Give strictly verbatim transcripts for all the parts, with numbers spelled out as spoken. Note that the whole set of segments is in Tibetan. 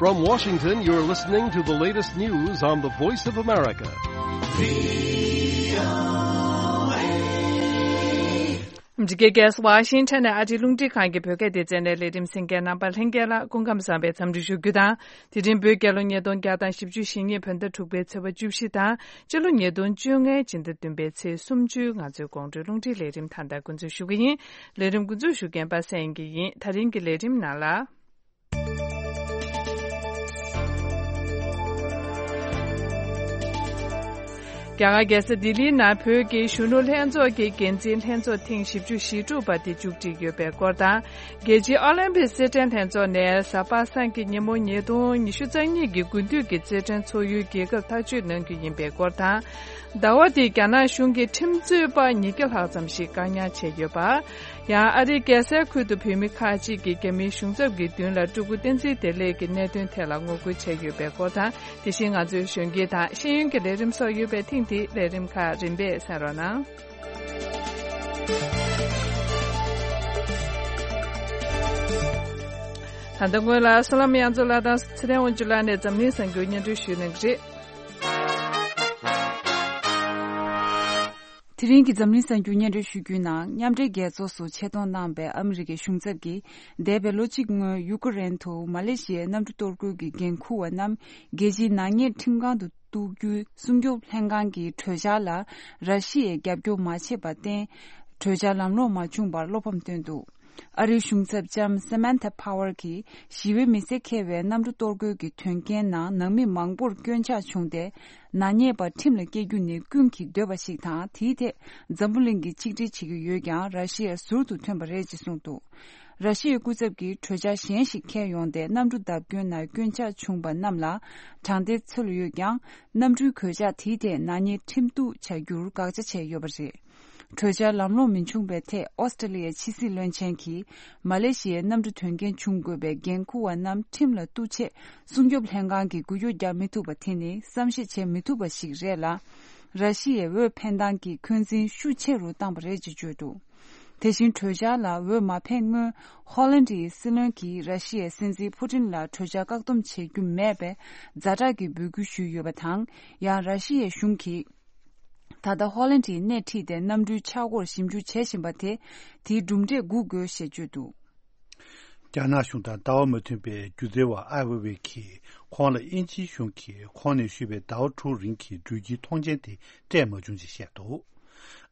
From Washington, you're listening to the latest news on the Voice of America. འདི་གའི་རྒྱལ་ས་ཝ་ཤིང་ཊོན་ནས་ཨ་རིའི་རླུང་འཕྲིན་ཁང་གི་བོད་སྐད་སྡེ་ཚན་ནས་ལས་རིམ་གསན་མཁན་རྣམ་པ་ལྷན་རྒྱས་ལ་སྐུ་ཁམས་བཟང་བའི་འཚམས་འདྲི་ཞུ་རྒྱུ་དང་། དེ་རིང་བོད་རྒྱལ་ལོ་ཉིས་སྟོང་བརྒྱ་དང་བཞི་བཅུ་ཞེ་གཉིས་བོད་ཟླ་དྲུག་པའི་ཚེས་པ་བཅུ་བཞི་དང་། སྤྱི་ལོ་ཉིས་སྟོང་བཅོ་ལྔའི་སྤྱི་ཟླ་བདུན་པའི་ཚེས་སུམ་ཅུ། ང་ཚོའི་དགོང་དྲོའི་རླུང་འཕྲིན་ལས་རིམ་ད་ལྟ་འགོ་འཛུགས་ཞུ་གི་ཡིན། ལས་རིམ་འགོ་འཛུགས་ཞུ་མཁན་པ་སངས་སྐྱིད་ཡིན། ད་རིང་གི་ལས་རིམ་ནང་ལ། རྒྱ་གར་རྒྱལ་ས་ལྡི་ལིའི་ནང་བོད་ཀྱི་གཞོན་ནུ་ལྷན་ཚོགས་ཀྱི་འགན་འཛིན་ལྷན་ཚོགས་ཐེངས་བཞི་བཅུ་ཞེ་དྲུག་པ་དེ་མཇུག་སྒྲིལ་ཡོད་པའི་སྐོར་དང་། རྒྱལ་སྤྱིའི་ཨོ་ལིམ་པིག་རྩེད་འགྲན་ལྷན་ཚོགས་ནས་གཟའ་པ་སངས་ཀྱི་ཉིན་མོ་ཉིས་སྟོང་ཉི་ཤུ་རྩ་གཉིས་ཀྱི་དགུན་དུས་ཀྱི་རྩེད་འགྲན་འཚོགས་ཡུལ་རྒྱལ་ཁབ་ཐག་གཅོད་གནང་རྒྱུ་ཡིན་པའི་སྐོར་དང་། ཟླ་བ་འདིའི་རྒྱ་ནག་གཞུང་གི་ཁྲིམས་རྩོད་པ་ཉིས་བརྒྱ་ལྷག་ཙམ་ཞིག་བཀག་ཉར་བྱས་ཡོད་པ། ཡང་ཨ་རིའི་རྒྱལ་སའི་ཁུལ་དུ་བོད་མི་ཁག་ཅིག་གིས་རྒྱ་མིའི་གཞུང་ཚབ་ཀྱི་མདུན་ལ་སྤྲུལ་སྐུ་བསྟན་འཛིན་བདེ་ལེགས་ཀྱི་གནད་དོན་ཐད་ལ་ངོ་རྒོལ་བྱས་ཡོད་པའི་སྐོར་དང་། དེ་བཞིན་ང་ཚོའི་གཞོན་སྐྱེས་དང་ཤེས་ཡོན་གྱི་ལས་རིམ་སོགས་ཡོད་པས། ཐེངས་འདིའི་ལས་རིམ་ཁག་རིམ་པས་གསན་རོགས་གནང་། ད་ལྟ་སྔོན་ལ་བསོད་ནམས་དབྱངས་མཚོ་ལགས་དང་ཚེ་བརྟན་དབང་ཕྱུག་ལགས་ནས་འཛམ་གླིང་གསར་འགྱུར་སྙན་སྒྲོན་ཞུས་གནང་གི་རེད། དེ་རིང་གི་འཛམ་གླིང་གསར་འགྱུར་སྙན་སྒྲོན་ཞུ་རྒྱུའི་ནང་། མཉམ་འབྲེལ་རྒྱལ་ཚོགས་སུ་ཆེད་གཏོང་གནང་པའི་ཨ་མི་རི་ཀའི་གཞུང་ཚབ་ཀྱིས་འདས་པའི་ལོ་གཅིག་སྔོན་ཡུ་ཀེ་རེན་དུ་མ་ལེ་ཤི་ཡའི་གནམ་གྲུ་གཏོར་རྒོལ་གྱི་འགན་འཁུར་བ་རྣམས་རྒྱལ་སྤྱིའི་ནག་ཉེས་ཁྲིམས་ཁང་དུ་གཏུག་རྒྱུའི་སྲུང་སྐྱོབ་ལྷན་ཁང་གི་གྲོས་འཆར་ལ་ར་ཤི་ཡས་རྒྱབ་སྐྱོར་མ་བྱས་པར་བརྟེན། གྲོས་འཆར་ལམ་ལྷོང་མ་བྱུང་བར་བློ་ཕམ་བཏོན་འདུག་ཨ་རིའི་གཞུང་ཚབ་ལྕམ་Samantha Power གྱིས་ཞི་བའི་མི་སེར་འཁེལ་བའི་གནམ་གྲུ་གཏོར་རྒོལ་གྱི་དོན་རྐྱེན་ནང་ནང་མི་མང་པོར་སྐྱོན་ཆག་བྱུང་སྟེ། ནག་ཉེས་པ་ཁྲིམས་ལ་བཀལ་རྒྱུ་ནི་ཀུན་གྱིས་འདོད་པ་ཞིག་དང་། དེའི་ཐད་འཛམ་བུ་གླིང་གིས་ཆིག་སྒྲིལ་བྱེད་ཀྱི་ཡོད་ཀྱང་། ར་ཤི་ཡ་ཟུར་དུ་ཐོན་པ་རེད་ཅེས་གསུངས་འདུག་ར་ཤི་ཡའི་སྐུ་ཚབ་ཀྱིས་གྲོས་འཆར་གཞན་ཞིག་འཁྱེར་ཡོང་སྟེ། གནམ་གྲུ་བརྡབ་སྐྱོན་ནང་སྐྱོན་ཆག་བྱུང་བ་རྣམས་ལ་དྲང་བདེན་འཚོལ་ཡོད་ཀྱང་། གནམ་གྲུའི་གོད་ཆག་དེའི་ཐད་ནག་ཉེས་ཁྲིམས་གཏུག་བྱ་རྒྱུར་དགག་བྱ་བྱས་ཡོད་པ་རེད། གྲོས་འཆར་ལམ་ལྷོང་མི་བྱུང་བའི་ཐད། ཨོ་སི་ཀྲི་ལི་ཡའི་ཕྱི་སྲིད་བློན་ཆེན་གྱིས། མ་ལེ་ཤི་ཡའི་གནམ་གྲུ་དོན་རྐྱེན་བྱུང་དགོས་པའི་འགན་འཁུར་བ་རྣམས་ཁྲིམས་ལ་གཏུག་ཆེད། སྲུང་སྐྱོབ་ལྷན་ཁང་གིས་འགུལ་སྐྱོད་རྒྱག་མི་ཐུབ་པ་དེ་ནི་བསམ་ཤེས་བྱེད་མི་ཐུབ་པ་ཞིག་རེད་ལ། ར་ཤི་ཡའི་འོས་འཕེན་སྟངས་ཀྱི་འཁོན་འཛིན་ཤུགས་ཆེ་རུ་བཏང་པ་རེད་ཅེས་བརྗོད་འདུག་དེ་བཞིན་གྲོས་འཆར་ལ་འོས་མ་འཕེན་སྔོན། ཧོ་ལན་ཌིའི་སྲིད་བློན་གྱིས་ར་ཤི་ཡའི་སྲིད་འཛིན་ཕུ་ཏིན་ལ་གྲོས་འཆར་བཀག་སྡོམ་བྱེད་རྒྱུ་མེད་པའི་ཛ་དྲག་གི་འབོད་སྐུལ་ཞུས་ཡོད་པ་དང་། ཡང་ར་ཤི་ཡའི་གཞུང་གིས། ད་ལྟ་ཧོ་ལན་ཌིའི་སྣེ་ཁྲིད་དེ་གནམ་གྲུའི་ཆག་སྒོར་ཞིབ་འཇུག་བྱེད་བཞིན་པ་དེ། དེའི་གྲུབ་འབྲས་སྒུག་དགོས་ཞེས་བརྗོད་འདུག་རྒྱ་ནག་གཞུང་དང་ལྟ་བ་མ་མཐུན་པའི་སྒྱུ་རྩལ་བ་ཨའི་ཝེ་ཝེ་གིས། ཁོང་ལ་དབྱིན་ཇིའི་གཞུང་གིས་ཁོང་ནས་ཞུས་པའི་ཟླ་བ་དྲུག་རིང་གི་འགྲུལ་སྐྱེལ་ཐོངས་མཆན་དེ་སྤྲད་མ་བྱུང་ཅེས་བཤད་འདུག་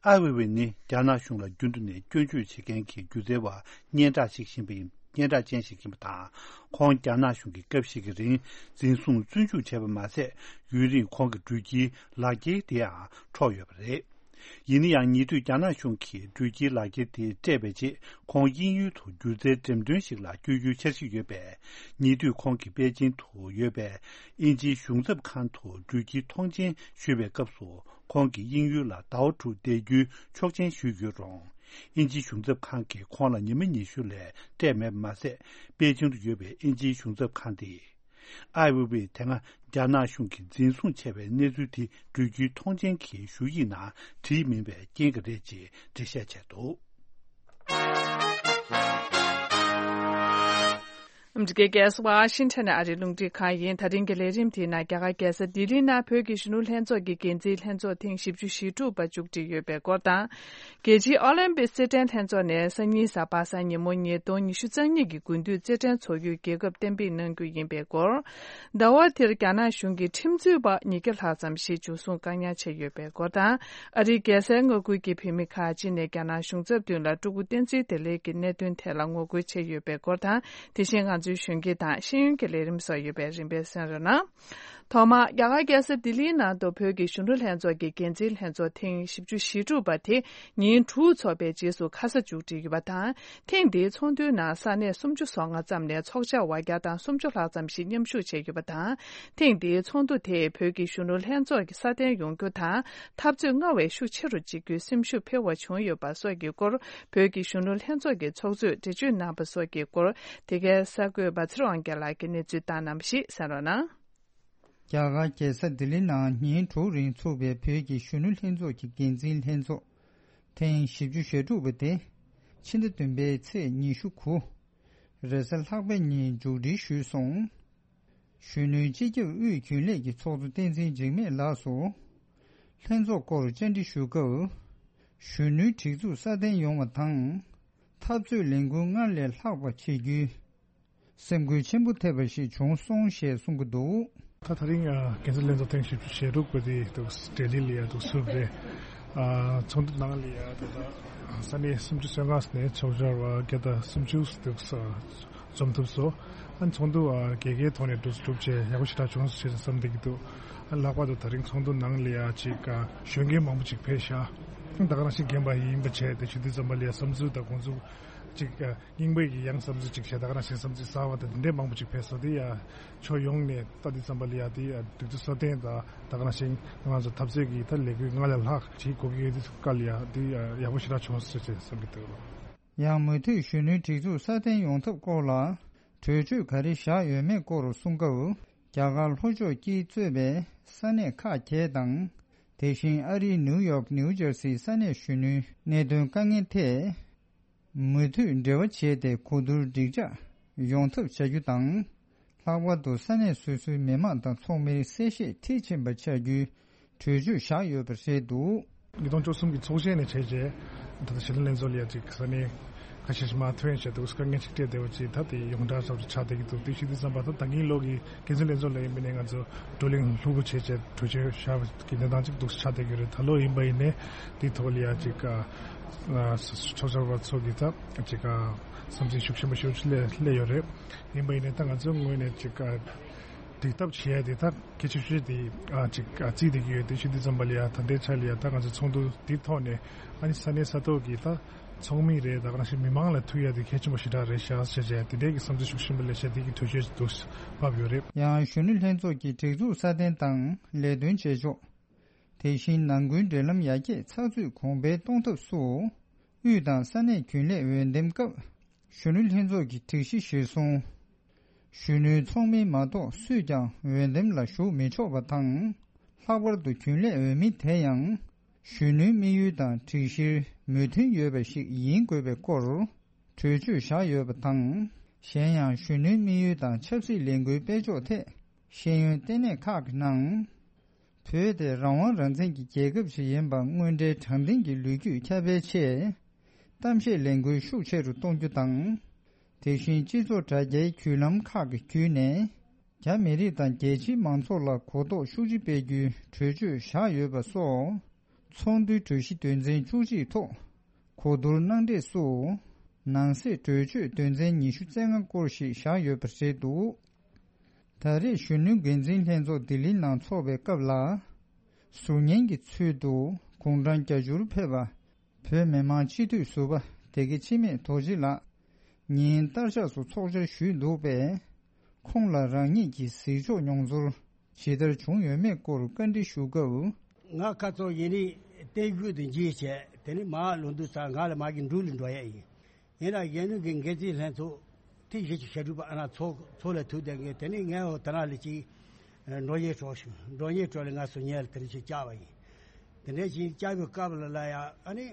ཨའི་ཝེ་ཝེ་ནི་རྒྱ་ནག་གཞུང་ལ་རྒྱུན་དུ་ནས་སྐྱོན་བརྗོད་བྱེད་མཁན་གྱི་སྒྱུ་རྩལ་བ་སྙན་གྲགས་ཤིག་ཡིན་པ་ཡིན། སྙན་གྲགས་ཅན་ཞིག་ཡིན་པ་དང་། ཁོང་རྒྱ་ནག་གཞུང་གི་སྐབས་ཤིག་གི་རིང་འཛིན་བཟུང་བཙོན་འཇུག་བྱས་པ་མ་ཟད། ཡུན་རིང་ཁོང་གི་འགྲུལ་སྐྱེལ་ལག་འཁྱེར་དེའང་འཕྲོག་ཡོད་པ་རེད། ཡིན་ན་ཡང་། ཉེ་དུས་རྒྱ་ནག་གཞུང་གིས་འགྲུལ་སྐྱེལ་ལག་འཁྱེར་དེ་སྤྲད་པའི་རྗེས། ཁོང་དབྱིན་ཡུལ་དུ་སྒྱུ་རྩལ་འགྲེམས་སྟོན་ཞིག་ལ་བསྐྱོད་རྒྱུའི་འཆར་གཞི་ཡོད་པས། ཉེ་དུས་ཁོང་གིས་པེ་ཅིང་དུ་ཡོད་པའི་དབྱིན་ཇིའི་གཞུང་ཚབ་ཁང་དུ་འགྲུལ་སྐྱེལ་ཐོངས་མཆན་ཞུས་པའི་སྐབས་སུ། ཁོང་གིས་དབྱིན་ཡུལ་ལ་ཟླ་བ་དྲུག་བསྡད་རྒྱུའི་ཆོག་མཆན་ཞུས་ཡོད་རུང་། དབྱིན་ཇིའི་གཞུང་ཚབ་ཁང་གིས་ཁོང་ལ་ཉི་མ་ཉི་ཤུ་ལས་སྤྲད་མེད་པ་མ་ཟད། པེ་ཅིང་དུ་ཡོད་པའི་དབྱིན་ཇིའི་གཞུང་ཚབ་ཁང་དེས། ཨའི་ཝེ་ཝེ་དེ་སྔ་རྒྱ་ནག་གཞུང་གིས་འཛིན་བཟུང་བྱས་པའི་གནས་ཚུལ་དེ་འགྲུལ་སྐྱེལ་ཐོངས་མཆན་གྱི་ཞུ་ཡིག་ནང་བྲིས་མིན་པའི་རྐྱེན་གྱིས་རེད་ཅེས་འགྲེལ་བཤད་བྱས་འདུག་ཨ་མི་རི་ཀའི་རྒྱལ་ས་ཝ་ཤིང་ཊོན་ནས་ཨ་རིའི་རླུང་འཕྲིན་ཁང་ཡིན། ད་རིང་གི་ལས་རིམ་དེའི་ནང་རྒྱ་གར་རྒྱལ་ས་ལྡི་ལིའི་ནང་བོད་ཀྱི་གཞོན་ནུ་ལྷན་ཚོགས་ཀྱི་འགན་འཛིན་ལྷན་ཚོགས་ཐེངས་བཞི་བཅུ་ཞེ་དྲུག་པ་མཇུག་སྒྲིལ་ཡོད་པའི་སྐོར་དང་། རྒྱལ་སྤྱིའི་ཨོ་ལིམ་པིག་རྩེད་འགྲན་ལྷན་ཚོགས་ནས་སང་ཉིན་གཟའ་པ་སངས་ཉིན་མོ་ཉིས་སྟོང་ཉི་ཤུ་རྩ་གཉིས་ཀྱི་དགུན་དུས་རྩེད་འགྲན་འཚོགས་ཡུལ་རྒྱལ་ཁབ་གཏན་འབེབས་གནང་རྒྱུ་ཡིན་པའི་སྐོར། ཟླ་བ་འདིར་རྒྱ་ནག་གཞུང་གིས་ཁྲིམས་རྩོད་པ་ཉིས་བརྒྱ་ལྷག་ཙམ་ཞིག་འཇུ་བཟུང་བཀག་ཉར་བྱས་ཡོད་པའི་སྐོར་དང་། ཨ་རིའི་རྒྱལ་སའི་མངའ་ཁུལ་གྱི་བོད་མི་ཁག་ཅིག་ནས་རྒྱ་ནག་གཞུང་ཚབ་མདུན་ལ་སྤྲུལ་སྐུ་བསྟན་འཛིན་བདེ་ལེགས་ཀྱི་གནད་དོན་ཐད་ལ་ངོ་རྒོལ་བྱས་ཡོད་པའི་སྐོར་དང་། དེ་བཞིན་ང་ཚོའི་གཞོན་སྐྱེས་དང་ཤེས་ཡོན་གྱི་ལས་རིམ་སོགས་ཡོད་པས། རིམ་པས་གསན་རོགས་གནང་། ཐོག་མར་རྒྱ་གར་རྒྱལ་ས་ལྡི་ལིའི་ནང་དུ་བོད་ཀྱི་གཞོན་ནུ་ལྷན་ཚོགས་ཀྱི་འགན་འཛིན་ལྷན་ཚོགས་ཐེངས་བཞི་བཅུ་ཞེ་དྲུག་པ་དེ་ཉིན་དྲུག་འཚོགས་པའི་རྗེས་སུ་ཁ་ས་མཇུག་སྒྲིལ་ཡོད་པ་དང་། ཐེངས་འདིའི་ཚོགས་འདུའི་ནང་ས་གནས་སུམ་ཅུ་སོ་ལྔ་ཙམ་ནས་ཚོགས་བཅར་བ་བརྒྱ་དང་སུམ་ཅུ་ལྷག་ཙམ་ཞིག་མཉམ་ཞུགས་བྱས་ཡོད་པ་དང་། ཐེངས་འདིའི་ཚོགས་འདུ་དེས་བོད་ཀྱི་གཞོན་ནུ་ལྷན་ཚོགས་ཀྱི་སྲ་བརྟན་ཡོང་རྒྱུ་དང་། འཐབ་རྩོད་སྔར་བས་ཤུགས་ཆེ་རུ་བྱེད་རྒྱུའི་སེམས་ཤུགས་འཕེལ་བ་བྱུང་ཡོད་པ་སོགས་ཀྱི་སྐོར། བོད་ཀྱི་གཞོན་ནུ་ལྷན་ཚོགས་ཀྱི་ཚོགས་གཙོས་འགྲེལ་བརྗོད་གནང་པ་སོགས་ཀྱི་སྐོར། དེ་གའི་གསར་འགོད་པ་ཚེ་རིང་དབང་རྒྱལ་ལགས་ཀྱིས་གནས་ཚུལ་བཏང་གནང་བ་ཞིག་གསན་རོགས་གནང་། རྒྱ་གར་རྒྱལ་ས་ལྡི་ལི་ནང་ཉིན་དྲུག་རིང་ཚུགས་པའི་བོད་ཀྱི་གཞོན་ནུ་ལྷན་ཚོགས་ཀྱི་འགན་འཛིན་ལྷན་ཚོགས་ཐེངས་བཞི་བཅུ་ཞེ་དྲུག་པ་དེ་ཕྱི་ཟླ་བདུན་པའི་ཚེས་ཉི་ཤུ་དགུ་རེས་གཟའ་ལྷག་པའི་ཉིན་མཇུག་སྒྲིལ་ཞུས་སོང་། གཞོན་ནུའི་སྤྱི་ཁྱབ་དབུས་རྒྱུན་ལས་ཀྱི་ཚོགས་གཙོ་བསྟན་འཛིན་འཇིགས་མེད་ལགས་སུ། ལྷན་ཚོགས་སྐོར་བཅར་འདྲི་ཞུ་སྐབས། གཞོན་ནུའི་སྒྲིག་འཛུགས་སྲ་བརྟན་ཡོང་བ་དང་། འཐབ་རྩོད་ལས་འགུལ་སྔར་ལས་ལྷག་པ་བྱེད་རྒྱུའི་སེམས་འགུལ་ཆེན་པོ་ཐེབས་པ་ཞིག་བྱུང་སོང་ཞེས་གསུང་གི་འདུག། ད་ད་རིང་ཨ་འགན་འཛིན་ལྷན་ཚོགས་ཐེངས་བཞི་བཅུ་ཞེ་དྲུག་པ་དེ་འདུག་ལྡི་ལི་ལ་ཡ་འདུག་ཚུགས་རེད། ཨ་ཚོགས་འདུ་ནང་ལ་ཡ་ད་ལྟ་ས་གནས་སུམ་ཅུ་སོ་ལྔ་ནས་ཚོགས་བཅར་བ་བརྒྱ་དང་སུམ་ཅུ་འདུག་འཛོམས་ཐུབ་སོང་། ཨ་ཚོགས་འདུ་ཨ་རྒྱལ་ཁའི་ཐོག་ནས་འགྲུབ་འགྲུབ་བྱས་ཡག་པོ་ཞེ་དྲག་བྱུང་སོང་ཞེས་བསམ་བསྡད་ཀྱི་འདུག། ཨ་ལྷག་པར་དུ་ད་རིང་ཚོགས་འདུ་ནང་ལ་ཡ་ཅིག་ཨ་གཞོན་སྐྱེས་མང་པོ་ཅིག་ཕེབས་ཤག། ད་ག་ནང་བཞིན་རྒན་པ་ཡིན་པ་བྱས་དེ་ཞུ་དུས་ཙམ་པ་ལ་ཡ་བསམ་ཚུལ་དང་དགོངས་ཚུལ་ཅིག་ཨ་རྙིང་པའི་གི་ཡང་བསམ་ཚུལ་ཅིག་བྱས། ད་ག་ནང་བཞིན་བསམ་ཚུལ་གསར་བ་དང་དེ་འདྲའི་མང་པོ་ཅིག་ཕེབས་སོང་། དེ་ཡ་ཕྱོགས་ཡོངས་ནས་ལྟ་དུས་ཙམ་པ་ལ་ཡ་དེ་ཡ་སྒྲིག་འཛུགས་སྲ་བརྟན་དང་ད་ག་ནང་བཞིན་ང་ཚོ་འཐབ་རྩོད་ཀྱི་ད་ལས་འགུལ་སྔར་ལས་ལྷག་ཅིག་གོ་གི་ཡོད་དུས་སྐབས་ལ་ཡ་དེ་ཡ་ཡག་པོ་ཞེ་དྲག་བྱུང་སོང་ཞེས་བསམ་གྱི་འདུག། ཡང་མུ་མཐུད་གཞོན་ནུའི་སྒྲིག་འཛུགས་སྲ་བརྟན་ཡོང་ཐབས་སྐོར་ལ་གྲོས་ཆོད་ག་རེ་བཞག་ཡོད་མེད་སྐོར་གསུང་སྐབས། རྒྱ་གར་ལྷོ་ཕྱོགས་དཀྱིལ་གཙོས་པའི་ས་གནས་ཁག་བརྒྱད་དང་། དེ་བཞིན་ཨ་རིའི་ནིའུ་ཡོག་ནིའུ་ཇར་སིའི་ས་གནས་གཞོན་ནུའི་གནད་དོན་དཀའ་ངལ་ཐད། མུ་མཐུད་འབྲེལ་བ་བྱས་ཏེ་གོ་བསྡུར་འགྲིག་འཇགས་ཡོང་ཐབས་བྱ་རྒྱུ་དང་། ལྷག་པར་དུ་ས་གནས་སོ་སོའི་མི་མང་དང་ཚོགས་མིར་གསལ་བཤད་མཐིལ་ཕྱིན་པ་བྱ་རྒྱུའི་གྲོས་ཆོད་བཞག་ཡོད་པ་རེད་འདུག། ཉིས་སྟོང་བཅུ་གསུམ་གྱི་ཚོགས་ཆེན་ནས་བྱས་རྗེས་ད་ལྟ་གཞིས་ལུས་ལྷན་ཚོགས་ལ་ཡ་ཅིག་ས་གནས་ཁ་ཤས་ཤིག་མར་ཐོན་བྱས་འདུག། དཀའ་ངལ་ཅིག་འཕྲད་བསྡད་པ་ཅིག་ད་དེ་ཡོངས་གྲགས་ཚབ་ཏུ་ཆགས་བསྡད་ཀྱི་འདུག། དེ་ཞུ་དུས་ཙམ་པ་ད་ད་གིན་ལོ་གི་འགན་འཛིན་ལྷན་ཚོགས་ལ་ཡིན་པ་ནས་ང་ཚོ་བགྲོ་གླེང་ལྷུག་པོ་བྱས་བྱས་གྲོས་ཆོད་བཞག་པ་གི་གནས་སྟངས་ཅིག་འདུག་ཆགས་བསྡད་ཀྱི་རེད། ད་ལོ་ཡིན་པ་ཡིན་ནའི་དེའི་ཐོག་ལ་ཡ་ཅིག་ཨ་ཚོགས་བཅར་བ་ཚོ་གི་ད་ཅིག་ཨ་བསམ་ཚུལ་ཤུགས་ཆེན་པོ་ཞེ་པོ་ཅིག་སླེབས་སླེབས་ཡོད་རེད། ཡིན་པ་ཡིན་ནའི་ད་ང་ཚོའི་ངོས་ནས་ཅིག་ཨ་འགྲིག་ཐབས་བྱས་ཏེ་ད་གལ་ཆེ་ཤོས་དེ་ཨ་ཅིག་ཨ་རྩིས་བསྡད་ཀྱི་ཡོད། དེ་ཞུ་དུས་ཙམ་པ་ལ་ཡ་ད་ལྟའི་ཆ་ལ་ཡ་ད་ང་ཚོ་ཚོགས་འདུ་འདིའི་ཐོག་ནས་ཨ་ནི་ས་གནས་ས་ཐོག་གི་ད་ཚོགས་མི་རེད། ད་ག་ནང་བཞིན་མི་མང་ལ་ཐུག་ཡ་དེ་གལ་ཆེན་པོ་ཞེ་དྲག་རེད་ཤག་ཟེར་བྱས་དེ་འདྲའི་གི་བསམ་ཚུལ་ཤུགས་ཆེན་པོ་སླེབས་བྱས་དེ་གི་གྲོས་ཆོད་འདུག་བབས་ཡོད་རེད། ཡང་གཞོན་ནུ་ལྷན་ཚོགས་ཀྱི་སྒྲིག་འཛུགས་སྲ་བརྟན་དང་ལས་དོན་བྱེད་ཕྱོགས། དེ་བཞིན་ནང་ཁུལ་འབྲེལ་ལམ་ཡར་རྒྱས་ཚགས་ཚུད་གོང་འཕེལ་གཏོང་ཐབས་སུ། དབུས་དང་ས་གནས་རྒྱུན་ལས་འོས་འདེམས་སྐབས། གཞོན་ནུ་ལྷན་ཚོགས་ཀྱི་སྒྲིག་གཞི་གཞིར་བཟུང་། གཞོན་ནུའི་ཚོགས་མི་མ་གཏོགས་སུས་ཀྱང་འོས་འདེམས་ལ་ཞུགས་མི་ཆོག་པ་དང་། ལྷག་པར་དུ་རྒྱུན་ལས་འོས་མི་དེ་ཡང་། གཞོན་ནུའི་དམིགས་ཡུལ་དང་སྒྲིག་གཞིར་མོས་མཐུན་ཡོད་པ་ཞིག་ཡིན་དགོས་པའི་སྐོར། གྲོས་ཆོད་བཞག་ཡོད་པ་དང་། གཞན་ཡང་གཞོན་ནུའི་དམིགས་ཡུལ་དང་ཆབ་སྲིད་ལས་འགུལ་སྤེལ་ཕྱོགས་ཐད། ཤེས་ཡོན་ལྟེ་གནས་ཁག་གི་ནང་། བོད་དེ་རང་དབང་རང་བཙན་གྱི་རྒྱལ་ཁབ་ཞིག་ཡིན་པ་དངོས་འབྲེལ་དྲང་བདེན་གྱི་ལོ་རྒྱུས་ཁྱབ་སྤེལ་ཆེད། གཏམ་བཤད་ལས་འགུལ་ཤུགས་ཆེ་རུ་གཏོང་རྒྱུ་དང་། དེ་བཞིན་སྤྱི་ཚོགས་དྲ་རྒྱའི་བརྒྱུད་ལམ་ཁག་གི་བརྒྱུད་ནས། རྒྱ་མི་རིགས་དང་རྒྱལ་སྤྱིའི་མང་ཚོགས་ལ་གོ་རྟོགས་ཤུགས་ཆེ་སྤེལ་རྒྱུའི་གྲོས་ཆོད་བཞག་ཡོད་པ་སོགས། ཚོགས་འདུའི་གྲོས་གཞི་དོན་ཚན་བཅུ་གཅིག་ཐོག་གོ་བསྡུར་གནང་འབྲས་སུ། ནང་གསེས་གྲོས་ཆོད་དོན་ཚན་ཉི་ཤུ་རྩ་ལྔ་སྐོར་ཞིག་བཞག་ཡོད་པ་རེད་འདུག། ད་རེས་གཞོན་ནུ་འགན་འཛིན་ལྷན་ཚོགས་ལྡི་ལི་ནང་འཚོགས་པའི་སྐབས་ལ། ཟུར་ཉན་གྱི་ཚུལ་དུ་དགུང་གྲངས་བརྒྱད་ཅུར་ཕེབས་པ། བོད་མི་མང་སྤྱི་འཐུས་ཟུར་པ་སྡེ་དགེ་འཆི་མེད་རྡོ་རྗེ་ལགས་ཉིན་ལྟར་ཆགས་སུ་ཚོགས་བཅར་ཞུས་འདུག་པས། ཁོང་ལ་རང་ཉིད་ཀྱི་གཟིགས་ཕྱོགས་མྱོང་ཚོར་ཇི་ལྟར་བྱུང་ཡོད་མེད་སྐོར་བཀའ་འདྲི་ཞུ་སྐབས། ང་ཁ་ཚོ་ཡིན་རིང་བསྟན་རྒྱུ་དེ་འཇིགས་བྱས་དེ་ནི་མ་ལོ་འདུག་ས་ང་ལ་མ་གི་འབྲུག་ལ་འགྲོ་ཡ་ཡིན། ཡིན་ན་གཞོན་ནུ་གི་འགན་འཛིན་ལྷན་ཚོགས་ཐེངས་བཞི་བཅུ་ཞེ་དྲུག་པ་ཨ་ན་ཚོགས་ཚོགས་ལ་ཐུག་བསྡད་མཁན་དེ་ནི་ངས་འོ་ད་ན་ལ་ཅིག་འགྲོ་ཉེས་གྲོགས་ཤིག་འགྲོ་ཉེས་གྲོགས་ལ་ང་སུ་ཉལ་དེ་རིང་ཞིག་བཅར་བ་ཡིན། དེ་འདྲ་ཞིག་བཅར་བའི་སྐབས་ལ་ལ་ཡ་ཨ་ནི་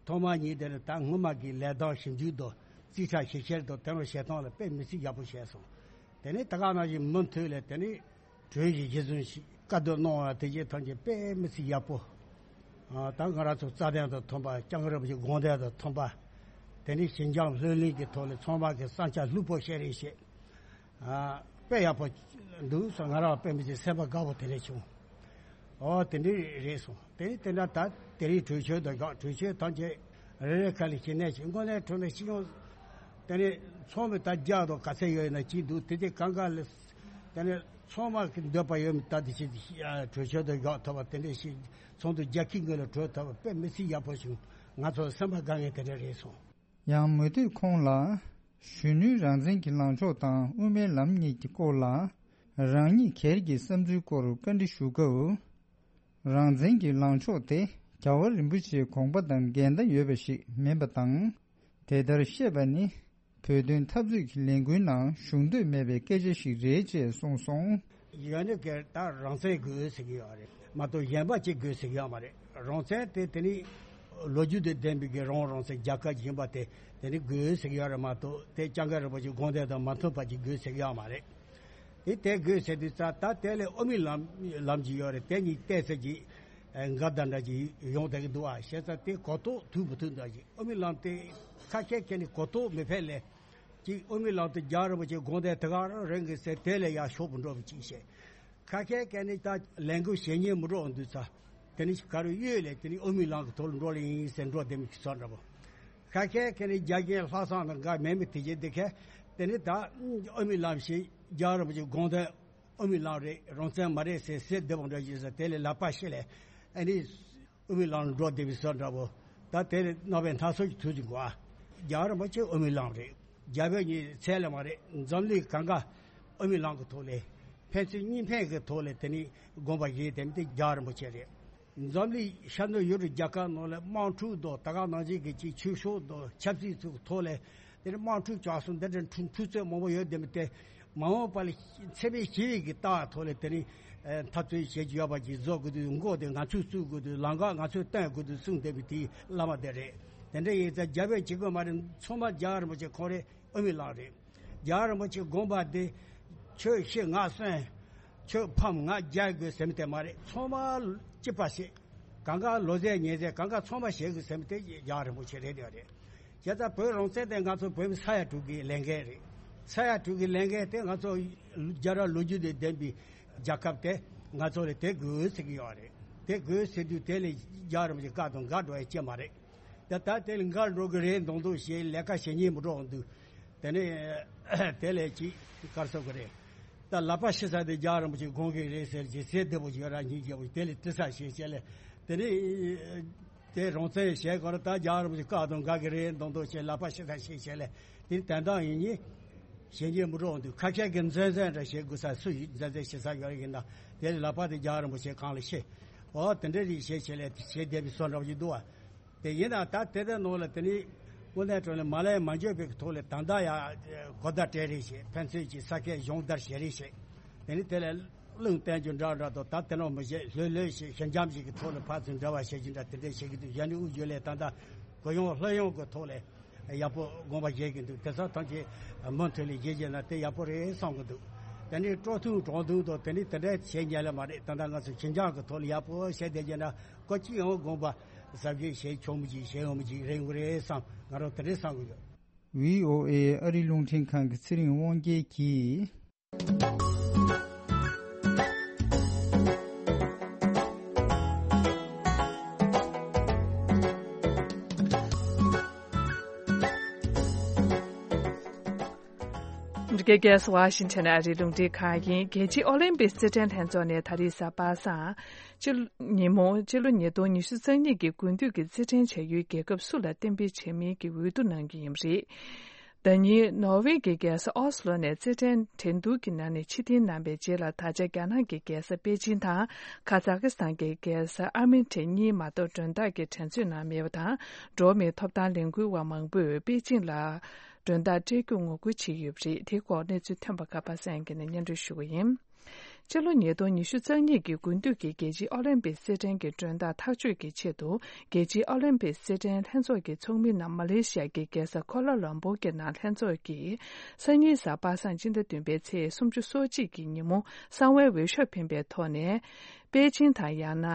ཐོག་མ་ཉིད་དེ་ལ་ད་སྔོན་མ་གི་ལས་དོན་ཞིབ་འཇུག་དང་རྩིས་ཁྲ་ཞིབ་བཤེར་དང་དེ་རུ་བྱེད་སྟངས་ལ་དཔེ་མི་སྲིད་ཡག་པོ་བྱས་སོང་། དེ་ནས་ད་ག་ནང་བཞིན་མུ་མཐུད་ལས་དེ་ནས་གྲོས་གཞི་གཞི་བཟུང་ཞིག་བཀའ་བསྡུར་གནང་བ་དེ་རྗེས་ཐམས་ཅད་དཔེ་མི་སྲིད་ཡག་པོ། ཨ་ད་ང་རང་ཚོ་རྩ་དོན་དང་མཐུན་པ་སྐྱབས་མགོན་རིན་པོ་ཆེའི་དགོངས་དོན་དང་མཐུན་པ། དེ་ནས་ཞི་འཇམ་ལྷོད་ལྷིང་གི་ཐོག་ལ་ཚང་མ་གི་བསམ་འཆར་ལྷུག་པོ་བཤད་རེས་བྱས། ཨ་དཔེ་ཡག་པོ་འདུག་སོང་། ང་རང་དཔེ་མི་སྲིད་སེམས་པ་དགའ་པོ་དེ་འདྲ་བྱུང་། ཨོ་དེ་འདྲ་རེད་སོང་། དེ་ནས་དེ་འདྲ་ད་དེ་རིང་གྲོས་ཆོད་དང་བཞག་གྲོས་ཆོད་ཐམས་ཅད་རེ་རེ་ཁ་ལ་ཞི་གནས་ཀྱི་དངོས་གནས་དྲང་གནས་སྤྱི་ཡོངས། དེ་ནས་ཚང་མས་ད་རྒྱག་དང་ག་ཚད་ཡོད་ན་ཅི་འདུག་དེ་དེ་གང་ག་ལ། དེ་ནས་ཚང་མ་གི་འདོད་པ་ཡོད་མི་ད་དེ་ཞིག་གྲོས་ཆོད་དུ་བཞག་ཐུབ་པ་དེ་འདྲ་ཞིག་ཚོགས་འདུ་རྒྱ་ཁྱི་ངོས་ལ་གྲོས་ཐུབ་པ་དཔེ་མི་སྲིད་ཡག་པོ་བྱུང་། ང་ཚོ་སེམས་པ་དགའ་ངེས་དེ་འདྲ་རེད་སོང་། ཡང་མུ་མཐུད་ཁོང་ལ་གཞོན་ནུའི་རང་བཙན་གྱི་ལངས་ཕྱོགས་དང་དབུ་མའི་ལམ་གཉིས་ཀྱི་སྐོར་ལ་རང་ཉིད་སྒེར་གྱི་བསམ་ཚུལ་སྐོར་བཀའ་འདྲི་ཞུ་སྐབས། རང་བཙན་གྱི་ལངས་ཕྱོགས་དེ་རྒྱལ་བ་རིན་པོ་ཆེའི་དགོངས་པ་དང་འགལ་ཟླ་ཡོད་པ་ཞིག་མིན་པ་དང་། དེ་ལྟར་བཤད་པ་ནི་བོད་དོན་འཐབ་རྩོད་ཀྱི་ལས་འགུལ་ནང་ཞུགས་འདོད་མེད་པའི་སྐད་ཆ་ཞིག་རེད་ཅེས་གསུངས་སོང་། གཞོན་ནུ་སྒེར་ད་རང་བཙན་དགོས་ཟེར་གྱི་ཡོད་རེད་མ་གཏོགས་གཞན་པ་ཅིག་དགོས་ཟེར་གྱི་ཡོད་མ་རེད། རང་བཙན་དེ་དེ་ནི་ལོ་རྒྱུས་དང་ལྡན་པའི་གི་རང་རང་བཙན་རྒྱལ་ཁབ་ཡིན་པ་དེ་དེ་ནི་དགོས་ཟེར་གྱི་ཡོད་རེད་མ་གཏོགས་དེ་སྐྱབས་མགོན་རིན་པོ་ཆེའི་དགོངས་དོན་དང་མ་མཐུན་པ་ཅིག་དགོས་ཟེར་གྱི་ཡོད་མ་རེད། དེ་དེ་དགོས་ཟེར་དུས་ཙང་ད་དེ་ལས་དབུ་མའི་ལམ་ལམ་གྱི་ཡོད་རེད། དེ་གཉིས་བལྟས་ཚེ་གྱི་འགལ་ཟླ་འདྲ་གྱི་ཡོང་བསྡད་ཀྱི་འདུག་ཨ། བྱས་ཙང་དེ་གོ་རྟོགས་ཐུབ་མི་ཐུབ་འདྲ་གྱི་དབུ་མའི་ལམ་དེ་ཁ་ཤས་ཀྱིས་ནི་གོ་རྟོགས་མི་འཕེལ་ལས་ཀྱི་དབུ་མའི་ལམ་དེ་རྒྱལ་བ་རིན་པོ་ཆེ་དགོངས་དོན་དེ་ག་རང་རེད་གི་ཟེར་དེ་ལས་ཡར་ཤོག་པོ་འགྲོ་བའི་ཅིག་བཤད། ཁ་ཤས་ཀྱིས་ནི་ད་ལས་འགུལ་བྱེད་སྙིང་མི་འདོད་འདུག་ཙང་། དེ་ནི་ག་རུ་གཡོལ་ལས་དེ་ནི་དབུ་མའི་ལམ་གྱི་ཐོག་ལ་འགྲོ་ལེ་ཡིན་ཟེར་འགྲོ་བསྡད་མི་ཚོ་འདྲ་པོ། ཁ་ཤས་ཀྱིས་ནི་རྒྱ་རྒན་ལྷག་བསམ་དང་འགའ་མེད་མི་དེ་བྱེད་དེ་ཁས་དེ་ནི་ད་དབུ་མའི་ལམ་ཞིག་རྒྱལ་བ་རིན་པོ་ཆེའི་དགོངས་དོན་དབུ་མའི་ལམ་རེད། རང་བཙན་མ་རེད་ཟེར་ཟེར་བསྡད་པ་འདྲ་ཡིན་ཟེར། དེ་ལས་ལག་པ་ཤེ་ལས་ཨ་ནི་དབུ་མའི་ལམ་ལ་འགྲོ་བསྡད་པའི་བཟོ་འདྲ་པོ། ད་དེ་ལས་རྣམ་པའི་སྣ་ཚོགས་ཀྱི་དུས་ཀྱི་འགོ་ཨ། རྒྱལ་བ་རིན་པོ་ཆེ་དབུ་མའི་ལམ་རེད། རྒྱ་བོད་གཉིས་ཚད་ལས་མ་རེད། འཛམ་གླིང་གང་ག་དབུ་མའི་ལམ་གྱི་ཐོག་ལས་ཕན་ཚུན་གཉིས་ཕན་གྱི་ཐོག་ལས་དེ་ནི་དགོངས་པ་བཞེས་དེ་ནི་དེ་རྒྱལ་བ་རིན་པོ་ཆེ་རེད། འཛམ་གླིང་ཤར་ནུབ་ཡུ་རོབ་རྒྱལ་ཁབ་ནང་ལ་དམག་འཁྲུག་དང་ད་ག་ནང་བཞིན་གྱི་ཅིག་ཆོས་ཕྱོགས་དང་ཆབ་སྲིད་ཚོའི་ཐོག་ལས་དེ་ནི་དམག་འཁྲུག་བྱུང་སོང་། འདི་འདྲ་འཁྲུག་འཁྲུག་རྩོད་མང་པོ་ཡོད་བསྡད་མི་དེ་མ་འོངས་པ་ལ་འཚེ་མེད་ཞི་བའི་གི་ལྟ་བ་ཐོག་ལས་དེ་ནི་འཐབ་རྩོད་བྱེད་རྒྱུ་ཡོད་པ་ཅིག་བཟོ་དགོས་དུས་མགོ་དེ་ང་ཚོས་བཙུགས་དགོས་དུས་ལམ་ཁ་ང་ཚོས་སྟོན་དགོས་དུས་གསུངས་བསྡད་པའི་དེའི་བླ་མ་དེ་རེད། དེ་འདྲ་ཡིན་ཙང་རྒྱ་བོད་གཅིག་པུ་མ་རེད། ཚང་མ་རྒྱལ་བ་རིན་པོ་ཆེ་ཁོང་རེད། དབུ་མའི་ལམ་རེད། རྒྱལ་བ་རིན་པོ་ཆེའི་དགོངས་པ་དེ་ཁྱོད་ཤི་ང་གསོན། ཁྱོད་ཕམ་ང་རྒྱལ་དགོས་ཟེར་མི་དེ་མ་རེད། ཚང་མ་གཅིག་པ་ཞིག་གང་ག་ལོ་ཟས་ཉལ་ཟས་གང་ག་ཚང་མ་བྱེད་དགོས་ཟེར་མི་དེ་རྒྱལ་བ་རིན་པོ་ཆེ་རེད་དེ་རེད། བྱས་ཙང་བོད་རང་བཙན་དེ་ང་ཚོ་བོད་མི་ས་ཡ་དྲུག་གི་ལས་འགན་རེད། ས་ཡ་དྲུག་གི་ལས་འགན་དེ་ང་ཚོ་རྒྱལ་རབས་ལོ་རྒྱུས་དང་ལྡན་པའི་རྒྱལ་ཁབ་དེ་ང་ཚོ་ལ་དེ་དགོས་ཟེར་གྱི་ཡོད་རེད། དེ་དགོས་ཟེར་དུས་དེ་ལས་རྒྱལ་བ་རིན་པོ་ཆེ་བཀའ་དང་འགལ་འགྲོ་ཡ་ཅི་མ་རེད། ད་ལྟ་དེ་ལ་འགལ་འགྲོ་གི་རེད་མདོག་མདོག་བྱས། ལས་ཀ་བྱེད་སྙིང་མི་འདོད་འདུག་དེ་ནས་དེ་ལས་ཅིག་ག་རེ་ཟེར་དགོས་རེད། ད་ལག་པ་ཤི་ས་དེ་རྒྱལ་བ་རིན་པོ་ཆེ་དགོངས་ཀྱི་རེད་ཟེར་གྱི་ཟེར་བདེ་པོ་ཞིག་རང་ཉིད་རྒྱལ་པོ་དེ་ལས་དྲི་ས་ཞེས་བྱས་ལས། དེ་ནས་དེ་རང་བཙན་བྱས་གོ་ར། ད་རྒྱལ་བ་རིན་པོ་ཆེ་བཀའ་དང་འགལ་གྱི་རེད་མདོག་མདོག་བྱས། ལག་པ་ཤི་ས་ཞེས་བྱས་ལས། དེ་དོན་དག་ཡིན་ཉིན་བྱེད་སྙིང་མི་འདོད་འདུག་ཁ་ཤས་ཀྱིས་མཛེས་མཛེས་འདྲ་བྱེད་དགོས་ས། སུ་ཡིས་མཛེས་མཛེས་བྱེད་ས་ཡོད་ཡིན་ན་དེ་ལས་ལག་པ་དེ་རྒྱལ་བ་རིན་པོ་ཆེ་གང་ལ་ཤི། འོ་དེ་འདྲ་རིགས་བྱས་བྱས་ལས་བྱེད་བསྡད་པའི་བཟོ་འདྲ་བོ་ཞིག་འདུག་བ། དེ་ཡིན་ན་ད་དེ་ལྟར་ནང་ལ་དེ་ནི་དངོས་གནས་དྲང་གནས་མ་ལས་མ་འཇོག་པའི་ཐོག་ལ་ད་ལྟ་ཡང་གོ་བརྡ་སྤྲད་རེས་བྱེད། ཕན་ཚུན་གྱི་ས་ཁད་སྦྱོང་བརྡར་བྱེད་རེས་བྱེད། དེ་ནི་དེ་ལ་རླུང་བསྟན་རྒྱུ་འདྲ་འདྲ་དང་ད་དེ་ནང་མི་བྱེད་ལྷོད་ལྷོད་བྱེད་ཞི་འཇམ་ཞིག་གི་ཐོག་ལ་ཕར་ཚུར་འབྲེལ་བ་བྱེད་ཀྱི་འདྲ་དེ་འདྲ་བྱེད་ཀྱི་འདུག་གཞན་ནི་དབུས་རྒྱུན་ལས་ད་ལྟ་གུ་ཡངས་ལྷོད་ཡངས་ཀྱི་ཐོག་ལ་ཡག་པོ་དགོངས་པ་བཞེས་ཀྱི་འདུག་དེ་ཚོ་ཐམས་ཅད་མུ་མཐུད་ལ་བཞེས་བཞེས་ན་དེ་ཡག་པོ་རེད་བསམ་གྱི་འདུག་དེ་ནི་སྤྲོ་ཐུང་དྲང་ཐུང་དང་དེ་ནི་དེ་འདྲ་བྱེད་ཉན་ལ་མ་རེད། ད་ལྟ་ང་ཚོ་ཞི་འཇམ་གྱི་ཐོག་ལ་ཡག་པོ་བྱས་བསྡད་རྒྱུ་ན། ཀོ་ཅི་ཡང་དགོངས་པ་གཟབ་རྒྱས་བྱེད་ཆོག་མི་ཅིག་བྱེད་ཡོང་མི་ཅིག་རེད་འགོ་རེད་བསམ། ང་རང་དེ་འདྲས་བསམ་གི་ཡོད། བྷི་ཨོ་ཨེ་ཨ་རི་རླུང་འཕྲིན་ཁང་གི་ཚེ་རིང་དབང་རྒྱལ་གྱིས། འདི་གའི་རྒྱལ་ས་ཝ་ཤིང་ཊོན་ཨ་རིའི་རླུང་འཕྲིན་ཁང་ཡིན། རྒྱལ་སྤྱིའི་ཨོ་ལིམ་པིག་རྩེད་འགྲན་ལྷན་ཚོགས་ནས་ད་རེས་གཟའ་པ་སངས། སྤྱི་ལོ་ཉིན་མོ་སྤྱི་ལོ་ཉིས་སྟོང་ཉི་ཤུ་རྩ་གཉིས་ཀྱི་དགུན་དུས་ཀྱི་རྩེད་འགྲན་བྱ་ཡུལ་རྒྱལ་ཁབ་སུ་ལ་གཏན་འབེབས་བྱེད་མིན་གྱི་འོས་བསྡུ་གནང་རྒྱུ་ཡིན་པ་རེད། ཟླ་ཉིན་ནོར་ཝེ་གྱི་རྒྱལ་ས་ཨོ་སི་ལོ་ནས་རྩེད་འགྲན་འགྲན་བསྡུར་གྱི་ནང་ནས་ཕྱིར་འཐེན་གནང་བའི་རྗེས་ལ། ད་ཆ་རྒྱ་ནག་གི་རྒྱལ་ས་པེ་ཅིང་དང་ཁ་ཛ་ཀི་སི་ཐན་གྱི་རྒྱལ་ས་ཨ་མན་ཊི་གཉིས་མ་གཏོགས་མགྲོན་བདག་གི་འགྲན་རྩོད་ནང་མེད་པ་དང་། འགྲོ་བ་མིའི་ཐོབ་ཐང་ལས་འགུལ་བ་མང་པོས་པེ་ཅིང་ལ་མགྲོན་བདག་སྤྲད་རྒྱུ་ངོ་རྒོལ་བྱས་ཡོད་པ་རེད། དེའི་སྐོར་གནས་ཚུལ་ཐོན་པ་ཁ་པ་སངས་སྐྱིད་ནས་སྙན་སྒྲོན་ཞུ་གི་ཡིན། སྤྱི་ལོ་ཉིས་སྟོང་ཉི་ཤུ་རྩ་གཉིས་ཀྱི་དགུན་དུས་ཀྱི་རྒྱལ་སྤྱིའི་ཨོ་ལིམ་པིག་རྩེད་འགྲན་གྱི་མགྲོན་བདག་ཐག་གཅོད་ཀྱི་ཆེད་དུ། རྒྱལ་སྤྱིའི་ཨོ་ལིམ་པིག་རྩེད་འགྲན་ལྷན་ཚོགས་ཀྱི་ཚོགས་མི་རྣམས་མ་ལེ་ཤི་ཡ་གི་རྒྱལ་ས་ཀོ་ལ་ལམ་པུར་གྱི་ནང་ལྷན་ཚོགས་ཀྱིས་སང་ཉིན་གཟའ་པ་སངས་སྤྱི་ཟླ་བདུན་པའི་ཚེས་སུམ་ཅུ་སོ་གཅིག་གི་ཉིན་མོ་གསང་བའི་འོས་ཤོག་འཕེན་པའི་ཐོག་ནས། པེ་ཅིང་དང་ཡང་ན་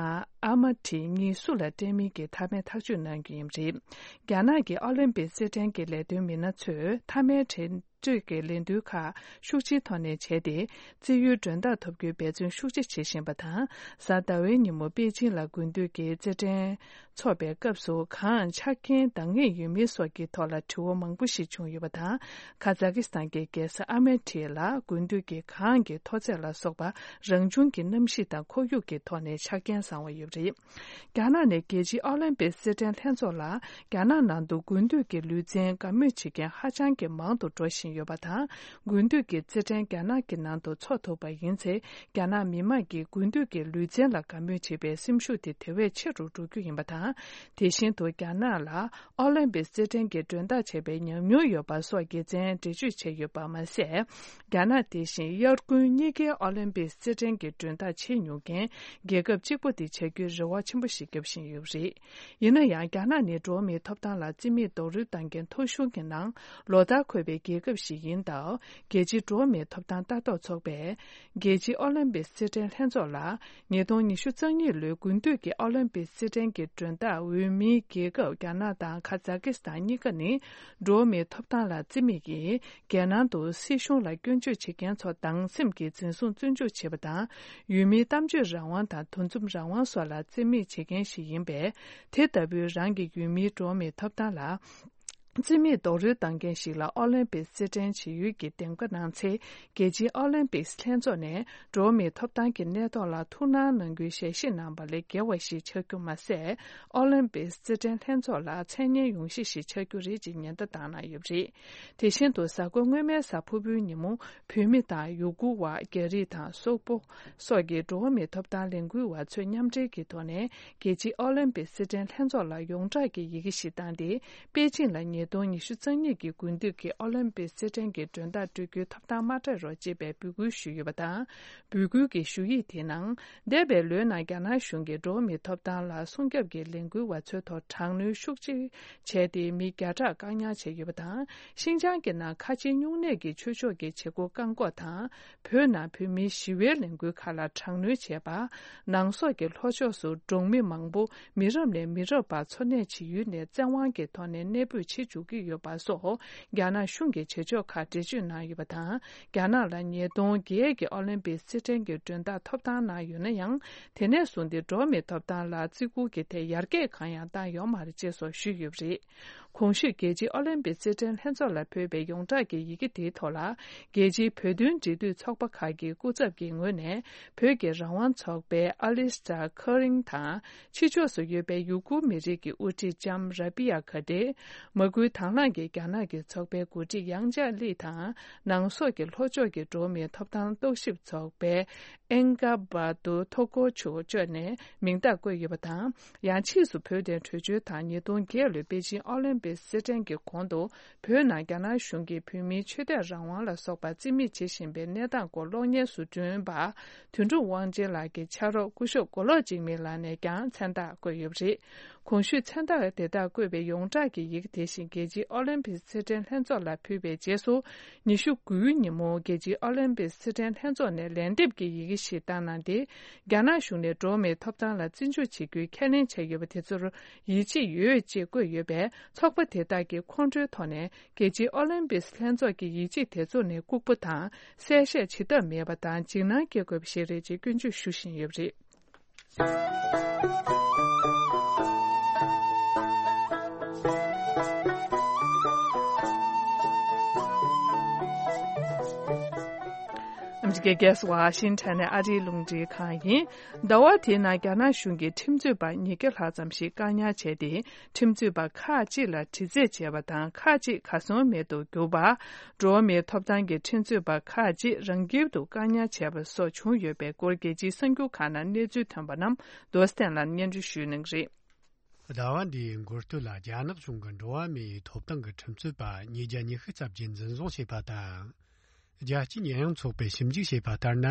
ཨ་མ་ཊི་གཉིས་སུ་ལ་སྤྲད་མིན་གྱི་མཐའ་མའི་ཐག་གཅོད་གནང་རྒྱུ་ཡིན་པ་རེད། རྒྱ་ནག་གི་ཨོ་ལིམ་པིག་རྩེད་འགྲན་གྱི་ལས་དོན་མི་སྣ་ཚོས་མཐའ་མའི་འགྲན་རྩོད་ཀྱི་ལས་འགུལ་ཁག་ཤུགས་ཆེའི་ཐོག་ནས་བྱས་ཏེ། རྩེད་ཡུལ་མགྲོན་བདག་ཐོབ་རྒྱུའི་འབད་བརྩོན་ཤུགས་ཆེ་བྱེད་བཞིན་པ་དང་། གཟའ་ཟླ་བའི་ཉིན་མོ་པེ་ཅིང་ལ་དགུན་དུས་ཀྱི་རྩེད་འགྲན་འཚོགས་པའི་སྐབས་སུ་གང་ཆ་རྐྱེན་འདང་ངེས་ཡོད་མེད་སོགས་ཀྱི་ཐོག་ལ་དྲི་བ་མང་པོ་ཞིག་བྱུང་ཡོད་པ་དང་། ཁ་ཛ་ཀི་སི་ཐན་གྱི་རྒྱལ་ས་ཨ་མེ་ཐི་ལ་དགུན་དུས་ཀྱི་གངས་ཀྱི་མཐོ་ཚད་ལ་སོགས་པ་རང་བྱུང་གི་གནམ་གཤིས་དང་ཁོར་ཡུག་གི་ཐོག་ནས་ཆ་རྐྱེན་བཟང་བ་ཡོད་པ་རེད། རྒྱ་ནག་ནས་རྒྱལ་སྤྱིའི་ཨོ་ལིམ་པིག་རྩེད་འགྲན་ལྷན་ཚོགས་ལ་རྒྱ་ནག་ནང་དུ་དགུན་དུས་ཀྱི་ལུས་རྩལ་དགའ་མོས་བྱེད་མཁན་ཧ་ཅང་གི་མང་དུ་འགྲོ་བཞིན་ཡོད་པ་དང་། དགུན་དུས་ཀྱི་རྩེད་འགྲན་རྒྱ་ནག་གི་ནང་དུ་འཚོགས་ཐུབ་པ་ཡིན་ཚེ། རྒྱ་ནག་མི་དམངས་ཀྱིས་དགུན་དུས་ཀྱི་ལུས་རྩལ་ལ་དགའ་མོས་བྱེད་པའི་སེམས་ཤུགས་དེ་དེ་བས་ཆེ་རུ་འགྲོ་རྒྱུ་ཡིན་པ་དང་། དེ་བཞིན་དུ་རྒྱ་ནག་ལ་ཨོ་ལིམ་པིག་རྩེད་འགྲན་གྱི་མགྲོན་བདག་བྱས་པའི་ཉམས་མྱོང་ཡོད་པ་སོགས་དགེ་མཚན་འགྲེལ་བརྗོད་བྱས་ཡོད་པ་མ་ཟད། རྒྱ་ནག་དེ་བཞིན་དབྱར་དགུན་གཉིས་ཀའི་ཨོ་ལིམ་པིག་རྩེད་འགྲན་གྱི་མགྲོན་བདག་བྱེད་མྱོང་མཁན་རྒྱལ་ཁབ་གཅིག་པུ་དེ་བྱ་རྒྱུའི་རེ་བ་ཆེན་པོ་ཞིག་བརྒྱབ་བཞིན་ཡོད་པ་རེད། ཡིན་ན་ཡང་། རྒྱ་ནག་ནི་འགྲོ་བ་མིའི་ཐོབ་ཐང་ལ་བརྩི་མེད་རྡོག་རོལ་བཏང་མཁན་ཐོ་གཞུང་གི་ནང་ལོ་ལྟར་འཁོད་པའི་རྒྱལ་ཁབ་ ཞིག་ཡིན་སྟབས། རྒྱལ་སྤྱིའི་འགྲོ་བ་མིའི་ཐོབ་ཐང་ལྟ་རྟོག་ཚོགས་པས། རྒྱལ་སྤྱིའི་ཨོ་ལིམ་པིག་རྩེད་འགྲན་ལྷན་ཚོགས་ལ། ཉིས་སྟོང་ཉི་ཤུ་རྩ་གཉིས་ལོའི་དགུན་དུས་ཀྱི་ཨོ་ལིམ་པིག་རྩེད་འགྲན་གྱི་མགྲོན་བདག་འོས་མིའི་རྒྱལ་ཁབ་རྒྱ་ནག་དང་ཁ་ཛ་ཀི་སི་ཐན་གཉིས་ཀ་ནི། འགྲོ་བ་མིའི་ཐོབ་ཐང་ལ་བརྩི་མེད་ཀྱིས། རྒྱལ་ནང་དུ་སྲིད་གཞུང་ལ་སྐྱོན་བརྗོད་བྱེད་མཁན་ཚོ་སྡང་སེམས་ཀྱིས་འཛིན་བཟུང་བཙོན་འཇུག་བྱེད་པ་དང་། ཡུལ་མིའི་གཏམ་བརྗོད་རང་དབང་དང་། འདུ་འཛོམས་རང་དབང་སོགས་ལ་བརྩི་མེད་བྱེད་མཁན་ཞིག་ཡིན་པས། དེ་ལྟ་བུའི་རང་གི་ཡུལ་མིའི་འགྲོ་བ་མིའི་ཐོབ་ཐང་ལ། བརྩི་མེད་རྡོག་རོལ་བཏང་མཁན་ཞིག་ལ་ཨོ་ལིམ་པིག་རྩེད་འགྲན་བྱེད་ཡུལ་གྱི་འདེམས་ཀ་གནང་ཚེ། རྒྱལ་སྤྱིའི་ཨོ་ལིམ་པིག་ལྷན་ཚོགས་ནས་འགྲོ་བ་མིའི་ཐོབ་ཐང་གི་གནས་ཐོག་ལ་ཐུགས་སྣང་གནང་རྒྱུའི་ཞལ་བཞེས་གནང་བ་ལས་བརྒལ་བ་ཞིག་ཆགས་རྒྱུ་མ་ཟད། ཨོ་ལིམ་པིག་རྩེད་འགྲན་ལྷན་ཚོགས་ལ་མཚན་སྙན་ཡོང་གཞི་ཞིག་ཆགས་རྒྱུ་རེད་ཅེས་ཉེན་བརྡ་བཏང་གནང་ཡོད་པ་རེད། དེ་བཞིན་དུ་གཟའ་འཁོར་སྔོན་མའི་གཟའ་ཕུར་བུའི་ཉིན་མོ། བོད་མི་དང་ཡུ་གུར་བ། རྒྱ་རིགས་དང་སོག་པོ། སོགས་ཀྱི་འགྲོ་བ་མིའི་ཐོབ་ཐང་ལས་འགུལ་བ་ཚོས་མཉམ་འབྲེལ་གྱི་ཐོག་ནས། རྒྱལ་སྤྱིའི་ཨོ་ལིམ་པིག་རྩེད་འགྲན་ལྷན་ཚོགས་ལ་ཡོངས་གྲགས་ཀྱི་ཡི་གེ་ཞིག་བཏང་སྟེ། པེ་ཅིང་ལ་ཉིས་སྟོང་ཉི་ཤུ་རྩ་གཉིས་ཀྱི་དགུན་དུས་ཀྱི་ཨོ་ལིམ་པིག་རྩེད་འགྲན་གྱི་མགྲོན་བདག་སྤྲོད་རྒྱུའི་ཐོབ་ཐང་མ་སྤྲད་རོགས་ཅེས་པའི་འབོད་སྐུལ་ཞུས་ཡོད་པ་དང་། འབོད་སྐུལ་གྱི་ཞུ་ཡིག་དེའི་ནང་། འདས་པའི་ལོའི་ནང་རྒྱ་ནག་གཞུང་གིས་འགྲོ་བ་མིའི་ཐོབ་ཐང་ལ་སྲུང་སྐྱོབ་ཀྱི་ལས་འགུལ་བ་ཚོའི་ཐོག་དྲག་གནོན་ཤུགས་ཆེ་བྱས་ཏེ། མི་བརྒྱ་ཕྲག་བཀག་ཉར་བྱས་ཡོད་པ་དང་། ཤིན་ཅང་གི་ནང་ཁ་ཆེའི་སྨྱུང་གནས་ཀྱི་ཆོས་ཕྱོགས་ཀྱི་བྱེད་སྒོ་བཀག་འགོག་དང་། བོད་ནང་བོད་མིའི་ཞི་བའི་ལས་འགུལ་ཁག་ལ་དྲག་གནོན་བྱས་པ། ནང་སོག་གི་ལྷོ་ཕྱོགས་སུ་འབྲོག་མི་མང་པོ་མི་རབས་ནས་མི་རབས་བར་འཚོ་གནས་བྱེད་ཡུལ་ནས་བཙན་དབང་གི་ཐོག་ནས་གནས་སྤོས་བྱེད་འཇུག་གི་ཡོད་པ་སོགས། རྒྱ་ནག་གཞུང་གི་བྱེད་ཕྱོགས་ཁག་འགྲེལ་བརྗོད་གནང་ཡོད་པ་དང་། རྒྱ་ནག་ལ་ཉིས་སྟོང་བརྒྱད་ཀྱི་ཨོ་ལིམ་པིག་རྩེད་འགྲན་གྱི་མགྲོན་བདག་ཐོབ་ཐང་གནང་ཡོད་ན་ཡང་། དེ་ནས་བཟུང་སྟེ་འགྲོ་བ་མིའི་ཐོབ་ཐང་ལ་བརྩི་བཀུར་གྱི་ཐད་ཡར་རྒྱས་གང་ཡང་བཏང་ཡོད་མ་རེད་ཅེས་སོགས་ཞུས་ཡོད་པ་རེད། གོང་ཞུས་རྒྱལ་སྤྱིའི་ཨོ་ལིམ་པིག་རྩེད་འགྲན་ལྷན་ཚོགས་ལ་ཕུལ་བའི་ཡོངས་གྲགས་ཀྱི་ཡི་གེ་དེའི་ཐོག་ལ། རྒྱལ་སྤྱིའི་བོད་དོན་འབྲེལ་མཐུད་ཚོགས་པ་ཁག་གི་སྐུ་ཚབ་ཀྱི་ངོས་ནས། བོད་ཀྱི་རང་དབང་ཚོགས་པའི་ཨ་ལིས་ཏྲ་ཁ་རིང་དང་། ཕྱི་ཕྱོགས་སུ་ཡོད་པའི་ཡུ་གུར་མི་རིགས་ཀྱི་དབུ་ཁྲིད་ལྕམ་ར་པི་ཡ་གྷ་ཏེ། མ་སྐུལ་དང་བླངས་ཀྱིས་རྒྱ་ནག་གི་ཚོགས་པའི་འགོ་ཁྲིད་ཡང་ཅཱ་ལི་དང་། ནང་སོག་གི་ལྷོ་ཕྱོགས་ཀྱི་འགྲོ་བ་མིའི་ཐོབ་ཐང་རྟོག་ཞིབ་ཚོགས་པའི་ཨེན་ཀ་བ་ཏུ་ཐོ་ཀོ་ཆུ་བཅས་ནས་མིང་རྟགས་བཀོད་ཡོད་པ་དང་། ཡང་ཕྱིས་སུ་བོད་དོན་གྲོས་ཆོད་དང་། ཉིས་སྟོང་བརྒྱད་ལོའི་པེ་ཅིང་ཨོ་ལིམ་པིག་རྩེད་འགྲན་གྱི་གོང་དུ། བོད་ནང་རྒྱ་ནག་གཞུང་གིས་བོད་མིའི་ཆོས་དད་རང་དབང་ལ་སོགས་པ་བརྩི་མེད་བྱེད་བཞིན་པའི་གནས་སྟངས་སྐོར་གློག་བརྙན་བཟོ་སྐྲུན་པ། དོན་གྲུབ་དབང་ཆེན་ལགས་ཀྱི་ཕྱག་རོགས་སྐུ་ཞབས་མགོ་ལོག་འཇིགས་མེད་ལགས་ནས་ཀྱང་མཚན་རྟགས་བཀོད་ཡོད་པ་རེད། གོང་ཞུས་མཚན་རྟགས་དེ་དག་བཀོད་པའི་ཡོངས་གྲགས་ཀྱི་ཡི་གེ་དེ་བཞིན་རྒྱལ་སྤྱིའི་ཨོ་ལིམ་པིག་རྩེད་འགྲན་ལྷན་ཚོགས་ལ་ཕུལ་བའི་རྗེས་སུ། ཉི་ཤུ་དགུའི་ཉིན་མོ་རྒྱལ་སྤྱིའི་ཨོ་ལིམ་པིག་རྩེད་འགྲན་ལྷན་ཚོགས་ནས་ལན་འདེབས་ཀྱི་ཡི་གེ་ཞིག་བཏང་གནང་སྟེ། རྒྱ་ནག་གཞུང་ནས་འགྲོ་བ་མིའི་ཐོབ་ཐང་ལ་བརྩི་འཇོག་བྱེད་རྒྱུའི་ཁས་ལེན་བྱས་ཡོད་པ་དེ་ཚོར་ཡིད་ཆེས་ཡོད་ཅེས་བཀོད་ཡོད་པས། ཚོགས་པ་དེ་དག་གིས་ཁོང་ཁྲོའི་ཐོག་ནས། རྒྱལ་སྤྱིའི་ཨོ་ལིམ་པིག་ལྷན་ཚོགས་ཀྱི་ཡིད་ཆེས་དེ་ཚོ་ནས་ལྐུགས་པ་དང་། གསལ་བཤད་བྱེད་ཐབས་མེད་པ་དང་། འཇིགས་སྣང་སྐྱེ་དགོས་པ་ཞིག་རེད་ཅེས་སྐྱོན་བརྗོད་ཞུ་བཞིན་ཡོད་པ་རེད། ཨ་མི་རི་ཀའི་རྒྱལ་ས་ཝ་ཤིང་ཊོན་ནས་ཨ་རིའི་རླུང་འཕྲིན་ཁང་ཡིན། ཟླ་བ་དེའི་ནང་རྒྱ་ནག་གཞུང་གིས་ཁྲིམས་རྩོད་པ་ཉིས་བརྒྱ་ལྷག་ཙམ་ཞིག་བཀག་ཉར་བྱས་ཏེ། ཁྲིམས་རྩོད་པ་ཁག་ཅིག་ལ་དྲི་རྩད་བྱས་པ་དང་། ཁག་ཅིག་གར་སོང་མེད་དུ་གྱུར་པ། འགྲོ་བ་མིའི་ཐོབ་ཐང་གི་ཁྲིམས་རྩོད་པ་ཁག་ཅིག་རང་འཁྱིལ་དུ་བཀག་ཉར་བྱས་པ་སོགས་བྱུང་ཡོད་པའི་སྐོར་རྒྱལ་སྤྱིའི་གསར་འགྱུར་ཁག་ནང་གནས་ཚུལ་ཐོན་པ་རྣམས་རྡོ་སྟེང་ལ་སྙན་སྒྲོན་ཞུ་གནང་གི་རེད། ཟླ་བ་འདིའི་འགོ་སྟོད་ལ་རྒྱ་ནག་གཞུང་གིས་འགྲོ་བ་མིའི་ཐོབ་ཐང་གི་ཁྲིམས་རྩོད་པ་ཉིས་བརྒྱ་ཉི་ཤུ་ཙམ་གྱིས་འཛིན་བཟུང་བྱས་པ་དང་། རྒྱལ་སྤྱིའི་ཉེས་ཡངས་ཚོགས་པས་ཞིབ་འཇུག་བྱས་པ་ལྟར་ན།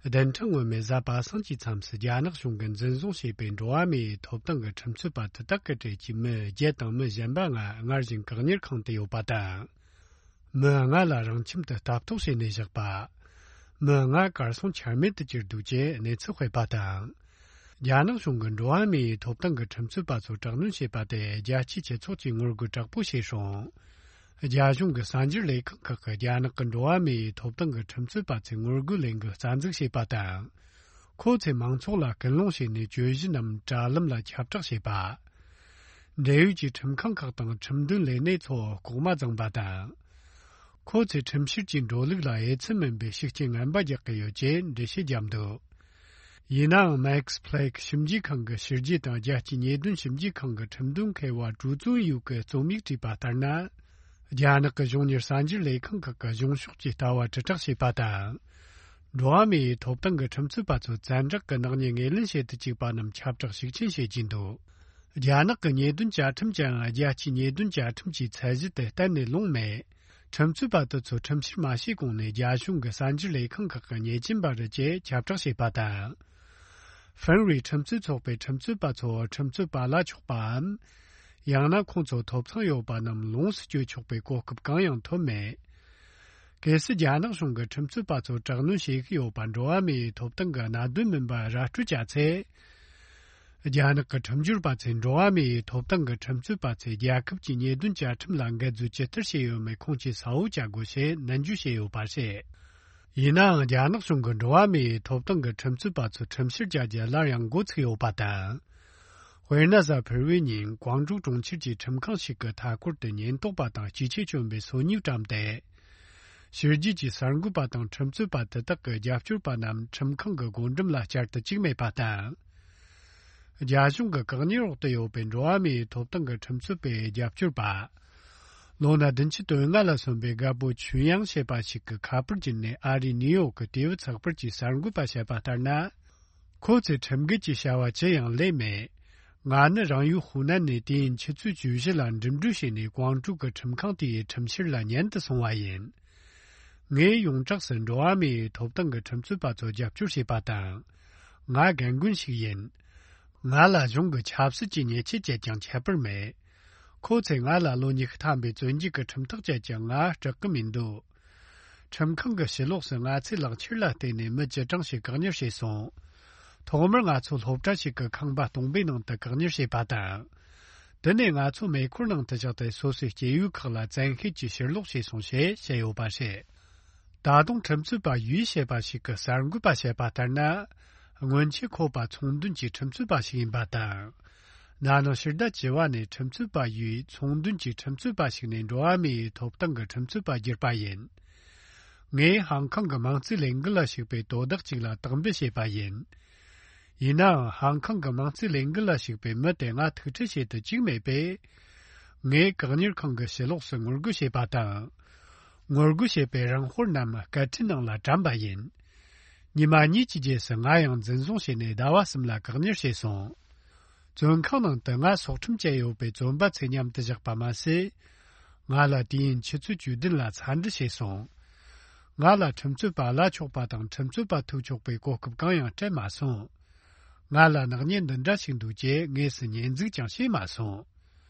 བདུན་ཕྲག་སྔོན་མའི་གཟའ་པ་སངས་ཀྱི་མཚམས་སུ་རྒྱ་ནག་གཞུང་གིས་འཛིན་བཟུང་བྱས་པའི་འགྲོ་བ་མིའི་ཐོབ་ཐང་གི་ཁྲིམས་རྩོད་པ་དེ་དག་གི་གྲས་ཀྱི་མི་བརྒྱད་དང་མི་གཞན་པ་ལྔ་སྔར་བཞིན་བཀག་ཉར་ཁང་དུ་ཡོད་པ་དང་། མི་ལྔ་ལ་རང་ཁྱིམ་དུ་ལྟ་རྟོག་བྱས་ནས་བཞག་པ། མི་ལྔ་གར་སོང་ཆ་མེད་དུ་གྱུར་འདུག་ཅེས་གནས་ཚུལ་སྤེལ་པ་དང་། རྒྱ་ནག་གཞུང་གིས་འགྲོ་བ་མིའི་ཐོབ་ཐང་གི་ཁྲིམས་རྩོད་པ་ཚོར་དྲག་གནོན་བྱས་པ་དེ་རྒྱལ་སྤྱིའི་སྤྱི་ཚོགས་ཀྱིས་ངོ་རྒོལ་དྲག་པོ་བྱས་ཤིང་། རྒྱ་གཞུང་གི་གསར་འགྱུར་ལས་ཁང་ཁག་གིས་རྒྱ་ནག་གི་འགྲོ་བ་མིའི་ཐོབ་ཐང་གི་ཁྲིམས་རྩོད་པ་ཚོས་ངོ་རྒོལ་ལས་འགུལ་རྩ་འཛུགས་བྱས་པ་དང་། ཁོ་ཚོས་མང་ཚོགས་ལ་སྐུལ་སློང་བྱས་ནས་གྱོད་གཞི་རྣམས་དྲ་ལམ་ལ་ཁྱབ་བསྒྲགས་བྱས་པ། འབྲེལ་ཡོད་ཀྱི་ཁྲིམས་ཁང་ཁག་དང་ཁྲིམས་དོན་ལས་སྣེ་ཚོ་ལྐོག་མ་བརྫངས་པ་དང་། ཁོ་ཚོས་ཁྲིམས་བཤེར་གྱི་འགྲོ་ལུགས་ལ་འོས་འཚམ་མིན་པའི་ཤུགས་རྐྱེན་ངན་པ་རྒྱག་གི་ཡོད་ཅེས་འགྲེལ་བཤད་བརྒྱབ་འདུག་ཡིན་ནའང་། Max Planck་ཞིབ་འཇུག་ཁང་གི་ཕྱི་རྒྱལ་དང་རྒྱལ་སྤྱིའི་ཉེས་དོན་ཞིབ་འཇུག་ཁང་གི་ཁྲིམས་དོན་མཁས་པ་ཀྲུའུ་ཙུང་ཡུའུ་གིས་རྩོམ་ཡིག་བྲིས་པ་ལྟར་ན། རྒྱ་ནག་གི་གཞུང་གཉེར་གསར་འགྱུར་ལས་ཁང་ཁག་གིས་གཞུང་ཕྱོགས་ཀྱི་ལྟ་བ་དྲིལ་བསྒྲགས་བྱས་པ་དང་། འགྲོ་བ་མིའི་ཐོབ་ཐང་གི་ཁྲིམས་རྩོད་པ་ཚོ་བཙན་དྲག་གི་ནག་ཉེས་ངོས་ལེན་བྱེད་དུ་བཅུག་པ་རྣམས་ཁྱབ་བསྒྲགས་ཤུགས་ཆེན་བྱེད་ཀྱིན་འདུག་རྒྱ་ནག་གི་ཉེས་དོན་བཅའ་ཁྲིམས་ཀྱང་རྒྱལ་སྤྱིའི་ཉེས་དོན་བཅའ་ཁྲིམས་ཀྱི་ཚད་གཞི་དེ་གཏན་ནས་ལོངས་མེད། ཁྲིམས་རྩོད་པ་དེ་ཚོ་ཁྲིམས་བཤེར་མ་བྱས་གོང་ནས་རྒྱ་གཞུང་གི་གསར་འགྱུར་ལས་ཁང་ཁག་གི་ཉེས་ཅན་པ་རེད་ཅེས་ཁྱབ་བསྒྲགས་བྱས་པ་དང་། ཧྥིན་རུའི་ཁྲིམས་རྩོད་ཚོགས་པའི་ཁྲིམས་རྩོད་པ་ཚོ་ཁྲིམས་རྩོད་པ་ལ་ཆོག་པའམ། ཡང་ན་ཁོང་ཚོ་ཐོབ་ཐང་ཡོད་པ་རྣམས་ལོངས་སུ་སྤྱོད་ཆོག་པའི་གོ་སྐབས་གང་ཡང་ཐོབ་མེད། གལ་སྲིད་རྒྱ་ནག་གཞུང་གི་ཁྲིམས་རྩོད་པ་ཚོར་དྲག་གནོན་བྱེད་ཀྱི་ཡོད་པ་འགྲོ་བ་མིའི་ཐོབ་ཐང་གི་གནད་དོན་མིན་པར་ར་སྤྲོད་བྱ་ཚེ། རྒྱ་ནག་གི་ཁྲིམས་སྦྱོར་པ་ཚོས་འགྲོ་བ་མིའི་ཐོབ་ཐང་གི་ཁྲིམས་རྩོད་པ་ཚོས་རྒྱལ་ཁབ་ཀྱི་ཉེས་དོན་བཅའ་ཁྲིམས་ལ་འགལ་འཛོལ་ཇི་ལྟར་བྱས་ཡོད་མེད་ཁུངས་སྐྱེལ་གསལ་བོ་བྱ་དགོས་ཞེས་ནན་བརྗོད་བྱས་ཡོད་པ་རེད། ཡིན་ནའང་རྒྱ་ནག་གཞུང་གིས་འགྲོ་བ་མིའི་ཐོབ་ཐང་གི་ཁྲིམས་རྩོད་པ་ཚོ་ཁྲིམས་བཤེར་བྱ་རྒྱུ་སླར་ཡང་འགོ་ཚུགས་ཡོད་པ་དང་། དཔེར་ན་གཟའ་ཕུར་བུའི་ཉིན་ཀོང་ཀྲོའུ་གྲོང་ཁྱེར་གྱི་ཁྲིམས་ཁང་ཞིག་གི་མཐའ་འཁོར་དུ་ཉེན་རྟོག་པ་དང་སྐྱེས་ཆེན་བཅོམ་པའི་སོ་ཉུལ་བཀྲམ་སྟེ། ཕྱི་རྒྱལ་གྱི་གསར་འགོད་པ་དང་ཁྲིམས་རྩོད་པ་དེ་དག་གི་རྒྱབ་སྐྱོར་པ་རྣམས་ཁྲིམས་ཁང་གི་སྒོ་འགྲམ་ལ་བསྐྱར་དུ་བཅུག་མེད་པ་དང་། རྒྱ་གཞུང་གི་བཀག་ཉར་འོག་ཏུ་ཡོད་པའི་འགྲོ་བ་མིའི་ཐོབ་ཐང་གི་ཁྲིམས་རྩོད་པའི་རྒྱབ་སྐྱོར་པ། ལོ་ན་བདུན་ཅུ་དོན་ལྔ་ལ་སོན་པའི་རྒད་པོ་ཆུན་ཡང་ཞེས་པ་ཞིག་གིས་ཁ་པར་བརྒྱུད་ནས་ཨ་རིའི་ནིའུ་ཡོག་གི་ཏེ་ཝི་ཚགས་པར་གྱི་གསར་འགོད་པ་བཤད་པ་ལྟར་ན། ཁོ་ཚོས་ཁྲིམས་འགལ་གྱི་བྱ་བ་ཅི་ཡང་ལས་མེད། ང་ནི་རང་ཡུལ་ཧུའུ་ནན་ནས་དུས་ཡུན་ཆུ་ཚོད་བཅུ་བཞི་ལ་འགྲིམ་འགྲུལ་བྱས་ནས་ཀོང་ཀྲོའུ་གི་ཁྲིམས་ཁང་དེའི་ཁྲིམས་བཤེར་ལ་ཉན་དུ་སོང་བ་ཡིན། ངས་ཡོངས་གྲགས་སུ་འགྲོ་བ་མིའི་ཐོབ་ཐང་གི་ཁྲིམས་རྩོད་པ་ཚོར་རྒྱབ་སྐྱོར་བྱས་པ་དང་། ང་རྒན་རྒོན་ཞིག་ཡིན། ང་ལ་གཞུང་གི་ཆབ་སྲིད་ཀྱི་ཉེས་ཆད་བཅད་ཀྱང་ཁྱད་པར་མེད། ཁོ་ཚོས་ང་ལ་ལོ་ཉི་ཤུ་ཐམ་པའི་བཙོན་འཇུག་གི་ཁྲིམས་ཐག་བཅད་ཀྱང་ང་སྐྲག་གི་མི་འདུག་ཁྲིམས་ཁང་གི་ཕྱི་ལོགས་སུ་ང་ཚོའི་ལག་ཁྱེར་ལ་བརྟེན་ནས་མི་ཅི་གྲངས་ཤིག་བཀག་ཉར་བྱས་སོང་། ཐོག་མར་ང་ཚོ་སློབ་གྲྭ་ཞིག་གི་ཁང་པ་སྟོང་པའི་ནང་དུ་བཀག་ཉར་བྱས་པ་དང་། དེ་ནས་ང་ཚོ་མེ་འཁོར་ནང་དུ་བཞག་སྟེ་སོ་སོའི་སྐྱེས་ཡུལ་ཁག་ལ་བཙན་ཤེད་ཀྱིས་ཕྱིར་ལོག་བྱས་སོང་ཞེས་བཤད་ཡོད་པ་རེད། ད་དུང་ཁྲིམས་རྩོད་པ་ཡུས་ཞེས་པ་ཞིག་གིས་གསར་འགོད་པ་བཤད་པ་ལྟར་ན། སྔོན་ཆད་ཁོ་པ་ཚོང་དོན་གྱི་ཁྲིམས་རྩོད་པ་ཞིག་ཡིན་པ་དང་། ན་ནིང་ཕྱི་ཟླ་བཅུ་པ་ནས་ཁྲིམས་རྩོད་པ་ཡུས་ཚོང་དོན་གྱི་ཁྲིམས་རྩོད་པ་ཞིག་ནས་འགྲོ་བ་མིའི་ཐོབ་ཐང་གི་ཁྲིམས་རྩོད་པ་བསྒྱུར་པ་ཡིན། ངས་ཧང་ཁང་གི་མང་གཙོའི་ལས་འགུལ་ལ་ཞུགས་པའི་དོ་བདག་ཅིག་ལ་དག་འབུལ་བྱས་པ་ཡིན། ཡིན་ནའང་ཧང་ཁང་གི་མང་གཙོའི་ལས་འགུལ་ལ་ཞུགས་པའི་མི་དེ་ང་ཐུག་འཕྲད་བྱེད་དུ་བཅུག་མེད་པས། ངས་བཀག་ཉར་ཁང་གི་ཕྱི་ལོགས་སུ་ངོ་རྒོལ་བྱས་པ་དང་། ངོ་རྒོལ་བྱས་པའི་རང་དཔར་རྣམས་སྐད་འཕྲིན་ནང་ལ་བཀྲམ་པ་ཡིན། ཉི་མ་གཉིས་ཀྱི་རྗེས་སུ་ང་ཡང་འཛིན་བཟུང་བྱས་ནས་ཟླ་བ་གསུམ་ལ་བཀག་ཉར་བྱས་སོང་། བཙོན་ཁང་ནང་དུ་ང་སྲོག་ཁྲིམས་བཅད་ཡོད་པའི་བཙོན་པ་ཚོས་མཉམ་དུ་བཞག་པ་མ་ཟད། ང་ལ་དུས་ཡུན་ཆུ་ཚོད་བཅུ་བདུན་ལ་འཚམས་འདྲི་བྱས་སོང་། ང་ལ་ཁྲིམས་རྩོད་པ་བླ་ཆོག་པ་དང་ཁྲིམས་རྩོད་པ་ཐུག་ཆོག་པའི་གོ་སྐབས་གང་ཡང་སྤྲད་མ་སོང་། ང་ལ་ནག་ཉེས་འདི་འདྲ་ཞིག་འདུག་ཅེས་དངོས་སུ་ཉེས་འཛུགས་ཀྱང་བྱས་མ་སོང་།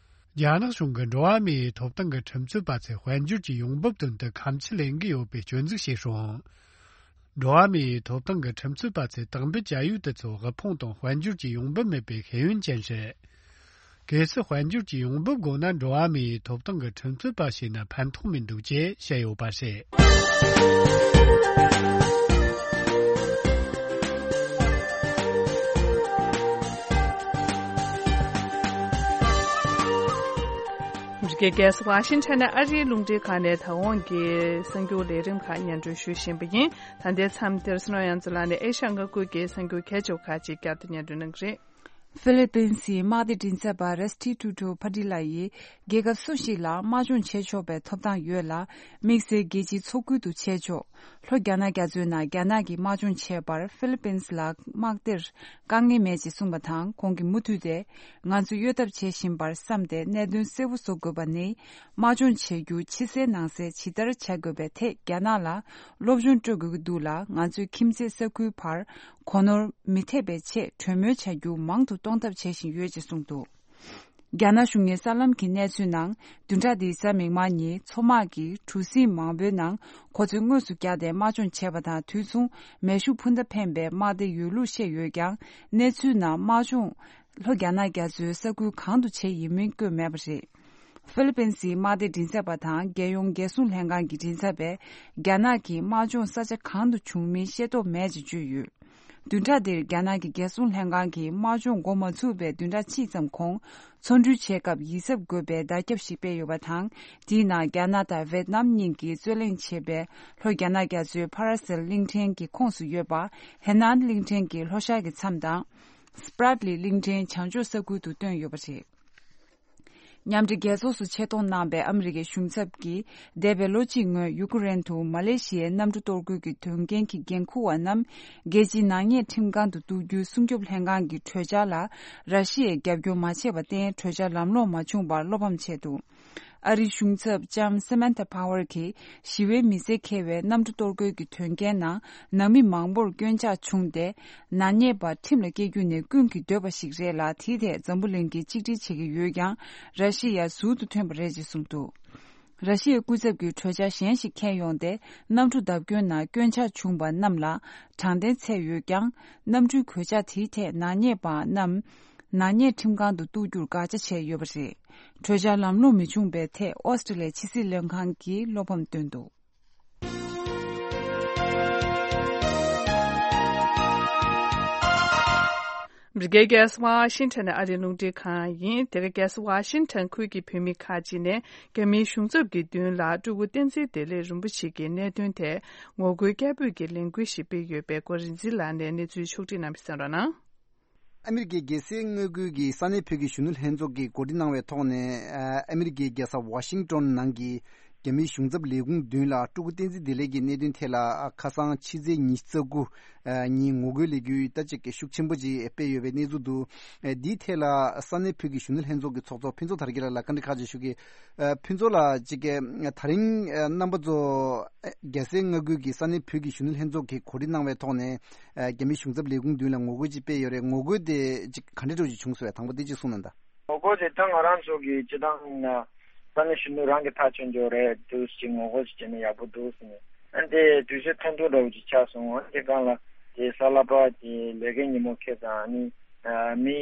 རྒྱ་ནག་གཞུང་གིས་འགྲོ་བ་མིའི་ཐོབ་ཐང་གི་ཁྲིམས་རྩོད་པ་ཚོས་དཔལ་འབྱོར་གྱི་ཡོང་འབབ་དོན་དུ་ཁ་མཆུ་ལེན་གྱི་ཡོད་པའི་སྐྱོན་འཛུགས་བྱས་རུང་། འགྲོ་བ་མིའི་ཐོབ་ཐང་གི་ཁྲིམས་རྩོད་པ་ཚོས་དག་འབུལ་བྱ་ཡུལ་དེ་ཚོ་དབུལ་ཕོངས་དང་དཔལ་འབྱོར་གྱི་ཡོང་འབབ་མེད་པའི་ཤེས་ཡོན་ཅན་རེད། གལ་སྲིད་དཔལ་འབྱོར་གྱི་ཡོང་འབབ་དགོས་ན་འགྲོ་བ་མིའི་ཐོབ་ཐང་གི་ཁྲིམས་རྩོད་པ་བྱས་ན་ཕན་ཐོགས་མི་འདུག་ཅེས་བཤད་ཡོད་པ་རེད། འདི་གའི་རྒྱལ་ས་ཝ་ཤིང་ཊོན་ནས་ཨ་རིའི་རླུང་འཕྲིན་ཁང་ནས་ད་འོང་གི་གསར་འགྱུར་ལས་རིམ་ཁག་སྙན་སྒྲོན་ཞུ་བཞིན་པ་ཡིན། ད་ལྟའི་མཚམས་འདིར་སྲིད་བློན་ཡང་རྩེ་ལགས་ནས་ཨེ་ཤ་ཡ་མངའ་ཁུལ་གྱི་གསར་འགྱུར་གལ་ཆེ་བ་ཁག་ཅིག་བསྐྱར་དུ་སྙན་སྒྲོན་གནང་གི་རེད། ཧྥི་ལི་པིན་སི་མངའ་སྡེ་མགྲིན་ཚབ་པ་རེ་སི་ཊི་ཊུ་ཊོ་ཕ་ཏི་ལ་ཡིས་རྒྱལ་ཁབ་སུ་ཞིག་ལ་དམག་སྦྱོང་བྱེད་ཆོག་པའི་ཐོབ་ཐང་ཡོད་ལ། དམིགས་བསལ་རྒྱལ་སྤྱིའི་ཚོགས་ཁུལ་དུ་བྱེད་ཆོག་ལྷོ་རྒྱ་ནག་རྒྱ་མཚོའི་ནང་རྒྱ་ནག་གིས་དམག་སྦྱོང་བྱས་པར་ཧྥི་ལི་པིན་སི་ལ་དམག་སྡེར་དཀའ་ངལ་མེད་ཅེས་གསུངས་པ་དང་། ཁོང་གིས་མུ་མཐུད་དེ་ང་ཚོས་གཡོལ་ཐབས་བྱེད་བཞིན་པར་བསམས་ཏེ་གནད་དོན་གསལ་པོ་བཟོ་དགོས་པ་ནི། དམག་སྦྱོང་བྱེད་རྒྱུ་ཕྱི་གསལ་ནང་གསལ་ཇི་ལྟར་བྱ་དགོས་པའི་ཐད་རྒྱ་ནག་ལ་སློབ་སྦྱོང་སྤྲོད་དགོས་ཀྱི་འདུག་ལ། ང་ཚོས་ཁྱིམ་མཚེས་ས་ཁུལ་བར་གོ་ནོར་མི་ཐེབས་པའི་ཆེད་གྲོས་མོལ་བྱ་རྒྱུ་མང་དུ་གཏོང་ཐབས་བྱེད་བཞིན་ཡོད་ཅེས་གསུངས་འདུག་རྒྱ་ནག་གཞུང་གི་གསར་ལམ་གྱི་གནས་ཚུལ་ནང་། བདུན་ཕྲག་འདིའི་གཟའ་མིག་དམར་ཉིན་མཚོ་དམག་གིས་གྲུ་གཟིངས་མང་པོའི་ནང་ཁོ་ཚོས་དངོས་སུ་བརྒྱབ་སྟེ་དམག་སྦྱོང་བྱས་པ་དང་། དུས་མཚུངས་མེ་ཤུགས་འཕུར་མདའ་འཕེན་པའི་དམག་སྡེ་ཡོད་ལུགས་བཤད་ཡོད་ཀྱང་། གནས་ཚུལ་ནང་དམག་སྦྱོང་ལྷོ་རྒྱ་ནག་རྒྱ་མཚོའི་ས་ཁུལ་གང་དུ་བྱས་ཡིན་མིན་བཀོད་མེད་པ་རེད། ཧྥི་ལི་པིན་སིའི་དམག་སྡེ་མགྲིན་ཚབ་པ་དང་། རྒྱལ་ཡོངས་རྒྱལ་སྲུང་ལྷན་ཁང་གི་མགྲིན་ཚབ་པས་རྒྱ་ནག་གི་དམག་སྦྱོང་ས་ཆ་གང་དུ་བྱུང་མིན་ཤེས་རྟོགས་མེད་ཅེས་བརྗོད་ཡོད། བདུན་ཕྲག་འདིར་རྒྱ་ནག་གི་རྒྱལ་སྲུང་ལྷན་ཁང་གིས་དམག་སྦྱོང་འགོ་མ་ཚུགས་པའི་བདུན་ཕྲག་གཅིག་ཙམ་གོང་། ཚོང་འགྲུལ་བྱེད་སྐབས་ཡིད་གཟབ་དགོས་པའི་བརྡ་ཁྱབ་ཞིག་སྤེལ་ཡོད་པ་དང་། དེའི་ནང་རྒྱ་ནག་དང་ཝེད་ནམ་གཉིས་ཀྱིས་རྩོད་གླེང་བྱེད་པའི་ལྷོ་རྒྱ་ནག་རྒྱ་མཚོའི་ཕ་ར་སེལ་གླིང་ཕྲན་གྱི་ཁོངས་སུ་ཡོད་པ་ཧེ་ནན་གླིང་ཕྲན་གྱི་ལྷོ་ཤར་གྱི་མཚམས་དང་། སྤྲད་ལི་གླིང་ཕྲན་བྱང་ཕྱོགས་ས་ཁུལ་དུ་བཏོན་ཡོད་པ་རེད། མཉམ་འབྲེལ་རྒྱལ་ཚོགས་སུ་ཆེད་གཏོང་གནང་པའི་ཨ་མི་རི་ཀའི་གཞུང་ཚབ་ཀྱིས། འདས་པའི་ལོ་གཅིག་སྔོན་ཡུ་ཀེ་རེན་དུ་མ་ལེ་ཤི་ཡའི་གནམ་གྲུ་གཏོར་རྒོལ་གྱི་དོན་རྐྱེན་གྱི་འགན་འཁུར་བ་རྣམས་རྒྱལ་སྤྱིའི་ནག་ཉེས་ཁྲིམས་ཁང་དུ་གཏུག་རྒྱུའི་སྲུང་སྐྱོབ་ལྷན་ཁང་གི་གྲོས་འཆར་ལ་ར་ཤི་ཡས་རྒྱབ་སྐྱོར་མ་བྱས་པར་བརྟེན། གྲོས་འཆར་ལམ་ལྷོང་མ་བྱུང་བར་བློ་ཕམ་བྱས་འདུག་ཨ་རིའི་གཞུང་ཚབ་ལྕམ་སེ་མན་ཐ་ཕ་ཝར་གྱིས། ཞི་བའི་མི་སེར་འཁེལ་བའི་གནམ་གྲུ་གཏོར་རྒོལ་གྱི་དོན་རྐྱེན་ནང་ནང་མི་མང་པོར་སྐྱོན་ཆག་བྱུང་སྟེ། ནག་ཉེས་པ་ཁྲིམས་ལ་བཀལ་རྒྱུ་ནི་ཀུན་གྱིས་འདོད་པ་ཞིག་རེད་ལ། དེའི་ཐད་འཛམ་བུ་གླིང་གིས་གཅིག་སྒྲིལ་བྱེད་ཀྱི་ཡོད་ཀྱང་། ར་ཤི་ཡ་ཟུར་དུ་ཐོན་པ་རེད་ཅེས་གསུངས་འདུག་ར་ཤི་ཡའི་སྐུ་ཚབ་ཀྱིས་གྲོས་འཆར་གཞན་ཞིག་འཁྱེར་ཡོང་སྟེ། གནམ་གྲུ་བརྡབ་སྐྱོན་ནང་སྐྱོན་ཆ་བྱུང་བ་རྣམས་ལ་དྲང་བདེན་སྩལ་ཡོད་ཀྱང་། གནམ་གྲུའི་གོད་ཆག་དེའི་ཐད་ནག་ཉེས་པ་རྣམས་ནག་ཉེས་ཁྲིམས་ཁང་དུ་གཏུག་རྒྱུར་དགག་བྱ་བྱས་ཡོད་པ་རེད། གྲོས་འཆར་ལམ་ལྷོང་མི་བྱུང་བའི་ཐད་ཨོ་སི་ཀྲི་ལི་ཡའི་ཕྱི་སྲིད་ལྷན་ཁང་གིས་བློ་ཕམ་བཏོན་འདུག་འདི་ག་རྒྱལ་ས་ཝ་ཤིང་ཊོན་ནས་ཨ་རིའི་རླུང་འཕྲིན་ཁང་ཡིན། དེ་ག་རྒྱལ་ས་ཝ་ཤིང་ཊོན་ཁུལ་གྱི་བོད་མི་ཁག་ཅིག་ནས་རྒྱ་མིའི་གཞུང་ཚབ་ཀྱི་མདུན་ལ་སྤྲུལ་སྐུ་བསྟན་འཛིན་བདེ་ལེགས་རིན་པོ་ཆེ་གི་གནད་དོན་ཐད་ངོ་རྒོལ་སྐད་འབོད་ཀྱི་ལས་འགུལ་ཞིག་སྤེལ་ཡོད་པའི་སྐོར་རིག་འཛིན་ལགས་ནས་གནས་ཚུལ་ཕྱོགས་སྒྲིག་གནང་བ་གསན་རོགས་གནང་། ཨ་མི་རི་ཀའི་རྒྱལ་སའི་དངོས་ཁུལ་གྱི་ས་གནས་བོད་ཀྱི་གཞོན་ནུ་ལྷན་ཚོགས་ཀྱིས་གོ་སྒྲིག་གནང་བའི་ཐོག་ནས། ཨ་མི་རི་ཀའི་རྒྱལ་ས་ཝ་ཤིང་ཊོན་ནང་གི་རྒྱ་མིའི་གཞུང་ཚབ་ལས་ཁུངས་མདུན་ལ་སྤྲུལ་སྐུ་བསྟན་འཛིན་བདེ་ལེགས་ཀྱི་གནད་དོན་ཐད་ལ་ཁ་སང་ཕྱི་ཚེས་ཉི་ཤུ་རྩ་དགུ་ཉིན་ངོ་རྒོལ་ལས་འགུལ་ད་ཅིག་ཤུགས་ཆེན་པོ་ཅིག་སྤེལ་ཡོད་པའི་གནས་ཚུལ་འདུག་འདིའི་ཐད་ལ་ས་གནས་བོད་ཀྱི་གཞོན་ནུ་ལྷན་ཚོགས་ཀྱི་ཚོགས་གཙོ་ཕུན་ཚོགས་དར་རྒྱས་ལགས་ལ་བཀའ་འདྲི་ཁག་ཅིག་ཞུ་གི། ཨ་ཕུན་ཚོགས་ལགས་ཅིག་གིས་ད་རིང་ཨ་རྣམ་པ་ཚོ་ཨ་རྒྱལ་སའི་མངའ་ཁུལ་གྱི་ས་གནས་བོད་ཀྱི་གཞོན་ནུ་ལྷན་ཚོགས་ཀྱིས་གོ་སྒྲིག་གནང་བའི་ཐོག་ནས་ཨ་རྒྱ་མི་གཞུང་ཚབ་ལས་ཁུངས་མདུན་ལ་ངོ་རྒོལ་ཅིག་སྤེལ་ཡོད་རེད། ངོ་རྒོལ་དེ་ཅིག་ག་འདྲ་འདྲ་ཅིག་བྱུང་སོང་བས། དང་པོ་དེ་ཅིག་གསུངས་གནང་དང་། ངོ་རྒོལ་དེ་ད་ང་རང་ཚོ་གི་སྤྱི་བཏང་ན་ས་གནས་གཞོན་ནུ་རང་གི་ཐག་གཅོད་འཇོག་རེད་འདུག་ཅིག་ངོ་རྒོལ་ཅིག་བྱས་ན་ཡག་པོ་འདུག་ཟེར་ནས། ཨ་ནི་དེ་དུས་ཚོད་ཐུང་ཐུང་འདྲ་བོ་ཅིག་ཆགས་སོང་། ཨ་ནི་དེ་སྒང་ལ་དེ་གཟའ་ལྷག་པ་དེ་ལས་ཀའི་ཉིན་མོ་ཁེལ་ཙང་ཨ་ནི། མི་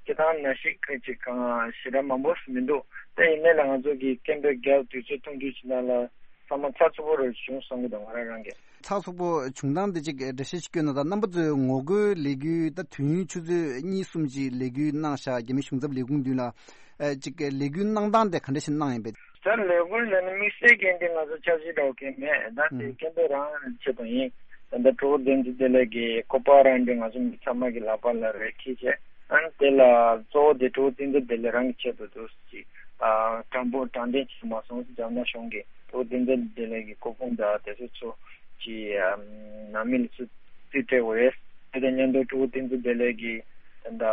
སྤྱི་བཏང་ནང་བཞིན་ཅིག་གང་ཞེ་དྲག་མང་པོ་མི་འདུག་དེ་ཡིན་ནའི་ལ་ང་ཚོ་གི་སྐད་འབོད་རྒྱབ་དུས་ཚོད་ཐུང་ཐུང་ཅིག་ནང་ལ་ཚང་མ་ཚགས་ཚུད་པོ་རེ་བྱུང་བསམ་གི་འདུག་ང་རང་རང་གི། ཚགས་ཚུད་པོ་བྱུང་སྟངས་དེ་ཅིག་འགྲེལ་བཤད་ཅིག་སྐྱོན་ན་ད། རྣམ་པ་ཚོའི་ངོ་རྒོལ་ལས་འགུལ་ད་དུས་ཡུན་ཆུ་ཚོད་གཉིས་གསུམ་ཅིག་ལས་འགུལ་གནང་ཤག་རྒྱ་མི་གཞུང་ཚབ་ལས་ཁུངས་མདུན་ལ། ཨ་ཅིག་ལས་འགུལ་གནང་སྟངས་དེ་ག་འདྲ་ཞིག་གནང་ཡིན་པས། ད་ལས་འགུལ་ལ་ནི་དམིགས་བསལ་གྱི་འདི་ང་ཚོ་འཆར་གཞི་འདྲ་བོ་གང་མེད། ད་དེ་ཨུམ། སྐད་འབོད་རང་ཆེད་དུ་ཡིན། ད་ལྟ་སྤྲུལ་སྐུ་བསྟན་འཛིན་བདེ་ལེགས་ཀྱི་སྐུ་པར་རང་འདི་ང་ཚོ་མི་ཚང་མ་གི་ལག་པ་ལ་རེ་འཁྱེར་བྱས། ཨ་ནི་དེ་ལ་གཙོ་བོ་དེ་སྤྲུལ་སྐུ་བསྟན་འཛིན་བདེ་ལེགས་རང་གི་ཆེད་དུ་འདུག་ཅིག་ཨ་དྲང་པོ་དྲང་བདེན་བྱས་མ་སོང་། རྒྱ་ནག་གཞུང་གིས་སྤྲུལ་སྐུ་བསྟན་འཛིན་བདེ་ལེགས་ཀྱི་སྐུ་ཕུང་དང་དེ་ཚོ་ཚོ་ཅིག་ཨ་ནང་མི་ལ་ཚུར་རྩིས་སྤྲད་དགོས་རེད། དེ་དང་མཉམ་དུ་སྤྲུལ་སྐུ་བསྟན་འཛིན་བདེ་ལེགས་ཀྱི་ད་ལྟ་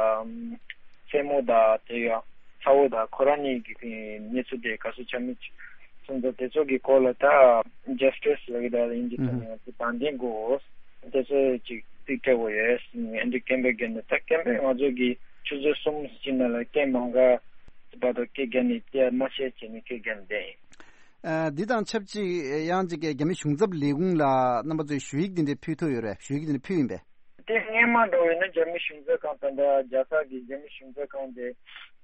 སེན་མོ་དང་དེ་ཡང་ཚ་བོ་དང་ཁོ་རང་གཉིས་ཀྱི་གནས་ཚུལ་དེ་ག་ཚོད་ཆགས་མིན་སོང་ཙང་དེ་ཚོ་གི་སྐོར་ལ་ད་ཇ་སི་ཊི་སི་ལབ་ཀྱི་ད་ཡིན་གྱི་ཚོ་ནས་ང་ཚོ་དྲང་བདེན་དགོས། དེ་ཚོ་ཅིག་རྩིས་སྤྲད་དགོས་ཡོད་ཟེར་ནས་ཨ་འདྲའི་སྐད་འབོད་བརྒྱབ་ནས། ད་སྐད་འབོད་ང་ཚོ་གི་ཆུ་ཚོད་གསུམ་ཅིག་ནང་ལ་སྐད་མང་ག་བར་དུ་སྐད་བརྒྱབ་ནས་སྐད་མ་ཤེས་བྱས་ནས་སྐད་བརྒྱབ་ནས་བསྡད་ཡིན། ཨ་འདི་དང་ཆབས་ཅིག་ཡང་ཅིག་རྒྱ་མི་གཞུང་ཚབ་ལས་ཁུངས་ལ་རྣམ་པ་ཚོས་ཞུ་ཡིག་འདི་འདྲ་ཕུལ་ཐུབ་ཡོད་རེད། ཞུ་ཡིག་འདི་འདྲ་ཕུལ་ཡིན་པས། དེ་སྔོན་མ་འདྲ་བོ་ཡིན་ན་རྒྱ་མི་གཞུང་ཚབ་ཁང་ད་ལྟ་རྒྱལ་ས་གི་རྒྱ་མི་གཞུང་ཚབ་ཁང་དེ་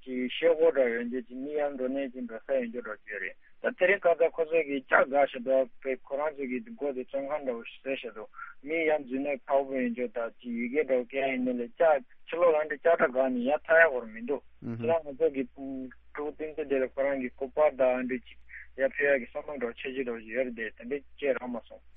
ཅིག་ཤེལ་སྒོ་འདྲ་ཡོད་འདི་ཅིག་མི་ཡར་འགྲོ་ནས་ཅིག་འགྲོ་ས་ཡོད་འགྲོ་འགྲོ་རྒྱུ་རེད། ད་དེ་རིང་ཁ་སང་ཁོ་ཚོ་གིས་ལྕགས་བཀག་བཞག་འདུག་པས། ཁོ་རང་ཚོ་གིས་སྒོ་དེ་བཙོན་ཁང་འདྲ་བོ་ཞིག་བཟོས་བཞག་འདུག་མི་ཡར་འཛུལ་ན་ཁག་པོ་ཡོད་འགྲོ། ད་ཅིག་ཡི་གེ་འདྲ་བོ་སྐད་ཡིན་ནའི་ལས་ལྕགས་ཕྱི་ལོགས་ལ་འདི་ལྕགས་དྲ་བཀག་ནས་ཡར་ཐར་ཡག་པོ་མི་འདུག་ཨུ་ཧུ། ཁྱེད་རང་ང་ཚོ་གི་སྤྲུལ་སྐུ་བསྟན་འཛིན་བདེ་ལེགས་ཁོ་རང་གི་སྐུ་པར་དང་འདི་ཅིག་ཡར་ཕུལ་ཡག་གི་བསམ་བློ་འདྲ་བོ་འཆར་གཞི་འདྲ་བོ་ཞིག་ཡོད་རེད་དེ། དེ་འདྲ་ཅིག་རག་མ་སོང་།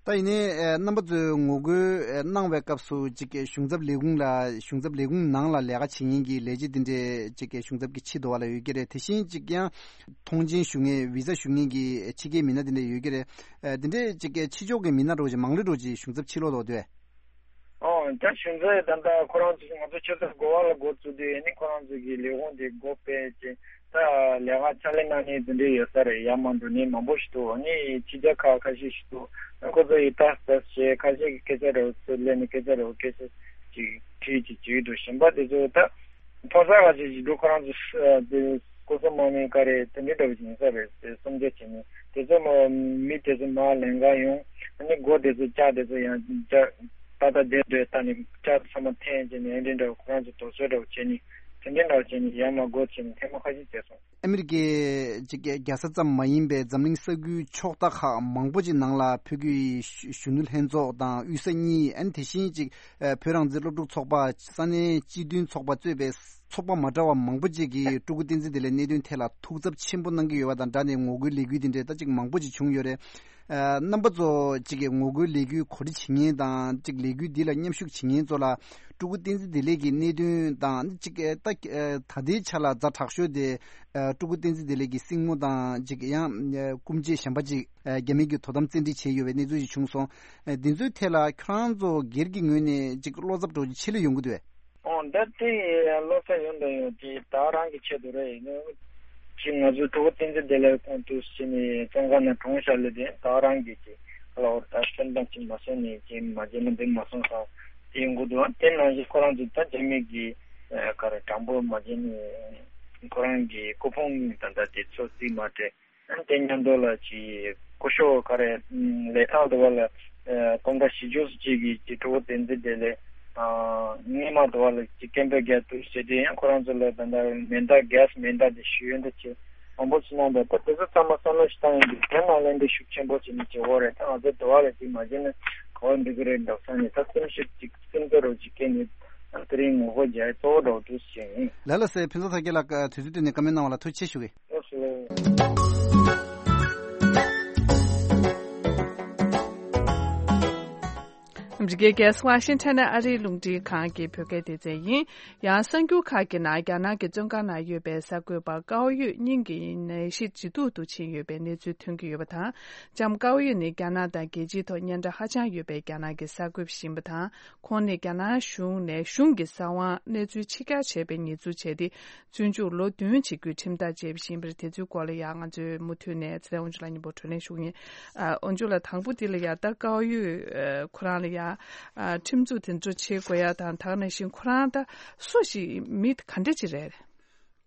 ད་ཡིན་ནའི་ཨ་རྣམ་པ་ཚོས་ངོ་རྒོལ་ཨ་གནང་བའི་སྐབས་སུ་ཅིག་གཞུང་ཚབ་ལས་ཁུངས་ལ་གཞུང་ཚབ་ལས་ཁུངས་ནང་ལ་ལས་ཀ་བྱེད་མཁན་གྱི་ལས་བྱེད་དེ་འདྲས་ཅིག་གཞུང་ཚབ་ཀྱི་ཕྱི་དོ་བ་ལ་ཡོད་ཀྱི་རེད། དེ་བཞིན་ཅིག་ཡང་མཐོང་མཆན་ཞུ་མཁན་བི་ཟ་ཞུ་མཁན་གྱི་ཕྱི་རྒྱལ་མི་སྣ་དེ་འདྲས་ཡོད་ཀྱི་རེད། ཨ་དེ་འདྲས་ཅིག་ཕྱི་ཕྱོགས་ཀྱི་མི་སྣ་འདྲ་བོ་ཅིག་མང་རེ་འདྲ་བོ་ཅིག་གཞུང་ཚབ་ཕྱི་ལོགས་ལ་འདུག་སྟེ། ཨོ་ད་གཞུང་ཚབ་ད་ལྟ་ཁོ་རང་ཚོ་ང་ཚོ་ཆུ་ཚོད་དགུ་པ་ལ་འགོ་བཙུགས་དུས་ཨ་ནི་ཁོ་རང་ཚོ་གི་ལས་ཁུངས་དེ་སྒོ་ཕྱེ་བྱས། ད་ལས་ཀ་ཕྱག་ལས་གནང་མཁན་དེ་འདྲ་ཡོད་ས་རེད། ཡར་མར་འགྲོ་མཁན་མང་པོ་ཞིག་འདུག་ཨ་ནི་ཕྱི་རྒྱལ་ཁག་ཁ་ཤས་ཤིག་འདུག་ཨ་ཁོ་ཚོ་ཡིས་ལྟ་ལྟ་བྱས་ཁ་ཤས་ཀྱིས་སྐད་ཆ་འདྲ་བོ་ཚུར་སླེབས་ནས་སྐད་ཆ་འདྲ་བོ་སྐད་ཆ་ཅིག་དྲིས་ཅིག་བྱེད་ཀྱི་འདུག་གཞན་པ་དེ་ཚོ་ད་མཐོ་ས་ཁ་ཤས་ཤིག་འདུག་ཁོ་རང་ཚོ་ཨ་དེ་སྐུ་སྲུང་དམག་མི་ག་རེ་དེ་འདྲ་འདྲ་བོ་ཞིག་ཡིན་ས་རེད། དེ་སུམ་བརྒྱ་བྱས་ནས་དེ་ཚོ་མ་མི་དེ་ཚོ་མར་ལེན་ག་ཡོང་། ཨ་ནི་སྒོ་དེ་ཚོ་ལྕགས་དེ་ཚོ་ཡང་ལྕགས་ཏག་ཏག་བསྡད་འདུག་ད་ནི་ལྕགས་ཚང་མ་འཐེན་བྱས་ནས་ཨ་འདྲ་འདྲ་བོ་ཁོ་རང་ཚོ་དོགས་ཟོན་འདྲ་བོ་བྱས་ནས་དེ་འདྲ་འདྲ་བོ་བྱས་ནས་ཡར་མར་སྒོ་ཕྱེ་ནས་ཐེངས་མ་ཁ་ཤས་བྱས་སོང་། ཨ་མི་རི་ཀའི་ཅིག་རྒྱལ་ས་ཙམ་མ་ཡིན་པའི་འཛམ་གླིང་ས་ཁུལ་ཕྱོགས་མཐའ་ཁག་མང་པོ་ཅིག་ནང་ལ་བོད་ཀྱི་གཞོན་ནུ་ལྷན་ཚོགས་དང་དབུས་ས་གཉིས། ཨ་ནི་དེ་བཞིན་ཅིག་བོད་རང་བཙན་སློབ་ཕྲུག་ཚོགས་པ། ས་གནས་སྤྱི་མཐུན་ཚོགས་པ་གཙོས་པའི་ཚོགས་པ་མ་འདྲ་བ་མང་པོ་ཅིག་གིས་སྤྲུལ་སྐུ་བསྟན་འཛིན་བདེ་ལེགས་གནད་དོན་ཐད་ལ་ཐུགས་འཚབ་ཆེན་པོ་གནང་གི་ཡོད་པ་དང་སྦྲགས་ནས་ངོ་རྒོལ་ལས་འགུལ་འདི་འདྲའི་ད་ཅིག་མང་པོ་ཅིག་བྱུང་ཡོད་རེད། ཨ་རྣམ་པ་ཚོ་ཅིག་གིས་ངོ་རྒོལ་ལས་འགུལ་གོ་སྒྲིག་བྱེད་མཁན་དང་ཅིག་ལས་འགུལ་འདི་ལ་མཉམ་ཞུགས་བྱེད་མཁན་ཚོ་ལ་སྤྲུལ་སྐུ་བསྟན་འཛིན་བདེ་ལེགས་ཀྱི་གནད་དོན་དང་ཅིག་ད་ད་ལྟའི་ཆ་ལ་ཛ་དྲག་ཤོས་དེ་ཨ་སྤྲུལ་སྐུ་བསྟན་འཛིན་བདེ་ལེགས་ཀྱི་སྲིང་མོ་དང་ཅིག་ཡང་ཨ་སྐུ་མཆེད་གཞན་པ་ཅིག་ཨ་རྒྱ་མི་གིས་དོ་དམ་བཙན་ཁྲིད་བྱས་ཡོད་པའི་གནས་ཚུལ་ཞིག་བྱུང་སོང་། ཨ་འདི་ཚོའི་ཐད་ལ་ཁྱོད་རང་ཚོ་སྒེར་གྱི་ངོས་ནས་ཅིག་བློ་འཚབ་འདྲ་བོ་ཅིག་ཆེ་ལོས་ཡོང་གི་འདུག་གས། ཨོ་ད་དེ་བློ་འཚབ་ཡོང་དང་ཡོང་། དེ་ད་རང་གི་ཆེད་དུ་རེད། ཡིན་ནའང་ཅིག་ང་ཚོ་སྤྲུལ་སྐུ་བསྟན་འཛིན་བདེ་ལེགས་ཁོང་དུ་ཕྱིན་ནས་བཙོན་ཁང་ནང་གྲོངས་བཞག་ལེ་དེ་ད་རང་གི་ཅིག་ལ་འོར་ད་སེམས་ཐག་ཅིག་མ་སོང་ནས་ཅིག་མ་བྱས་ན་འགྲིག་མ་སོང་ས་དེ་ཡོང་གི་འདུག་དེ་ནང་བཞིན་ཁོ་རང་ཚོ་ད་རྒྱ་མི་གི་ག་རེ་དྲང་པོ་མ་བྱས་ནས། ཁོ་རང་གི་སྐུ་ཕུང་ད་ལྟ་དེ་ཚོ་རྩིས་མ་སྤྲད། ཨ་དེ་མཉམ་དུ་ལ་ཅིག་སྐུ་ཞབས་ག་རེ་ལས་ཐང་དུ་བ་ལ་སྐུ་ངོ་བཞི་བཅུ་ཅིག་གི་ཅིག་གྲོགས་བསྟན་འཛིན་དེ་ལས་སྔས་མ་དུ་བ་ལ་ཅིག་སྐད་འབོད་རྒྱག་ཐུབ་ཟེར་དེ་ཡང་ཁོ་རང་ཚོ་ལ་ད་ལྟ་མེ་མདའ་གས་མེ་མདའ་དེ་ཞུ་ཡོན་དུ་ཆེ་མང་པོ་ཅིག་གནང་འདུག་ད་དེ་ཚོ་ཚང་མ་བསམ་བློ་ཞིག་བཏང་ཡོང་དུས་དེ་ནང་ལན་དེ་ཤུགས་ཆེན་པོ་ཅིག་ནས་བྱེད་འོ་རེད། ད་ང་ཚོ་དུ་བ་ལ་ཅིག་མ་བྱས་ན་ག་བ་འགྲིག་གི་རེད་འདོག་ས་ནས་ད་སེམས་ཤུགས་ཅིག་སེམས་ཚོར་རོགས་ཅིག་སྐྱེས་ནས་ཨ་དེ་རིང་ངོ་རྒོལ་རྒྱག་གཙོ་བོ་འགྲོ་འདུག་ཟེར་ཡིན། ལ་ལ་སེ་ཕུན་ཚོགས་ཚོགས་རྒྱལ་ལགས་དུས་ཚོད་བཏོན་ནས་བཀའ་མོལ་གནང་བ་ལ་ཐུགས་རྗེ་ཆེ་ཞུ་གི། ཨ་མི་རི་ཀའི་རྒྱལ་ས་ཝ་ཤིང་ཊོན་ནས་ཨ་རིའི་རླུང་འཕྲིན་ཁང་གི་བོད་སྐད་སྡེ་ཚན་ཡིན། ཡང་གསར་འགྱུར་ཁག་གི་ནང་རྒྱ་ནག་གི་བཙོན་ཁང་ནང་ཡོད་པའི་གསར་འགོད་པ་ཀའོ་ཡུས་སྙིང་གི་ནད་གཞི་ཇེ་སྡུག་ཏུ་ཕྱིན་ཡོད་པའི་གནས་ཚུལ་ཐོན་གྱི་ཡོད་པ་དང་། ལྕམ་ཀའོ་ཡུས་ནི་རྒྱ་ནག་དང་རྒྱལ་སྤྱིའི་ཐོག་སྙན་གྲགས་ཧ་ཅང་ཡོད་པའི་རྒྱ་ནག་གི་གསར་འགོད་པ་ཞིག་ཡིན་པ་དང་། ཁོང་ནི་རྒྱ་ནག་གཞུང་ནས་གཞུང་གི་གསང་བ་གནས་ཚུལ་ཕྱི་གྱར་བྱས་པའི་ཉེས་འཛུགས་བྱས་ཏེ། བཙོན་འཇུག་ལོ་བདུན་བྱེད་རྒྱུའི་ཁྲིམས་ཐག་བཅད་པ་ཞིག་ཡིན་པ་རེད། དེ་ཚོའི་སྐོར་ལ་ཡང་ང་ཚོས་མུ་མཐུད་ནས་ཚེ་རིང་དབང་ཕྱུག་ལགས་མཉམ་པོ་བགྲོ་གླེང་ཞུ་གི་ཡིན། ཨ་དབང་ཕྱུག་ལགས་དང་པོ་དེ་ལ་ཡང་ད་ཀའོ་ཡུས་ཨ་ཁོ་རང་ལ་ཡང་ཨ་ཁྲིམས་འཛུགས་དེ་ཚོ་བྱེད་དགོས་ཡ་དང་། དེ་ནང་བཞིན་ཁོ་རང་ད་སུ་ཞིག་མི་ག་འདྲ་ཅིག་རེད།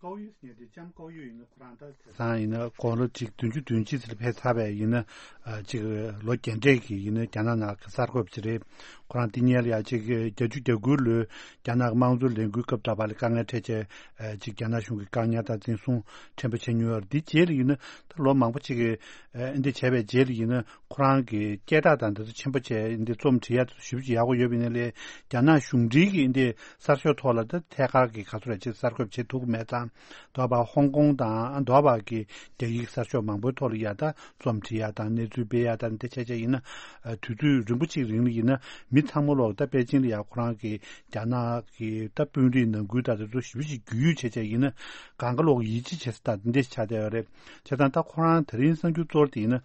ཀའོ་ཡུས་ཟེར་མཁན་དེ་ལྕམ་ཀའོ་ཡུས་ཡིན་ན་ཁོ་རང་ད་དེང་སང་ཡིན་ན་དགུང་ལོ་གཅིག་བདུན་ཅུ་དོན་གཅིག་ཙམ་ཕེབས་ཚར་བས་ཡིན་ན་ཨ་གཅིག་ལོ་རྒན་གྲས་ཀྱི་ཡིན་ན་རྒྱ་ནག་ནང་གི་གསར་འགོད་པ་ཅིག་རེད། ཁོ་རང་དེ་སྔོན་ལ་ཡང་གཅིག་བརྒྱད་ཅུ་གྱ་དགུ་ལོའི་རྒྱ་ནག་གི་དམངས་གཙོ་ལས་འགུལ་སྐབས་དུ་བ་ལ་དཀའ་ངལ་འཕྲད་བྱས་ཨ་གཅིག་རྒྱ་ནག་གཞུང་གིས་བཀག་ཉར་དང་འཛིན་བཟུང་ཕྲན་བུ་བྱས་མྱོང་ཡོད་རེད། དེ་རྗེས་ལ་ཡིན་ན་ད་ལོ་མང་པོ་ཅིག་གི་ཨ་འདི་བྱས་པའི་རྗེས་ལ་ཡིན་ན་ཁོ་རང་གི་སྐད་གྲགས་དང་འདི་ཚོ་ཆེན་པོ་བྱས་འདི་རྩོམ་བྲིས་ཡ་དེ་ཚོ་ཞེ་པོ་ཅིག་ཡག་པོ་ཡོད་པ་ཡིན་ན་ལས་རྒྱ་ནག་གཞུང་འབྲེལ་གྱི་འདི་གསར་ཤོག་ཐོག་ལ་ད་ཐད་ཀར་གྱི་ག་ཚོད་རེད་ཅེས་གསར་འགོད་བྱེད་ཐུབ་ཀྱི་མེད་ཙང་། དོ་བ་ཧོང་ཀོང་དང་དོ་བ་གི་རྒྱ་ཡིག་གསར་ཤོག་མང་པོའི་ཐོག་ལ་ཡ་ད་རྩོམ་བྲིས་ཡ་དང་གནས་ཚུལ་སྤེལ་ཡ་དང་འདི་བྱས་བྱས་ཡིན་ན་དུས་ཚོད་རིང་པོ་གཅིག་རིང་ལ་ཡིན་ན་མི་ཚང་མ་ལོག་ད་པེ་ཅིང་ལ་ཡ་ཁོ་རང་གི་རྒྱ་ནག་གི་ད་དཔོན་རིགས་ནང་ཁུལ་ད་དེ་ཚོ་ཞེ་པོ་ཅིག་རྒྱུས་ཡོད་བྱས་བྱས་ཡིན་ན་གང་ག་ལོག་ཡིད་ཆེས་བྱེད་ས་ད་འདི་ཆགས་བསྡད་ཡོད་རེད། བྱས་ཙང་ད་ཁོ་རང་དེ་རིང་གསར་འགྱུར་གཙོ་བོ་དེ་ཡིན་ན་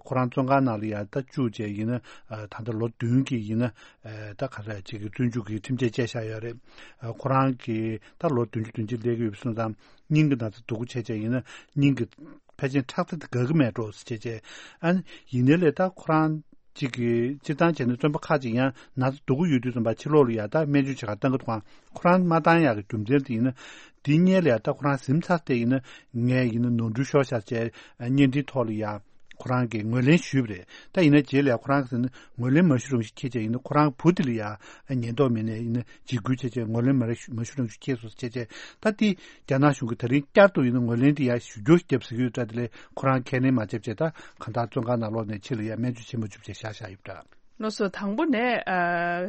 ཁོ་རང་བཙོན་ཁང་ནང་ལ་ཡ་ད་བཅུག་བྱས་ཡིན་ན་ད་ལྟ་ལོ་བདུན་གྱི་ཡིན་ན། ཨེ་ད་ག་རེ་ཅིག་གི་བཙོན་འཇུག་གི་ཁྲིམས་ཆད་བཅད་བཞག་ཡོད་རེད། ཨ་ཁོ་རང་གིས་ད་ལོ་བདུན་ཅུ་དོན་གཅིག་སླེབས་ཀྱི་ཡོད་པ་སོང་ཙང་སྙིང་གི་ན་ཚ་སྡུག་པོ་བྱས་བྱས་ཡིན་ན་སྙིང་གི་ཕལ་ཆེར་ཁྲག་རྩ་དེ་དགའ་གི་མེད་འགྲོ་ཟེར་བྱས་བྱས། ཨ་ནི་ཡིན་ནའི་ལས་ད་ཁོ་རང་ཅིག་གི་སྤྱིར་བཏང་བྱས་ན་བཙོན་པ་ཁག་ཅིག་ཡང་ན་ཚ་སྡུག་པོ་ཡོད་དུས་ཙམ་པ་ཕྱི་ལོགས་ལ་ཡ་ད་སྨན་བཅོས་བྱེད་གར་བཏང་གི་འདུག་ག་ཁོ་རང་མ་བཏང་ཡག་གི་རྒྱུ་མཚན་དེ་ཡིན་ན་དེ་སྔོན་ལ་ཡ་ད་ཁོ་རང་གཟིམ་ཚར་ཏེ་ཡིན་ན་ངས་ཡིན་ན་ནོར་འཁྲུལ་ཤོར་ཤག་བྱས་བརྙན་འཕྲིན་ཐོག་ལ་ཡ། ཁོ་རང་གིས་ངོས་ལེན་ཞུས་པ་རེད། ད་ཡིན་ན་རྗེས་ལ་ཡང་ཁོ་རང་གིས་ཟེར་ན་ངོས་ལེན་མ་ཞུ་རང་ཞིག་ཁྱེད་ཅག་ཡིན་ན་ཁོ་རང་བུ་དེ་ལ་ཡང་ཉེན་རྟོག་མི་སྣས་ཡིན་ན་འཇིགས་སྐུལ་བྱས་བྱས་ངོས་ལེན་མ་རེ་ཞུ་མ་ཞུ་རང་ཞིག་ཁྱེད་སོང་ཟེར་བྱས་བྱས། ད་དེ་རྒྱ་ནག་གཞུང་གིས་ད་རིང་བསྐྱར་དུ་ཡིན་ན་ངོས་ལེན་དེ་ཡང་ཞུ་རྒྱུ་ཞིག་བརྒྱབ་ཟེར་གྱི་ཡོད་འདྲ། དེ་ལས་ཁོ་རང་ཁས་ལེན་མ་བྱས་བྱས་ད་གང་ལྟར་བཙོན་ཁང་ནང་ལོགས་ནས་ཕྱི་ལ་ཡང་སྨན་བཅོས་བྱེད་མ་བཅུག་བྱས་བཞག་བཞག་ཡོད་འདྲ། ལགས་སོ། དང་པོ་ནས་ཨ་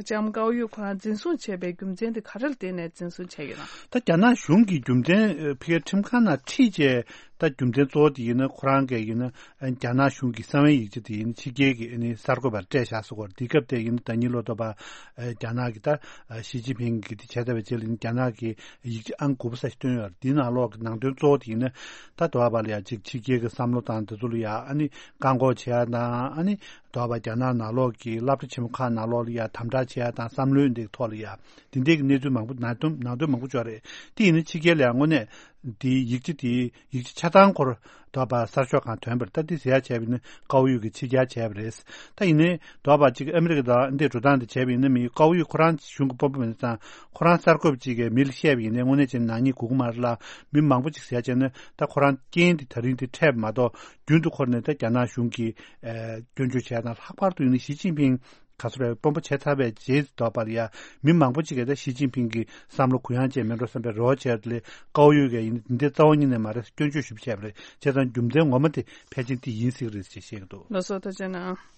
ལྕམ་ཀའོ་ཡུས་ཁོ་རང་འཛིན་བཟུང་བྱས་པའི་རྒྱུ་མཚན་དེ་ག་རེ་ལ་བརྟེན་ནས་འཛིན་བཟུང་བྱས་ཡོད་ན། ད་རྒྱ་ནག་གཞུང་གི་རྒྱུ་མཚན་ཨ་ཕ་གིའི་ཁྲིམས་ཁང་ནང་ཁྲིད་བྱས་ད་རྒྱུ་མཚན་གཙོ་བོ་དེ་ཡིན་ན་ཁོ་རང་གིས་ཡིན་ན་ཨ་རྒྱ་ནག་གཞུང་གི་གསང་བའི་ཡིག་ཆ་དེ་ཡིན་ན་ཕྱི་རྒྱལ་གྱི་ཨ་ནི་གསར་འགོད་པར་སྤྲད་བཞག་སོང་གོ། དེ་སྐབས་དེ་ཡིན་ན་ཟླ་ཉིན་ལོ་ཏོ་པ་ཨ་རྒྱ་ནག་གི་ད་ཨ་ཞི་ཅིན་ཕིང་གིས་དེ་བྱས་ཚར་བའི་རྗེས་ལ་ཡིན་ན་རྒྱ་ནག་གི་ཡིག་ཆ་ཨང་དགུ་པ་ས་ཞིག་བཏོན་ཡོད་རེད། དེའི་ནང་ལོགས་ཀྱི་ནང་དོན་གཙོ་བོ་དེ་ཡིན་ན་ད་དོ་བ་ལ་ཡ་གཅིག་ཕྱི་རྒྱལ་གྱི་བསམ་བློ་དང་དེ་ཚོ་ལ་ཡ་ཨ་ནི་བཀག་འགོག་བྱེད་ཡ་དང་ཨ་ནི། དོ་བ་རྒྱ་ནག་ནང་ལོགས་ཀྱི་སློབ་གྲྭ་ཆེན་མོ་ཁག་ནང་ལོགས་ལ་ཡ་དམ་དྲག་བྱེད་ཡ་དང་བསམ་བློའི་འདི་ཐོག་ལ་ཡ་འདི་འདྲའི་གི་གནས་ཚུལ་མང་པོ་ནང་དོན་ནང་དོན་མང་པོ་ཅིག་ཡོད་རེད། དེ་ཡིན་ན་ཕྱི་རྒྱལ་ལ་ཡ་དངོས་གནས་འདིའི་ཡིག་ཆ་དེའི་ཡིག་ཆ་ཆ་ཚང་སྐོར་དོ་བ་གསར་ཤོག་ཁང་ཐོན་པར་ད་འདི་ཟེར་ཡ་བྱས་པ་ཡིན་ན་ཀའོ་ཡུས་ཀྱིས་ཕྱི་གྱར་བྱས་པ་རེད། ད་ཡིན་ནའི་དོ་བ་གཅིག་ཨ་མི་རི་ཀ་དང་འདི་འགྲོ་སྟངས་འདི་བྱས་པ་ཡིན་ན་མི་ཀའོ་ཡུས་ཁོ་རང་གཞུང་གི་དཔོན་པོ་མིན་ཙང་ཁོ་རང་གསར་འགོད་པ་གཅིག་གིས་མི་ལ་བཤད་པ་ཡིན་ནའི་དངོས་གནས་བྱས་ན་ནག་ཉེས་དགོས་ཀྱི་མ་རེད་ལ། མི་མང་པོ་གཅིག་ཟེར་ཡ་བྱས་ན་ད་ཁོ་རང་རྐྱེན་འདི་ད་རིང་འདི་འཕྲད་པ་མ་གཏོགས། རྒྱུན་དུ་འཁོར་ནས་ད་རྒྱ་ནག་གཞུང་གིས་ཨེ་སྐྱོན་བརྗོད་བྱས་དང་། ལྷག་པར་དུ་ཡིན་ན་ཞི་ཅིན་ཕིང་ག་ཚོད་རེད་དཔོན་པོ་བྱས་ཚར་བའི་རྗེས་སུ་དོགས་པར་ཡ་མི་མང་པོ་ཅིག་གིས་ད་ཞི་ཅིན་ཕིང་གི་བསམ་བློ་གུ་ཡངས་བཅས་མེད་འགྲོ་བསམ་པའི་རེ་བ་བྱས་ཏེ། ཀའོ་ཡུས་ཀྱིས་ཡིན་ན་འདི་རྩ་བ་ཉིད་ནས་མ་རེད་སྐྱོན་བརྗོད་ཞིབ་བྱས་པ་རེད། བྱས་ཙང་རྒྱུ་མཚན་ངོ་མ་དེ་ཕལ་ཆེར་དེ་ཡིན་སྲིད་ཀྱི་རེད་ཅེས་བཤད་ཀྱི་འདུག་ལགས་སོ། ཐུགས་རྗེ་གནང་།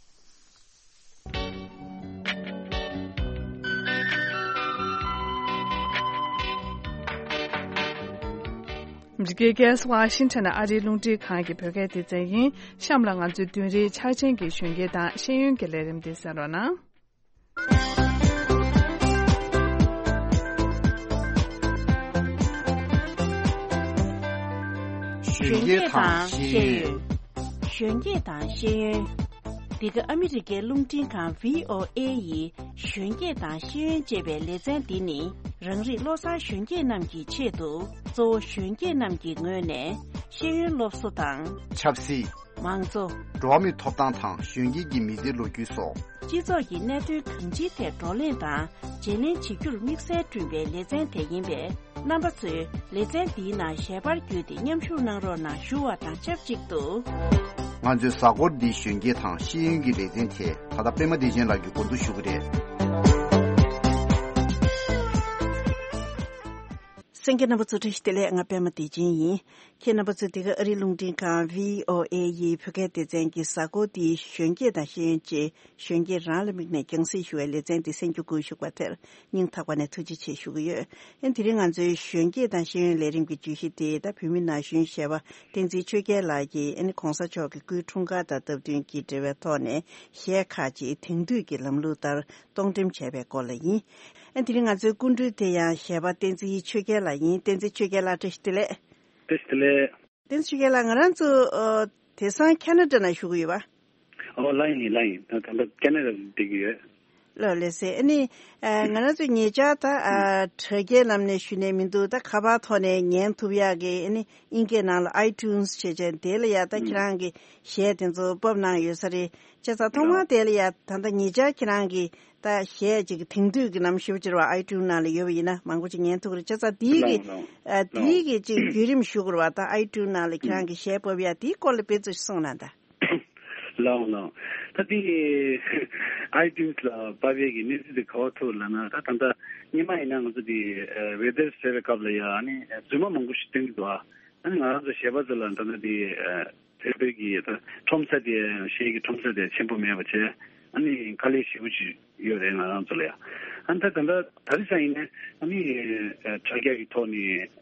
འདི་གའི་རྒྱལ་ས་ཝ་ཤིང་ཊོན་ཨ་རིའི་རླུང་འཕྲིན་ཁང་གི་བོད་སྐད་སྡེ་ཚན་ཡིན། གཤམ་ལ་ང་ཚོའི་བདུན་རེའི་འཆར་ཅན་གྱི་གཞོན་སྐྱེས་དང་ཤེས་ཡོན་གྱི་ལས་རིམ་འདི་གསན་རོགས་གནང་། གཞོན་སྐྱེས་དང་ཤེས་ཡོན། གཞོན་སྐྱེས་དང་ཤེས་ཡོན། འདི་ག་ཨ་མི་རི་ཀའི་རླུང་འཕྲིན་ཁང་བྷི་ཨོ་ཨེ་ཡི་གཞོན་སྐྱེས་དང་ཤེས་ཡོན་ཅེས་པའི་ལེ་ཚན་འདི་ནི་རང་རིགས་བློ་བཟང་གཞོན་སྐྱེས་རྣམས་ཀྱི་ཆེད་དུ་གཙོ་བོ་གཞོན་སྐྱེས་རྣམས་ཀྱི་ངོས་ནས་ཤེས་ཡོན་སློབ་གསོ་དང་། ཆབ་སྲིད། མང་གཙོ། འགྲོ་བ་མིའི་ཐོབ་ཐང་དང་གཞོན་སྐྱེས་ཀྱི་མི་སྡེའི་ལོ་རྒྱུས་སོགས། སྤྱི་ཚོགས་ཀྱི་གནད་དོན་གང་ཅིའི་ཐད་བགྲོ་གླེང་དང་བརྗེ་ལེན་བྱེད་རྒྱུར་དམིགས་བསལ་བསྐྲུན་པའི་ལེ་ཚན་དེ་ཡིན་པས། རྣམ་པ་ཚོས་ལེ་ཚན་འདིའི་ནང་ཞལ་པར་བརྒྱུད་དེ་མཉམ་ཞུགས་གནང་རོགས་གནང་ཞུ་བ་དང་ཆབས་ཅིག་ཏུ། ང་ཚོའི་གཟའ་འཁོར་འདིའི་གཞོན་སྐྱེས་དང་ཤེས་ཡོན་གྱི་ལེ་ཚན་དེ་ད་ལྟ་པད་མ་བདེ་ཆེན་ལགས་ཀྱིས་འགོ་འཛུགས་ཞུ་གི་རེད། གསན་མཁན་རྣམ་པ་ཚོ་བཀྲ་ཤིས་བདེ་ལེགས། ང་པད་མ་བདེ་ཆེན་ཡིན། ཁྱེད་རྣམ་པ་ཚོ་འདི་ག་ཨ་རིའི་རླུང་འཕྲིན་ཁང་བྷི་ཨོ་ཨེ་ཡི་བོད་སྐད་སྡེ་ཚན་གྱི་གཟའ་འཁོར་འདིའི་གཞོན་སྐྱེས་དང་ཤེས་ཡོན་ཅན་གཞོན་སྐྱེས་རང་ལ་དམིགས་ནས་རྒྱང་སྲིང་ཞུ་བའི་ལེ་ཚན་འདི་གསན་རྒྱུ་སྒུག་བཞུགས་པ་དེར་སྙིང་ཐག་པ་ནས་ཐུགས་རྗེ་ཆེ་ཞུ་གི་ཡོད། ཨེ་དེ་རིང་ང་ཚོའི་གཞོན་སྐྱེས་དང་ཤེས་ཡོན་ལས་རིམ་གྱི་བརྗོད་གཞི་དེ་ད་བོད་མི་ན་གཞོན་གཞས་པ་བསྟན་འཛིན་ཆོས་རྒྱལ་ལགས་ཀྱིས་ཨེ་ནི་གོང་ས་མཆོག་གི་སྐུའི་འཁྲུངས་སྐར་དང་སྟབས་བསྟུན་གྱིས་འབྲེལ་བའི་ཐོག་ནས་གཞས་ཁག་ཅིག་དེང་དུས་ཀྱི་ལམ་ལུགས་ལྟར་གཏོང་འགྲེམས་བྱས་པའི་སྐོར་ལ་ཡིན། ཨ་དེ་རིང་ང་ཚོའི་སྐུ་མགྲོན་དེ་ཡང་གཞས་པ་བསྟན་འཛིན་ཆོས་རྒྱལ་ལགས་ཡིན། བསྟན་འཛིན་ཆོས་རྒྱལ་ལགས་བཀྲ་ཤིས་བདེ་ལེགས། བཀྲ་ཤིས་བདེ་ལེགས། བསྟན་འཛིན་ཆོས་རྒྱལ་ལགས། ང་རང་ཚོ་ཨ་དེང་སང་ཁེ་ན་ཌ་ནང་བཞུགས་ཀྱི་ཡོད་པ། ཨོ་ལ་ཡིན་ལ་ཡིན། ད་ད་ལྟ་ཁེ་ན་ཌ་བསྡད་ཀྱི་ཡོད། ལགས་ལགས་སེ། ཨ་ནི་ཨ་ང་རང་ཚོ་ཉེ་ཆར་ད་ཨ་དྲ་རྒྱའི་ལམ་ནས་ཞུས་ནས་མི་འདུག་ད་ཁ་པར་ཐོག་ནས་ཉན་ཐུབ་ཡག་གི་ཨ་ནི་ཨིན་སྐད་ནང་ལ་ཨའི་ཊུན་སི་བྱས་བྱས་དེ་ལ་ཡ་ད་ཁྱེད་རང་གི་གཞས་དེ་ཚོ་ཕབ་གནང་ཡོད་ས་རེད། བྱས་ཙང་ཐོག་མར་དེ་ལ་ཡ་ད་ལྟ་ཉེ་ཆར་ཁྱེད་རང་གི་ད་གཞས་ཅིག་དེང་དུས་ཀྱི་ནམ་ཞིབ་ཅིག་རེད་བ། ཨའི་ཊུན་ནང་ལ་ཡོད་པ་ཡིན་ན་མང་པོ་ཅིག་ཉན་ཐུབ་ཀྱི་རེད། བྱས་ཙང་དེའི་གི་ལགས་ལགས་ཨ་དེའི་གི་ཅིག་བརྒྱུད་རིམ་ཞུ་དགོས་རེད་བ། ད་ཨའི་ཊུན་ནང་ལ་ཁྱེད་རང་གི་གཞས་ཕབ་ཡ་དེའི་སྐོར་ལ་དཔེ་ཚོ་གསུངས་གནང་དང་། ལགས་འོང་ལགས་འོང་། ད་དེ་ཨའི་ཊུན་སི་ལ་ཕབ་ཡས་ཀྱི་གནས་ཚུལ་དེ་ག་པར་ཐུག་ལབ་ན། ད་ད་ལྟ་སྔོན་མ་ཡིན་ན་ང་ཚོ་དེ་ཝེ་དར་ཟེར་བའི་སྐབས་ལ་ཡ་ཨ་ནི་རྫུན་མ་མང་པོ་ཞིག་སྟོན་གྱི་འདུག་ཨ་ནི་ང་རང་ཚོ་གཞས་པ་ཚོ་ལ་ད་ལྟ་དེ་ཨ་ཕལ་པའི་གི་ད་ཁྲོམ་ས་དེ་གཞས་ཀྱི་ཁྲོམ་ས་དེ་ཆེན་པོ་མེད་པ་བྱས། ཨ་ནི་དཀའ་ལས་ཞེ་པོ་ཅིག་ཡོད་རེད་ང་རང་ཚོ་ལ་ཡ། ཨ་ནི་ད་ད་ལྟ་ད་རེས་ཡིན་ན་ཨ་ནི་ཨ་དྲ་རྒྱ་གི་ཐོག་ནས་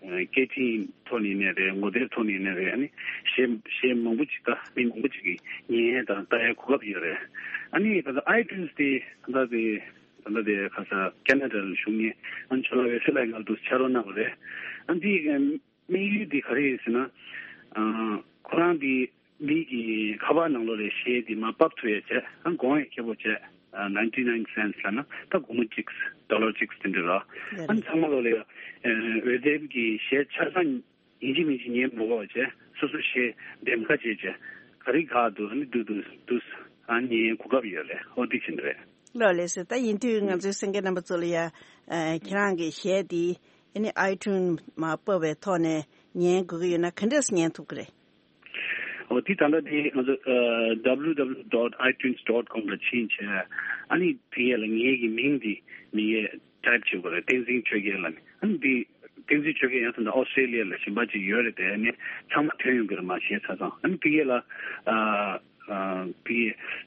ཨ་སྐད་འཕྲིན་ཐོག་ནས་ཡིན་ནའི་རེད། ངོ་དེབ་ཐོག་ནས་ཡིན་ནའི་རེད། ཨ་ནི་གཞས་གཞས་མང་པོ་ཅིག་ད་མི་མང་པོ་ཅིག་གིས་ཉན་དང་ལྟ་ཡ་གོ་སྐབས་ཡོད་རེད། ཨ་ནི་ད་ལྟ་ཨའི་ཊུན་སི་དེ་ད་ལྟ་དེ་ད་ལྟ་དེ་ཁ་ས་ཁེ་ན་ཌ་ལ་བཞུགས་མཁན་ཨ་ནི་ཇོ་ལགས་ཝེ་སི་ལགས་ང་ཚོ་ཕྱག་རོགས་གནང་བ་རེད། ཨ་ནི་དེ་དམིགས་ཡུལ་འདི་ག་རེ་ཡིན་ཟེར་ན། ཨ་ཁོ་རང་འདི་མི་གི་ཁ་པར་ནང་ལོགས་ལ་གཞས་འདི་མར་ཕབ་ཐུབ་ཡ་བྱས། ཨ་གོང་ཡ་ཁེ་པོ་བྱས། ཨ་ninety nine cents ལབ་ན་ད་སྒོར་མོ་གཅིག་ཌོ་ལར་གཅིག་དེ་འདྲ་ར། ཡ་ཨ་ནི་ཚང་མ་ལོགས་ལ་ཡ་ཝེ་དེབ་ཀྱི་གཞས་ཆ་ཚང་ཡིན་གཅིག་མིན་གཅིག་ཉན་མི་དགོས་པ་བྱས། སོ་སོ་གཞས་འདེམས་ཁ་བྱས་བྱས་ག་རེ་ག་འདུག་ཨ་ནི་འདུག་འདུག་འདུག་ཨ་ཉན་གོ་སྐབས་ཡོད་རེད། ཨོ་འདི་བྱེད་འདི་རེད། ལགས་ལགས་སེ། ད་ཡིན་དུས་ང་ཚོའི་གསན་མཁན་རྣམ་པ་ཚོ་ལ་ཡ་ཨ་ཁྱེད་རང་གི་གཞས་འདི་ཨ་ནི་ཨའི་ཊུན་མར་ཕབ་པའི་ཐོག་ནས་ཉན་དགོས་ཀྱི་ཡོད་ན་ག་འདྲས་ཉན་ཐུབ་ཀྱི་རེད། འོ་དེ་ད་ལྟ་དེ་ང་ཚོ་ཨ་www dot itunes dot com ལ་ཕྱིན་བྱས། ཨ་ནི་དེ་ཡས་ལ་ངའི་གི་མིང་འདི་མི་ཡས་ཊའིབ་བྱེད་དགོས་རེད། བསྟན་འཛིན་ཆོས་རྒྱལ་ལབ་ནས། ཨ་ནི་དེ་བསྟན་འཛིན་ཆོས་རྒྱལ་ཡང་ད་ལྟ་ཨོ་སི་ཊྲེ་ལི་ཡ་ལ་གཞན་པ་ཅིག་ཡོད་རེད་དེ། ཨ་ནི་ཚང་མ་ཐོན་ཡོང་གི་རེད་མར་གཞས་ཆ་ཚང་། ཨ་ནི་དེ་ཡས་ལ་ཨ་ཨ་དེ་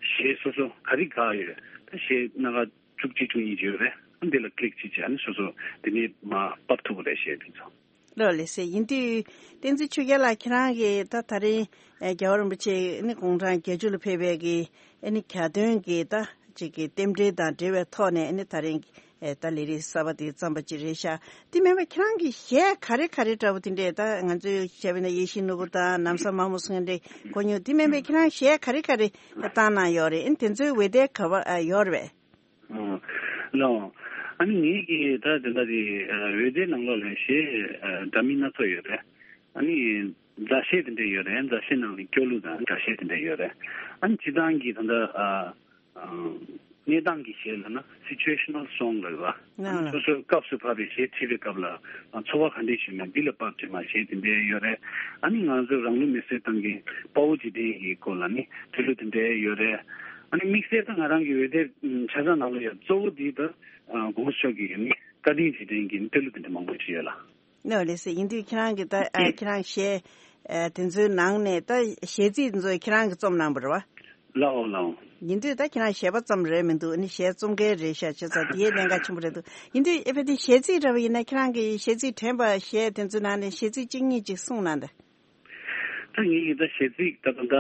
གཞས་སོ་སོ་ག་རེ་ག་ཡོད་རེད། ད་གཞས་སྣ་ཁ་བཅུ་གཅིག་བཅུ་གཉིས་ཅིག་ཡོད་རེད། ཨ་ནི་དེ་ལ་ཀི་ལིག་ཅིག་བྱས། ཨ་ནི་སོ་སོ་དེ་ནས་མར་ཕབ་ཐུབ་པ་རེད་གཞས་དེ་ཚོ། ལགས་ལགས་སེ། ཡིན་དུས་བསྟན་འཛིན་ཆོས་རྒྱལ་ལགས་ཁྱེད་རང་གིས་ད་ད་རིང་ཨེ་རྒྱལ་བ་རིན་པོ་ཆེ་ཨ་ནི་དགུང་གྲངས་བརྒྱད་ཅུ་ལ་ཕེབས་པའི་གི་ཨ་ནི་གྱ་སྟོན་གྱི་ད་ཅིག་གི་རྟེན་འབྲེལ་དང་འབྲེལ་བའི་ཐོག་ནས་ཨ་ནི་ད་རིང་གི་ཨེ་ད་ལས་རིམ་གསར་པ་དེ་བརྩམས་པ་ཅིག་རེད་ཤག་དེ་མིན་པ་ཁྱེད་རང་གི་གཞས་ག་རེ་ག་རེ་འདྲ་བོ་དེ་འདྲས། ད་ང་ཚོའི་བྱས་པ་ན་ཡིད་བཞིན་ནོར་བུ་དང་ལམ་བཟང་དམར་མོ་སོགས་འདྲས་གོ་མྱོང་། དེ་མིན་པ་ཁྱེད་རང་གཞས་ག་རེ་ག་རེ་བཏང་གནང་ཡོད་རེད། ཨ་ནི་དེ་ཚོའི་འོད་སྡེར་ག་པར་ཨ་ཡོད་རེད་པས། ཨ་ལགས། ཨ་ནི་ངེད་ཀྱིས་ད་དེ་འདྲ་དེ་ཨ་འོད་སྡེར་ནང་ལོགས་ལ་གཞས་ཨ་འདྲ་མིན་སྣ་ཚོགས་ཡོད་རེད། ཨ་ནི་མཛའ་གཞས་དེ་འདྲ་ཡོད་རེད། མཛའ་གཞས་ནང་ནས་སྐྱོ་གླུ་དང་དགའ་གཞས་དེ་འདྲ་ཡོད་རེད། ཨ་ནི་སྤྱིར་བཏང་གི་ད་ལྟ་ཨ་ཨ་གནས་སྟངས་ཀྱི་གཞས་ལབ་ན་སི་ཅུ་ཨེ་ཤ་ནལ་སོང་ལབ་རེད་པ། ཨ་ནི་སོ་སོའི་སྐབས་སུ་བབས་པའི་གཞས་བྲིས་པའི་སྐབས་ལ་ཨ་ཚོར་བ་ག་འདྲས་བྱུང་མེད་འདི་ལ་དཔག་བྱས་མར་གཞས་དེ་འདྲ་ཡོད་རེད། ཨ་ནི་ང་ཚོ་རང་ལུས་མེར་སྲེག་བཏང་མཁན་དཔའ་བོ་རྗེས་དྲན་གྱི་སྐོར་ལ་ནི་སྐྱོ་གླུ་དེ་འདྲ་ཡོད་རེད། ཨ་ནི་དམིགས་བསལ་ད་ང་རང་གི་འོད་སྡེར་ཆ་ཚང་ནང་ལ་ཡང་གཙོ་བོ་འདི་ད་ཨ་གོང་ས་མཆོག་གི་ནི་བཀའ་དྲིན་རྗེས་དྲན་གྱི་སྐྱོ་གླུ་དེ་འདྲ་མང་པོ་ཅིག་ཡོད་ལགས། ལགས་ལགས་སེ། ཡིན་དུས་ཁྱེད་རང་གིས་ད་ཨ་ཁྱེད་རང་གཞས་ཨ་དེ་ཚོའི་ནང་ནས་ད་གཞས་ཚིག་དེ་ཚོ་ཁྱེད་རང་གིས་རྩོམ་གནང་པ་རེད་པ། ལགས་འོང་ལགས་འོང་། ཡིན་དུས་ད་ཁྱེད་རང་གཞས་པ་ཙམ་རེད་མི་འདུག་ཨ་ནི་གཞས་རྩོམ་མཁན་རེད་ཤག་བྱས་ཙང་དེའི་གནད་འགག་ཆེན་པོ་རེད་འདུག་ཡིན་དུས་ཨེ་ཕ་དེ་གཞས་ཚིག་འདྲ་བ་ཡིན་ན་ཁྱེད་རང་གིས་གཞས་ཚིག་དྲན་པ་གཞས་དེ་ཚོའི་ནང་ནས་གཞས་ཚིག་གཅིག་གཉིས་ཅིག་གསུངས་གནང་དང་། ད་ངེད་ཀྱི་ད་གཞས་ཚིག་ད་ད་ད་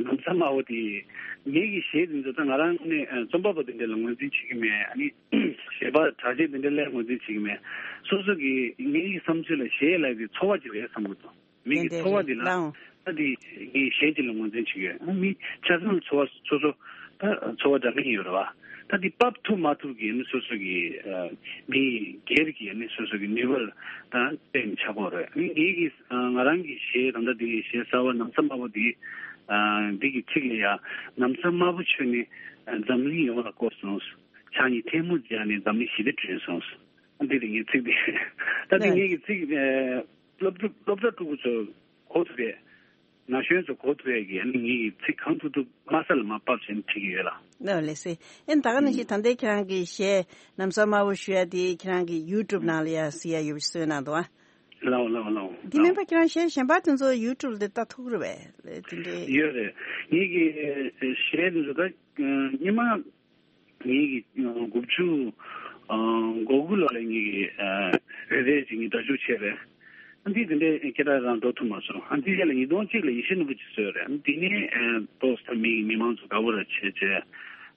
ལམ་སང་དམའ་བོ་དེ་ངེད་ཀྱི་གཞས་དེ་ཚོ་ད་ང་རང་ནས་རྩོམ་པ་པོ་དེ་འདྲ་ལ་ངོས་འཛིན་བྱེད་ཀྱི་མེད། ཨ་ནི་གཞས་པ་གྲགས་ཅན་དེ་འདྲ་ལ་ངོས་འཛིན་བྱེད་ཀྱི་མེད། སོ་སོ་གི་ངེད་ཀྱི་བསམ་ཚུལ་ལ་གཞས་ལབ་དེ་ཚོར་བ་ཅིག་རེད་བསམ་གྱི་འདུག་མི་གི་ཚོར་བ་འདི་ལ་ད་འདི་ངས་གཞས་ཅིག་ལ་ངོས་འཛིན་བྱེད་ཀྱི་ཡོད། ཨ་མི་ཆ་ཚང་ཚོར་བ་སོ་སོ་ད་ཚོར་བ་འདྲ་མིན་ཡོད་རེད་བ། ད་འདི་ཕབ་ཐུབ་མ་ཐུབ་ཀྱི་ཨ་ནི་སོ་སོ་གི་ཨ་མི་སྒེར་གྱི་ཨ་ནི་སོ་སོ་གི་ནུས་པ་ལ་ད་བརྟེན་ཆགས་ཀྱི་ཡོད་རེད། ཨ་ནི་ངེད་ཀྱི་ཨ་ང་རང་གི་གཞས་ད་ལྟ་འདི་གཞས་གསར་བ་ལམ་སང་དམའ་བོ་འདི་ཨ་འདི་གི་ཚིག་ལ་ཡ། ལམ་སང་དམའ་བོ་ཁྱོད་ནི་ཨ་འཛམ་གླིང་ཡོངས་ལ་བསྐོར་སོང་། ཕྱག་གཉིས་ཐལ་མོ་སྦྱར་ནས་འཛམ་གླིང་ཞི་བདེ་བསྐྲུན་སོང་། འདི་དེ་ངའི་ཚིག་དེ། ད་དེ་ངེད་ཀྱི་ཚིག་སློབ་ཕྲུག་སློབ་གྲྭ་ཕྲུ་གུ་ཚོ་གོ་ཐུབ་པའི་ན་གཞོན་ཚོ་གོ་ཐུབ་པའི་གི་ཨ་ནི་ངེད་ཀྱི་ཚིག་གང་ཐུབ་ཐུབ་དམའ་ས་ལ་མར་ཕབ་བྱས་ནས་བྲིས་ཀྱི་ཡོད་ལ། ལགས་ལགས་སེ། ཨེ་ད་ག་ནང་བཞིན་ད་ལྟའི་ཁྱེད་རང་གི་གཞས་ལམ་སང་དམའ་བོ་ཞུ་ཡ་དེ་ཁྱེད་རང་གི་ཡུ་ཊུབ་ནང་ལ་ཡ་གཟིགས་ཡ་ཡོད་པ་ཞིག་བཟོས་གནང་འདུག་ཨ། ལའོ་ལའོ་ལའོ། འདི་མིན་པ་ཁྱེད་རང་གཞས་གཞན་པ་དེ་ཚོ་ཡུ་ཊུབ་ལ་ལྟ་ཐུབ་ཀྱི་རེད་པས། དེ་འདྲའི། ཡོད་རེད། ངེད་ཀྱི་གཞས་དེ་ཚོ་ད་སྔོན་མ། ངེད་ཀྱི་དགུ་བཅུ་གོ་དགུ་ལོ་ལ་ངེད་ཀྱི་རེ་རེ་ཅིག་ངས་སྒྲ་སྒྱུར་བྱས་རེད། ཨ་འདི་དེ་འདྲའི་སྐད་གྲགས་རང་འགྲོ་ཐུབ་མ་སོང་། ཨ་འདི་རྗེས་ལ་ཉིས་སྟོང་གཅིག་ལ་ཡེ་ཤེས་ནོར་བུ་ཅིག་བཟོས་རེད། ཨ་འདི་ནས་ཏོག་ཙམ་མི་མི་མང་ཚོ་དགའ་བོ་ར་བྱས་བྱས།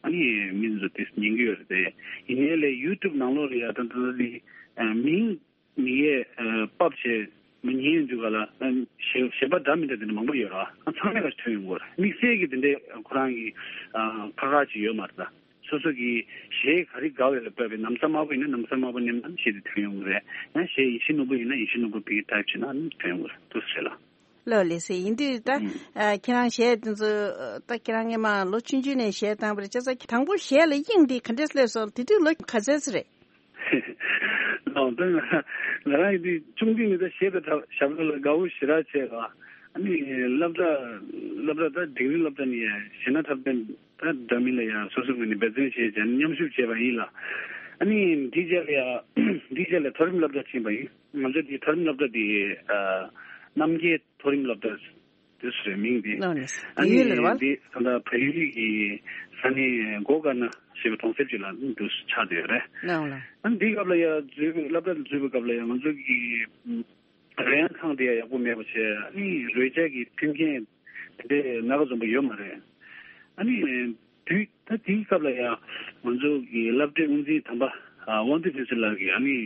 ཨ་ནི་མི་ཚོ་དེ་ཉན་གྱི་ཡོད་རེད་དེ། ཡིན་ནའི་ལས་ཡུ་ཊུབ་ནང་ལོགས་ལ་ཡ་ད་ད་ད་འདི་མིང་མི་ཡས་ཕབ་བྱས་མི་ཉན་འདུག་ག་ལ། གཞས་པ་འདྲ་མི་འདྲ་དེ་འདྲ་མང་པོ་ཡོད་ར། ཚང་མས་ཀ་ཐོན་ཡོང་གི་རེད། དམིགས་བསལ་གྱི་དེ་འདྲའི་ཁོ་རང་གི་ཁ་ཁ་ཅིག་ཡོད་མ་རེད་ད། སོ་སོ་གི་གཞས་ག་རེ་དགའ་བའི་ལ་བབས་པའི་ན་བཟའ་དམར་པོ་ཡིན་ན་ན་བཟའ་དམར་པོ་ནེམ་ན་གཞས་དེ་ཐོན་ཡོང་གི་རེད། ཡང་གཞས་ཡེ་ཤེས་ནོར་བུ་ཡིན་ན་ཡེ་ཤེས་ནོར་བུ་བི་ཊའིབ་བྱས་ན་ཐོན་ཡོང་གི་རེད། འདུག་སེ་རེད་ལ། ལགས་ལགས་སེ། ཡིན་དུས་ད་ཁྱེད་རང་གཞས་དེ་ཚོ་ད་ཁྱེད་རང་སྔོན་མ་ལོ་ཆུང་ཆུང་ནས་གཞས་བཏང་བ་རེད་བྱས་ཙང་དང་པོ་གཞས་ལ་དབྱིངས་འདི་ག་འདྲས་སླེབས་སོང་། དེ་དུས་ལོ་ག་ཚོད་ཙམ་རེད། ལགས་ད་ང་རང་ཡིན་དུས་ཆུང་དུས་ནས་ད་གཞས་དང་ཞབས་བྲོ་ལ་དགའ་བོ་ཞེ་དྲག་བྱས་ར། ཨ་ནི་སློབ་གྲྭ་སློབ་གྲྭ་ད་འབྲིང་རིམ་སློབ་གྲྭ་ནས་ཡ་གཞས་སྣ་འཁྲབ་སྟོན་ད་འདྲ་མིན་ལ་ཡ་སོ་སོའི་ངོས་ནས་འབད་བརྩོན་བྱས་བྱས་ནས་མཉམ་ཞུགས་བྱས་པ་ཡིན་ལ། ཨ་ནི་འདི་རྗེས་ལ་ཡ་འདི་རྗེས་ལ་མཐོ་རིམ་སློབ་གྲྭ་ཕྱིན་པ་ཡིན། ང་ཚོ་འདི་མཐོ་རིམ་སློབ་གྲྭ་འདི་ཨ་རྣམ་རྒྱལ་མཐོ་རིམ་སློབ་གྲྭ་དེ་སུ་རེད་མིང་འདི། ལགས་ནས་ཨ་བལ་ཡུལ་ལ་རེད་ནི་བ། འདི་ད་ལྟ་བལ་ཡུལ་གྱི་ས་གནས་མགོ་དཀར་ན་ཞེས་པའི་གྲོང་གསེབ་ཅིག་ལ་འདུག་ཆགས་བསྡད་ཡོད་རེད། ལགས་ལགས། ཨ་ནི་འདིའི་སྐབས་ལ་ཡ་འཛུལ་བའི་སློབ་གྲྭ་ལ་འཛུལ་བའི་སྐབས་ལ་ཡ་ང་ཚོ་གི་རོལ་དབྱངས་ཁང་དེ་ཡ་ཡག་པོ་མེད་པ་བྱས། ཨ་ནི་རོལ་ཆ་གི་མཐུན་རྐྱེན་དེ་འདྲའི་སྣ་ཁ་འཛོམས་པ་ཡོད་མ་རེད། ཨ་ནི་དུས་ད་དེའི་སྐབས་ལ་ཡ་ང་ཚོ་གི་སློབ་གྲྭའི་དབུ་འཛིན་དམ་པ་ཨ་དབང་འདུས་ཕུན་ཚོགས་ལགས་ཀྱིས་ཨ་ནི་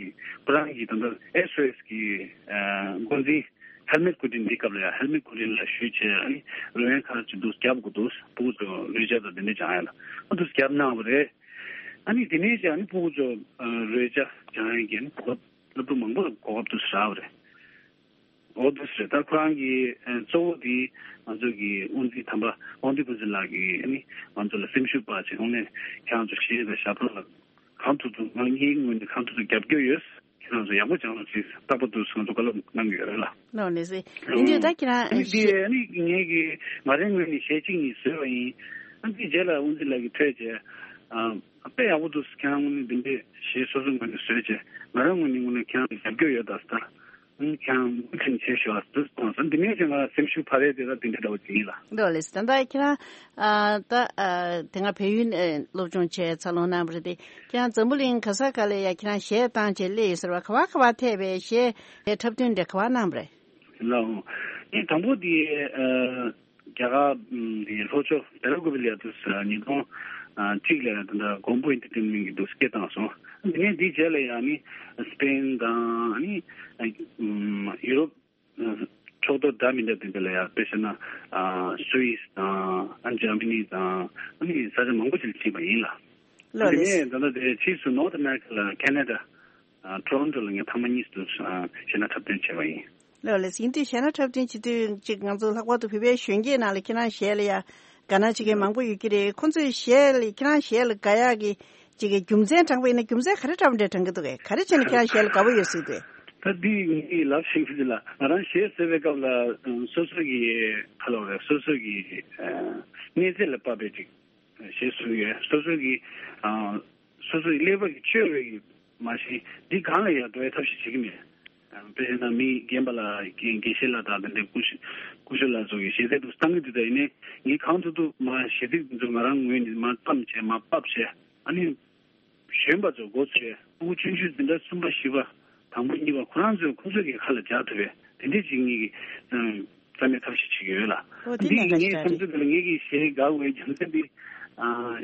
ཁོ་རང་གི་ད་ལྟ་ཨེས་ཨོ་ཨེས་གི་ཨ་འགོ་འཛིན་ཧེལ་མེད་སྐུ་དྲིན། འདི་སྐབས་ལ་ཡང་ཧེལ་མེད་སྐུ་དྲིན་ལ་ཞུས་བྱས། ཨ་ནི་རོལ་དབྱངས་ཁང་ཅིག་འདུག་རྒྱབ་དགོས་འདུག་ཕྲུ་གུ་ཚོ་རོལ་ཆ་དང་དེ་འདྲ་སྦྱང་ཡ་ལ་ཨ་འདུག་རྒྱབ་གནང་བ་རེད། ཨ་ནི་དེ་ནས་ཀྱང་ཨ་ནི་ཕྲུ་གུ་ཚོ་ཨ་རོལ་ཆ་སྦྱང་ཡ་གི་ཨ་ནི་གོ་སློབ་ཕྲུག་མང་པོ་ལ་གོ་སྐབས་འདུག་རག་པ་རེད། འོ་འདུག་རེད། ད་ཁོ་རང་གི་ཨ་གཙོ་བོ་དེ་ང་ཚོ་གི་དབུ་འཛིན་དམ་པ་དབང་འདུས་ཕུན་ཚོགས་ལགས་ཀྱིས་ཨ་ནི་ང་ཚོ་ལ་སེམས་ཤུགས་སྤར་བྱས། ཁོང་ནས་ཁྱེད་རང་ཚོ་གཞས་དང་ཞབས་བྲོ་ལ་གང་ཐུབ་ཐུབ་ང་ངའི་ངོས་ནས་གང་ཐུབ་ཐུབ་རྒྱབ་སྐྱོར་ཡོད། ཁྱེད་རང་ཚོ་ཡག་པོ་སྦྱང་རོགས་གྱིས། རྟག་པར་དུ་ང་ཚོ་བཀའ་སློབ་གནང་གི་ཡོད་རེད་ལ། ལགས་ནས་ཟེར། ཡིན་དུས་ད་ཁྱེད་རང་ཨ་ནི་འདི་ཨ་ནི་ངེད་ཀྱི་ང་རའི་ངོས་ནས་གཞས་གཅིག་གཉིས་བཟོས་པ་ཡིན། ཨ་འདི་རྗེས་ལ་དབུ་འཛིན་ལགས་ཀྱིས་ཐོས་བྱས། ཨ་དཔེ་ཡག་པོ་འདུག་ཁྱེད་རང་ངོས་ནས་འདི་འདྲའི་གཞས་སོ་སོའི་ངོས་ནས་བཟོས་བྱས། ང་རང་ངོས་ནས་དངོས་གནས་ཁྱེད་རང་ལ་རྒྱབ་སྐྱོར་ཡོད་ད་ཟེར། ཨ་ནི་ཁྱེད་རང་མུ་མཐུད་བྱེད་ཤོག་ཨ་འདུག་གསུངས་སོང་། འདི་ནས་ཀྱང་ང་སེམས་ཤུགས་འཕར་ཡས་དེ་ད་འདི་འདྲ་འདྲ་བོ་ཅིག་ཡིན་ལ། འགྲོ་ལེ་ཟེར། ད་ལྟ་ཁྱེད་རང་ཨ་ད་ཨ་དེ་སྔ་བལ་ཡུལ་ཨ་སློབ་སྦྱོང་བྱས་འཚར་ལོངས་གནང་བ་རེད་དེ། ཁྱེད་རང་འཛམ་བུ་གླིང་ག་ས་ག་ལ་ཡ་ཁྱེད་རང་གཞས་བཏང་བྱས་སླེབས་ཡོད་ཟེར་བ། ག་བ་ག་བ་ཐད་པའི་གཞས་འཁྲབ་སྟོན་དེ་ག་བ་གནང་བ་རེད། ལགས་འོང་། ངས་དང་པོ་དེ་ཨ་རྒྱ་གར་དེ་ལྷོ་ཕྱོགས་བེ་ར་གུ་བི་ལ་ཡ་དུས་ཉིས་སྟོང་གཅིག་ལ་ཡ་དེ་འདྲ་མགོན་པོ་ཨེན་ཊར་ཊེན་མེན་ཊི་གི་དུས་སྐད་བཏང་སོང་། དེ་ནས་དེའི་རྗེས་ལ་ཡ་ནི་སི་པེན་དང་ཨ་ནི་ཡུ་རོབ་ཕྱོགས་གཏོགས་འདྲ་མི་འདྲ་དེ་འདྲ་ལ་ཡ། དཔེ་བཞག་ན་ཨ་སུད་སི་དང་ཨ་འཇར་མ་ནི་དང་ཨ་ནི་ས་ཆ་མང་པོ་ཞིག་ལ་ཕྱིན་པ་ཡིན་ལ། ལགས་རེད། དེ་ནས་ད་ལྟ་དེ་ཕྱིས་སུ་ནོར་ཐི་ཨ་མེ་རི་ཁ་ལ་ཁེ་ན་ཌ་ཨ་ཊོ་རོན་ཊོ་ལ་ངས་ཐེངས་མ་གཉིས་སུ་ཨ་གཞས་སྣ་འཁྲབ་སྟོན་བྱས་པ་ཡིན། ལགས་ལགས། ཡིན་དུས་གཞས་སྣ་འཁྲབ་སྟོན་བྱེད་དུས་ཅིག་ང་ཚོ་ལྷག་པར་དུ་བོད་པའི་གཞོན་སྐྱེས་ནང་ལ་ཁྱེད་རང་གཞས་ལ་ཡ་དགའ་སྣང་བྱེད་མཁན་མང་པོ་ཡོད་ཀྱི་རེད། ཁོང་ཚོས་གཞས་ལ་ཁྱེད་རང་གཞས་ལ་དགའ་ཡག་གི་ཅིག་གི་རྒྱུ་མཚན་དྲངས་པ་ཡིན་ན་རྒྱུ་མཚན་ག་རེ་འདྲ་བོ་འདྲ་དྲངས་ཀྱི་འདུག་གས། ག་རེ་བྱས་ནས་ཁྱེད་རང་གཞས་ལ་དགའ་པོ་ཡོད་ཟེར་གྱི་འདུག་གས། ད་འདི་ངས་ལབ་ཤེས་ཀྱི་འདུག་ལ། ང་རང་གཞས་བཟོས་པའི་སྐབས་ལ་སོ་སོ་གི་ཁ་ལོ་རེད། སོ་སོ་གི་ཨ་གནས་ཚད་ལ་དཔག་པའི་ཅིག་གཞས་བཟོས་ཡོད། སོ་སོ་གི་ཨ་སོ་སོའི་ཀླད་པ་གི་ཆོད་པའི་མ་གཞི་འདི་སྒང་ལ་ཡང་འགྲོ་བའི་ཐབས་ཤེས་བྱེད་ཀྱི་མེད། དཔེ་བྱས་ན་མི་རྒན་པ་ལ་དགེ་དགེ་བཤེས་ལགས་དང་དེ་འདྲའི་སྐུ་ཞབས་སྐུ་ཞབས་ལགས་ཚོ་གི་གཞས་ཚིག་འདུག་བཏང་གི་འདུག་ད་ཡིན་ནའི་ངས་གང་ཐུབ་ཐུབ་མ་གཞས་ཚིག་འདི་ཚོ་ང་རང་ངོས་ནས་མ་བརྩམས་བྱས་མ་ཕབ་བྱས། ཨ་ནི་གཞོན་པ་ཚོ་འགོ་ཚུགས་ཡས། ཕྲུ་གུ་ཆུང་ཆུང་འཛིན་གྲྭ་གསུམ་པ་བཞི་པ་དང་པོ་གཉིས་པ་ཁོ་རང་ཚོས་ཁོ་ཚོས་ཀྱི་ཁ་ལ་འཇགས་ཐུབ་པའི་དེ་འདྲས་ཅིག་ངེད་ཀྱིས་བརྩམས་ཡས་ཐབས་ཤེས་བྱེད་ཀྱི་ཡོད་ལ། འོ་དེ་འདི་གནད་འགག་ངའི་ཅིག་རེད། བསམ་ཚུལ་དེ་ལ་ངེད་ཀྱིས་གཞས་དགའ་བའི་རྒྱུ་མཚན་འདི་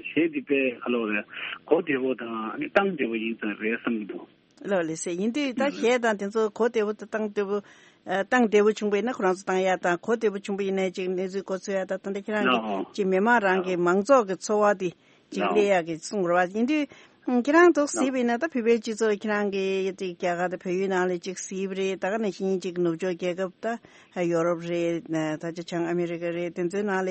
གཞས་འདི་དཔེ་ཁ་ལོ་རེད། གོ་བདེ་བོ་དང་ཨ་ནི་གཏམ་བདེ་བོ་ཡིན་ཙང་རེད་བསམ་གྱི་འདུག་ལགས་ལགས་སེ། ཡིན་དུས་ད་གཞས་དང་དེ་ཚོ་གོ་བདེ་བོ་དང་གཏམ་བདེ་བོ་ཨ་གཏམ་བདེ་བོ་བྱུང་བ་ཡིན་ན་ཁོ་རང་ཚོ་བཏང་ཡ་དང་། གོ་བདེ་བོ་བྱུང་བ་ཡིན་ན་ཅིག་གནས་ཚུལ་གོ་ཚོད་ཡ་དང་། ད་ལྟ་ཁྱེད་རང་གི་ཅིག་མི་མང་རང་གི་མང་ཚོགས་ཀྱི་ཚོར་བ་དེ་ཅིག་སླེབས་ཡག་གི་གསུང་རོགས། ཡིན་དུས་ཁྱེད་རང་ཚོ་གཟིགས་པ་ཡིན་ན་ད་བོད་པའི་སྤྱི་ཚོགས་ཁྱེད་རང་གི་ཅིག་རྒྱ་གར་དང་བལ་ཡུལ་ནང་ལ་ཅིག་གཟིགས་པ་རེད། ད་ག་ནང་བཞིན་ཅིག་ནུབ་ཕྱོགས་རྒྱལ་ཁབ་ད་ཡོ་རོབ་རེད། ད་ཆ་བྱང་ཨ་མེ་རི་ཀ་རེད། དེ་ཚོའི་ནང་ལ་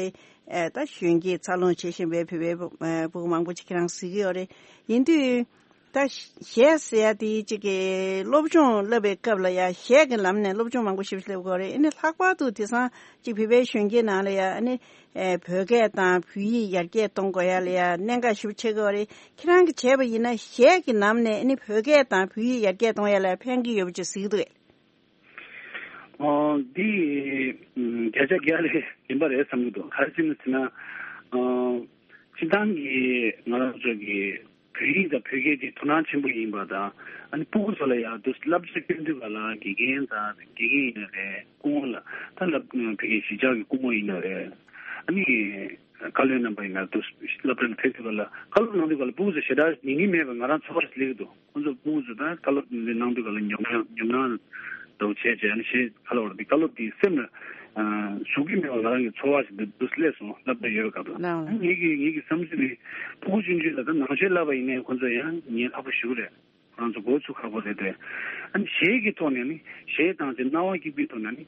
ད་གཞོན་སྐྱེས་འཚར་ལོངས་བྱེད་བཞིན་པའི་བོད་པའི་ཕྲུ་གུ་མང་པོ་ཅིག་ཁྱེད་རང་གཟིགས་ཀྱི་ཡོད་རེད། ཡིན་དུས། ད་གཞས་ཟེར་ཡ་དེ་གཅིག་གི་སློབ་སྦྱོང་བསླབ་པའི་སྐབས་ལ་ཡ་གཞས་ཀྱི་ལམ་ནས་སློབ་སྦྱོང་མང་པོ་ཞིག་སླེབས་དགོས་རེད། ཨ་ནི་ལྷག་པར་དུ་དེང་སང་གཅིག་བོད་པའི་གཞོན་སྐྱེས་ནང་ལ་ཡ་ཨ་ནི་ཨེ་བོད་སྐད་དང་བོད་ཡིག་ཡར་རྒྱས་གཏོང་དགོས་ཡ་ལ་ཡ་གནད་འགག་ཞེ་པོ་ཆགས་ཀྱི་ཡོད་རེད། ཁྱེད་རང་གིས་བྱས་པ་ཡིན་ན་གཞས་ཀྱི་ལམ་ནས་ཨ་ནི་བོད་སྐད་དང་བོད་ཡིག་ཡར་རྒྱས་གཏོང་ཡ་ལ་ཕན་གྱི་ཡོད་པ་ཅིག་གཟིགས་འདུག་གས། ཨོ་འདི་ཨམ་བརྒྱ་ཆ་བརྒྱ་ལས་ཡིན་པ་རེད་བསམ་གྱི་འདུག་ག་རེ་བྱས་ནས་ཟེར་ན། ཨ་སྤྱིར་བཏང་གི་ང་རང་ཚོ་གི་བོད་ཡིག་དང་བོད་སྐད་དེ་དོ་སྣང་ཆེན་པོ་ཡིན་པ་དང་། ཨ་ནི་སྤུ་གུ་ཚོ་ལ་ཡང་དུ་བསླབ་བྱ་སྐྱོན་དུས་ག་ལ་དགེ་རྒན་དང་དགེ་རྒན་ཡིན་ན་རེད། སྐུ་ངོ་ལ་ད་བསླབ་བོད་སྐད་གཞིས་ཆགས་ཀྱི་སྐུ་ངོ་ཡིན་ན་རེད། ཨ་ནི་བཀའ་བློན་རྣམ་པ་ཡིན་ན་དུ་སློབ་གྲྭ་ལ་ཕེབས་དུས་ག་ལ་བཀའ་སློབ་གནང་དུས་ག་ལ་སྤུ་གུ་ཚོ་ཞེ་དྲག་ཉན་གྱི་མེད་པ་ང་རང་ཚོར་བ་ཞིག་སླེབས་ཀྱི་འདུག་ཁོང་ཚོ་སྤུ་གུ་ཚོ་ད་བཀའ་སློབ་འདི་གནང་དུས་ག་ལ་ཉོབ་སྣང་ཉོབ་སྣང་འདྲ་བོ་བྱས་བྱས་ནས་ཞེས་བཀའ་སློབ་འདི་བཀའ་སློབ་འདི་སེམས་ལ་ཨ་ཟུག་གི་མེད་པ་ང་རང་གི་ཚོར་བ་ཞིག་འདུག་འདུག་སླེབས་སོང་། སློབ་གྲྭ་ཡོད་པའི་སྐབས་ལ། ལགས། ངེད་ཀྱི་ངེད་ཀྱི་བསམ་ཚུལ་ནི་སྤུ་གུ་ཆུང་ཆུང་ལ་ད་ནང་ཆོས་བསླབ་པ་ཡིན་ནའི་ཁོང་ཚོ་ཡང་ཉན་ཁག་པོ་ཞེ་པོ་རེད། ཁོ་རང་ཚོ་འགོ་ཚུགས་ཁག་པོ་རེད་དེ། ཨ་ནི་གཞས་ཀྱི་ཐོག་ནས་ནི་གཞས་བཏང་ཚེ་རྣ་བ་སྐྱིད་པོའི་ཐོག་ནས་ནི་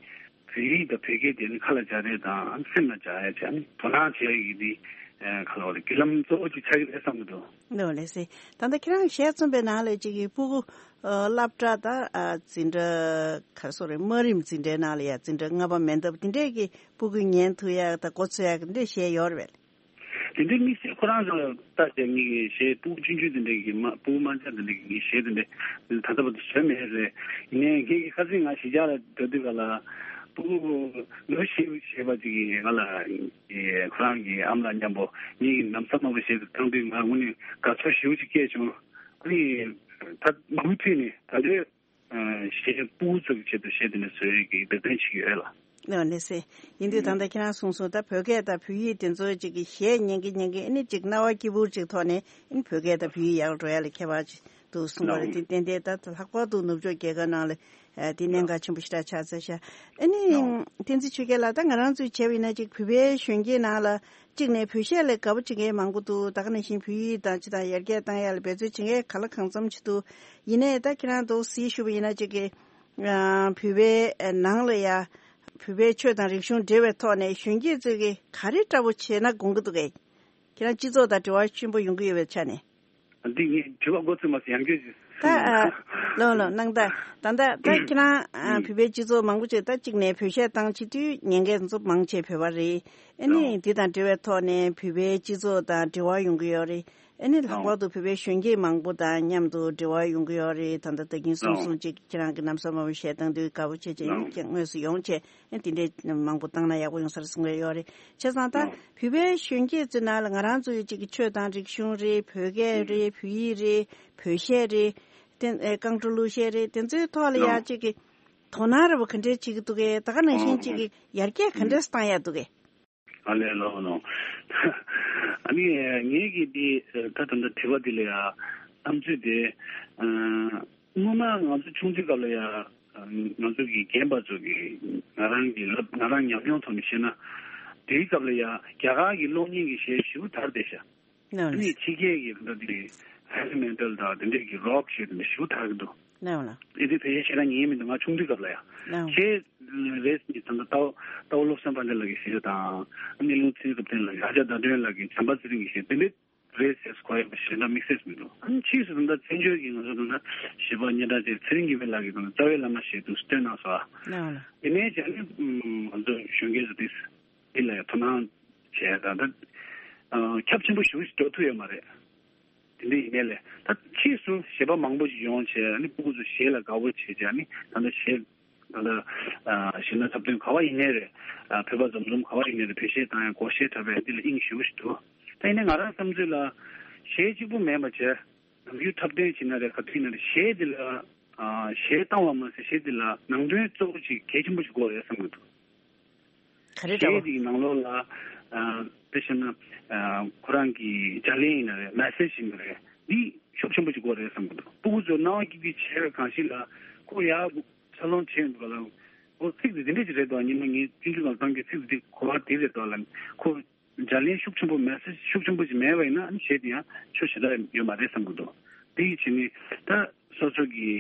བོད་ཡིག་དང་བོད་སྐད་དེ་ནི་ཁ་ལ་འཇགས་རེས་དང་སེམས་ལ་འཇགས་ཡ་བྱས་ནི་དོ་སྣང་བྱེད་ཡ་ཡིན་དེ་ཁ་ལ་བ་ལ་བརྒྱུད་ལམ་གཙོ་བོ་ཅིག་ཆགས་ཀྱི་རེད་བསམ་གྱི་འདུག་ལགས་ལགས་སེ། ད་ལྟ་ཁྱེད་རང་གཞས་རྩོམ་པའི་ནང་ལ་ཅིག་གི་སྤུ་གུ་ཨ་སློབ་གྲྭ་དང་ཨ་འཛིན་གྲྭ་ག་རེ་ཟེར་རེད། དམའ་རིམ་འཛིན་གྲྭའི་ནང་ལ་ཡ་འཛིན་གྲྭ་ལྔ་པ་མན་འདབས་དེ་འདྲས་ཀྱི་སྤུ་གུས་ཉན་ཐུབ་ཡ་དང་མགོ་ཚོད་ཡ་དེ་འདྲས་གཞས་ཡོད་རེད་པས། དེ་འདྲའི་དམིགས་བསལ་ཁོ་རང་ཚོ་ལ་ལྟ་བྱས་ངེད་ཀྱི་གཞས་སྤུ་གུ་ཆུང་ཆུང་དེ་འདྲའི་གི་མ་སྤུ་གུ་དམར་འབྱར་དེ་འདྲའི་གི་ངའི་གཞས་དེ་འདྲའི་ད་ལྟ་བར་དུ་བཟོས་མེད་རེད། ཡིན་ནའི་ངེད་ཀྱི་ཁ་སང་ང་གཞིས་ཆགས་ལ་འགྲོ་དུས་ག་ལ་སྤུ་གུ་ལོ་བཞི་བྱས་པ་ཅིག་གིས་ང་ལ་ཁོ་རང་གི་ཨ་མ་ལགས་མཉམ་པོ་ངེད་ཀྱི་ལམ་སང་མ་བོ་གཞས་དེ་བཏང་དུས་ང་དངོས་གནས་དགའ་ཚོར་ཞེ་པོ་ཅིག་སྐྱེས་བྱུང་། ཨ་ནི་ད་མུ་མཐུད་ནས་ད་ལྟའི་གཞས་སྤུ་གུ་ཚོ་གི་ཆེད་དུ་གཞས་དེ་འདྲ་བཟོ་ཡས་ཀྱི་འབད་བརྩོན་བྱེད་ཀྱི་ཡོད་ལ། ལགས་ལགས་སེ། ཡིན་དུས་ད་ལྟ་ཁྱེད་རང་གསུངས་སོང་། ད་བོད་སྐད་དང་བོད་ཡིག་དེ་ཚོ་ཅིག་གི་གཞས་ཉན་གི་ཉན་གི་ཨ་ནི་ཅིག་རྣ་བ་སྐྱིད་པོ་ཅིག་ཐོག་ནས་ཨ་ནི་བོད་སྐད་དང་བོད་ཡིག་ཡག་འགྲོ་ཡ་ལ་ཁྱད་པར་ཅིག་འདུག་གསུངས་པ་རེད། དེ་ཏན་ཏན་ད་ལྷག་པར་དུ་ནུབ་ཕྱོགས་རྒྱལ་ཁབ་ནང་ལ་དེ་གནད་འགག་ཆེན་པོ་ཞེ་དྲག་ཆགས་ཚར་ཤག་ཨ་ནི་བསྟན་འཛིན་ཆོས་རྒྱལ་ལགས། ད་ང་རང་ཚོས་བྱས་པ་ཡིན་ན་ཅིག་བོད་པའི་གཞོན་སྐྱེས་ནང་ལ་གཅིག་ནས་བོད་གཞས་ལ་དགའ་པོ་བྱེད་མཁན་མང་པོ་འདུག་ད་ག་ནང་བཞིན་བོད་ཡིག་དང་ཅི་དང་ཡར་རྒྱས་བཏང་ཡ་ལ་འབད་བརྩོན་བྱེད་མཁན་གང་ལ་གང་འཚམ་ཅིག་འདུག་ཡིན་ནའི་ད་ཁྱེད་རང་འདུག་སེ་ཞུ་བ་ཡིན་ན་ཅིག་གི་ཨ་བོད་པའི་ནང་ལ་ཡ་བོད་པའི་ཆོས་དང་རིག་གཞུང་འབྲེལ་བའི་ཐོག་ནས་གཞོན་སྐྱེས་ཚོས་ཀྱི་ག་རེ་འདྲ་པོ་བྱས་ན་དགོངས་ཀྱི་འདུག་གས། ཁྱེད་རང་སྤྱི་ཚོགས་དང་འབྲེལ་བ་ཆེན་པོ་ཡོང་གི་ཡོད་པའི་ཆ་ནས། འདི་ངས་དྲི་བ་འགོ་ཚུགས་མ་ཟིན་ཡང་སྐྱོན་ཞིག་ད་ཨ་ལོ་ལོ་གནང་ད་ད་ད་ད་ཁྱེད་རང་ཨ་བོད་པའི་སྤྱི་ཚོགས་མང་པོ་ཅིག་ད་གཅིག་ནས་བོད་གཞས་བཏང་བྱེད་དུས་ཉན་མཁན་ཚོ་མང་ཆེ་བོད་པ་རེད། ཨ་ནི་འདི་དང་འབྲེལ་བའི་ཐོག་ནས་བོད་པའི་སྤྱི་ཚོགས་དང་འབྲེལ་བ་ཡོང་གི་ཡོད་རེད། ཨ་ནི་ལྷག་པར་དུ་བོད་པའི་གཞོན་སྐྱེས་མང་པོ་དང་མཉམ་དུ་འབྲེལ་བ་ཡོང་གི་ཡོད་རེད། ད་ལྟ་ད་གིན་གསུངས་སོང་ཅིག་ཁྱེད་རང་གི་ལམ་སང་མ་བོ་གཞས་བཏང་དུས་དགའ་པོ་བྱས་བྱས་ཡིན་ཀྱང་དངོས་སུ་ཡོང་བྱས་ཨ་དེ་འདྲའི་མང་པོ་བཏང་ན་ཡག་པོ་ཡོང་ས་རེད་གསུང་གི་ཡོད་རེད། བྱས་ཙང་ད་བོད་པའི་གཞོན་སྐྱེས་ཚོའི་ནང་ལ་ང་རང་ཚོ་ཡི་ཅིག་གི་ཆོས་དང་རིག་གཞུང་རེད། བོད་སྐད་རེད། བོད་ཡིག་རེད། བོད་གཞས་རེད། དེ་ཨེ་རྐང་བྲོ་གླུ་གཞས་རེད། དེ་ཚོའི་ཐོག་ལ་ཡ་ཅིག་གི་དོ་སྣང་ར་བ་ག་འདྲས་བྱེད་ཀྱི་འདུག་གས། ད་ག་ནང་བཞིན་ཅིག་གི་ཡར་རྒྱས་ག་འདྲས་བཏང་ཡ་འདུག་གས། ཨ་ལས་ལོ་ལོ། ཨ་ནི་ངེད་ཀྱིས་འདི་ད་ད་ལྟ་དྲི་བ་འདི་ལ་ཡ་བསམ་ཚུལ་དེ་སྔོན་མ་ང་ཚོ་ཆུང་དུས་སྐབས་ལ་ཡ་ང་ཚོ་གི་རྒན་པ་ཚོ་གི་ང་རང་གི་ལབ་ང་རང་ཉམས་མྱོང་ཐོག་ནས་བཤད་ན་དེའི་སྐབས་ལ་ཡ་རྒྱ་གར་གྱི་གློག་བརྙན་གྱི་གཞས་ཞེ་པོ་དར་བསྡད་ཤག་ཨ་ནི་ཕྱི་རྒྱལ་གྱི་ད་དེ་ཧེ་བི་མེ་ཊལ་དང་དེ་འདྲས་ཀྱི་རོག་གཞས་དེ་འདྲ་ཞེ་པོ་དར་གྱི་འདུག་ཨེ་དེ་བོད་ཡིག་ཞེ་དྲག་ཉན་མི་འདུག་ང་ཆུང་དུས་སྐབས་ལ་ཡ། ཁྱེད་རེས་ནི་ད་ལྟ་ལྟ་བ་བློ་བཟང་དཔལ་ལྡན་ལགས་ཀྱི་གཞས་དང་ཨ་ནི་ལུང་ཚན་རབ་བརྟན་ལགས་ཀྱི་ཨ་ཅག་ཟླ་སྒྲོན་ལགས་ཀྱི་བྱམས་པ་ཚེ་རིང་གི་གཞས་དེ་འདྲས་རེད་ཟེར་གོ་ཡ་ཞེ་དྲག་དམིགས་བསལ་མི་འདུག་ཨ་ནི་ཕྱིས་སུ་ད་ལྟ་བཙན་བྱོལ་གྱི་ང་ཚོ་ད་ལྟ་གཞས་པ་སྙན་གྲགས་ཅན་ཚེ་རིང་དགེ་འཕེལ་ལགས་ཀྱིས་ད་ལྟ་རྩ་བའི་བླ་མ་ཞེས་འདུག་སྟོན་གནང་སོང་ཨ། དེ་ནས་བྱས་ནས་ང་ཚོ་གཞོན་སྐྱེས་ཚོ་དེ་འདི་ལ་ཡང་དོ་སྣང་བྱས་ད་ལྟ་ཁྱབ་ཆེན་པོ་ཞེ་པོ་ཞིག་འགྲོ་ཐུབ་ཡོད་མ་རེད། དེ་འདྲ་ཡིན་ནའི་ལས་ད་ཕྱིས་སུ་གཞས་པ་མང་པོ་ཞིག་ཡོང་བྱས་ཨ་ནི་སྤུ་གུ་ཚོ་གཞས་ལ་དགའ་བོ་བྱས་བྱས་ཨ་ནི་ད་ལྟ་གཞས་ད་ལྟ་གཞས་སྣ་འཁྲབ་སྟོན་ག་བ་ཡིན་ནའི་རེད། བོད་པ་འཛོམས་འཛོམས་ག་བ་ཡིན་ནའི་རེད། བོད་གཞས་བཏང་ཡ་སྒོར་གཞས་འཁྲབ་པའི་འདི་ལ་དབྱིངས་ཞེ་པོ་ཞིག་འདུག་ད་ཡིན་ནའི་ང་རང་བསམ་ཚུལ་ལ་གཞས་གཅིག་པུ་མིན་པ་བྱས་ནམ་རྒྱུན་འཁྲབ་སྟོན་བྱེད་ན་རེད་ག་དུས་ཡིན་ན་རེད་གཞས་འདི་ལ་གཞས་བཏང་བ་མ་ཟད་གཞས་འདི་ལ་ནང་དོན་གཙོ་བོ་ཅིག་གལ་ཆེན་པོ་ཞིག་དགོས་རེད་བསམ་གྱི་འདུག་ག་རེ་འདྲ་བ། གཞས་འདིའི་ནང་ལོགས་ལ་ཨ་དཔེ་བཤད་ན་ཨ་ཁོ་རང་གི་བརྗེ་ལེན་ཡིན་ན་རེད། མེ་སེ་ཇི་ཡིན་ན་རེད། འདི་ཤུགས་ཆེན་པོ་ཞིག་དགོས་རེད་བསམ་གྱི་འདུག་སྤུ་གུ་ཚོ་སྣང་བ་སྐྱིད་སྐྱིད་བྱས་པའི་གང་ཞིག་ལ་ཁོ་ཡར་འཚར་ལོངས་བྱས་འདུག་ག་ལ། ཁོ་ཚིག་འདི་འདི་འདྲས་ཅིག་རེད་དོ། ཉི་མ་ངས་ཆུང་ཆུང་ནང་བཏང་གི་ཚིག་འདི་གོ་བ་འདི་རེད་དོ་ལ། ཁོ་བརྗེ་ལེན་ཤུགས་ཆེན་པོ་མེ་སེ་ཇི་ཤུགས་ཆེན་པོ་ཞིག་མེད་པ་ཡིན་ན་ཨ་ནི་གཞས་དེ་ཡང་ཆོ་ཞེ་དྲག་ཡོད་མ་རེད་བསམ་གྱི་འདུག་དེ་ཡི་ཕྱིར་ནི་ད་སོ་སོ་གི་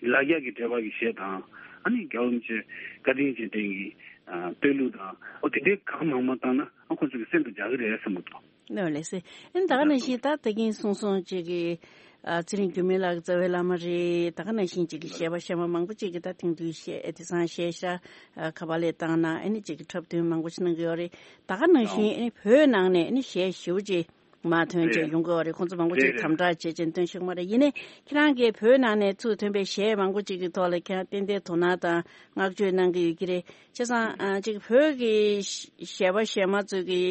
ལ་རྒྱ་གི་འབྲེལ་བ་གི་གཞས་དང་ཨ་ནི་རྒྱལ་བ་རིན་པོ་ཆེ་བཀའ་དྲིན་ཅན་དེ་གི་བསྟོད་གླུ་དང་ཨོ་དེ་འདྲའི་གང་མང་མང་བཏང་ན་ཨ་ཁོ་ཚོ་གི་སེམས་དུ་འཇགས་གི་རེད་བསམ་གྱི་འདུག་ལགས་ལགས་སེ། ཨ་ནི་ད་ག་ནང་བཞིན་ད་ད་གིན་གསུངས་སོང་ཅིག་གི་ ཨ་ཚེ་རིང་འགྱུར་མེད་ལགས་རྩ་བའི་བླ་མ་རེད། ད་ག་ནང་བཞིན་ཅིག་གི་གཞས་པ་གཞས་མ་མང་པོ་ཅིག་གིས་ད་ཐེངས་འདིའི་གཞས་དེང་སང་གཞས་ཤ་ཨ་ཁ་པར་ལས་བཏང་ན་ཨ་ནི་ཅིག་གི་འཁྲབ་སྟོན་མང་པོ་ཞིག་གནང་གི་ཡོད་རེད། ད་ག་ནང་བཞིན་ཨ་ནི་བོད་ནང་ནས་ཨ་ནི་གཞས་ཞེ་པོ་ཅིག་མར་ཐོན་བྱས་ཡོང་གི་ཡོད་རེད། ཁོང་ཚོ་མང་པོ་ཅིག་དམ་དྲག་བྱེད་བྱས་ཐོན་ཤེས་ཀྱི་མ་རེད། ཡིན་ནའི་ཁྱེད་རང་གིས་བོད་ནང་ནས་ཚུར་ཐོན་པའི་གཞས་མང་པོ་ཅིག་གི་ཐོག་ལ་ཁྱེད་རང་ཏན་ཏན་དོ་སྣང་དང་བསྔགས་བརྗོད་གནང་གི་ཡོད་ཀྱི་རེད། བྱས་ཙང་ཨ་ཅིག་བོད་ཀྱི་གཞས་པ་གཞས་མ་ཚོས་ཀྱི་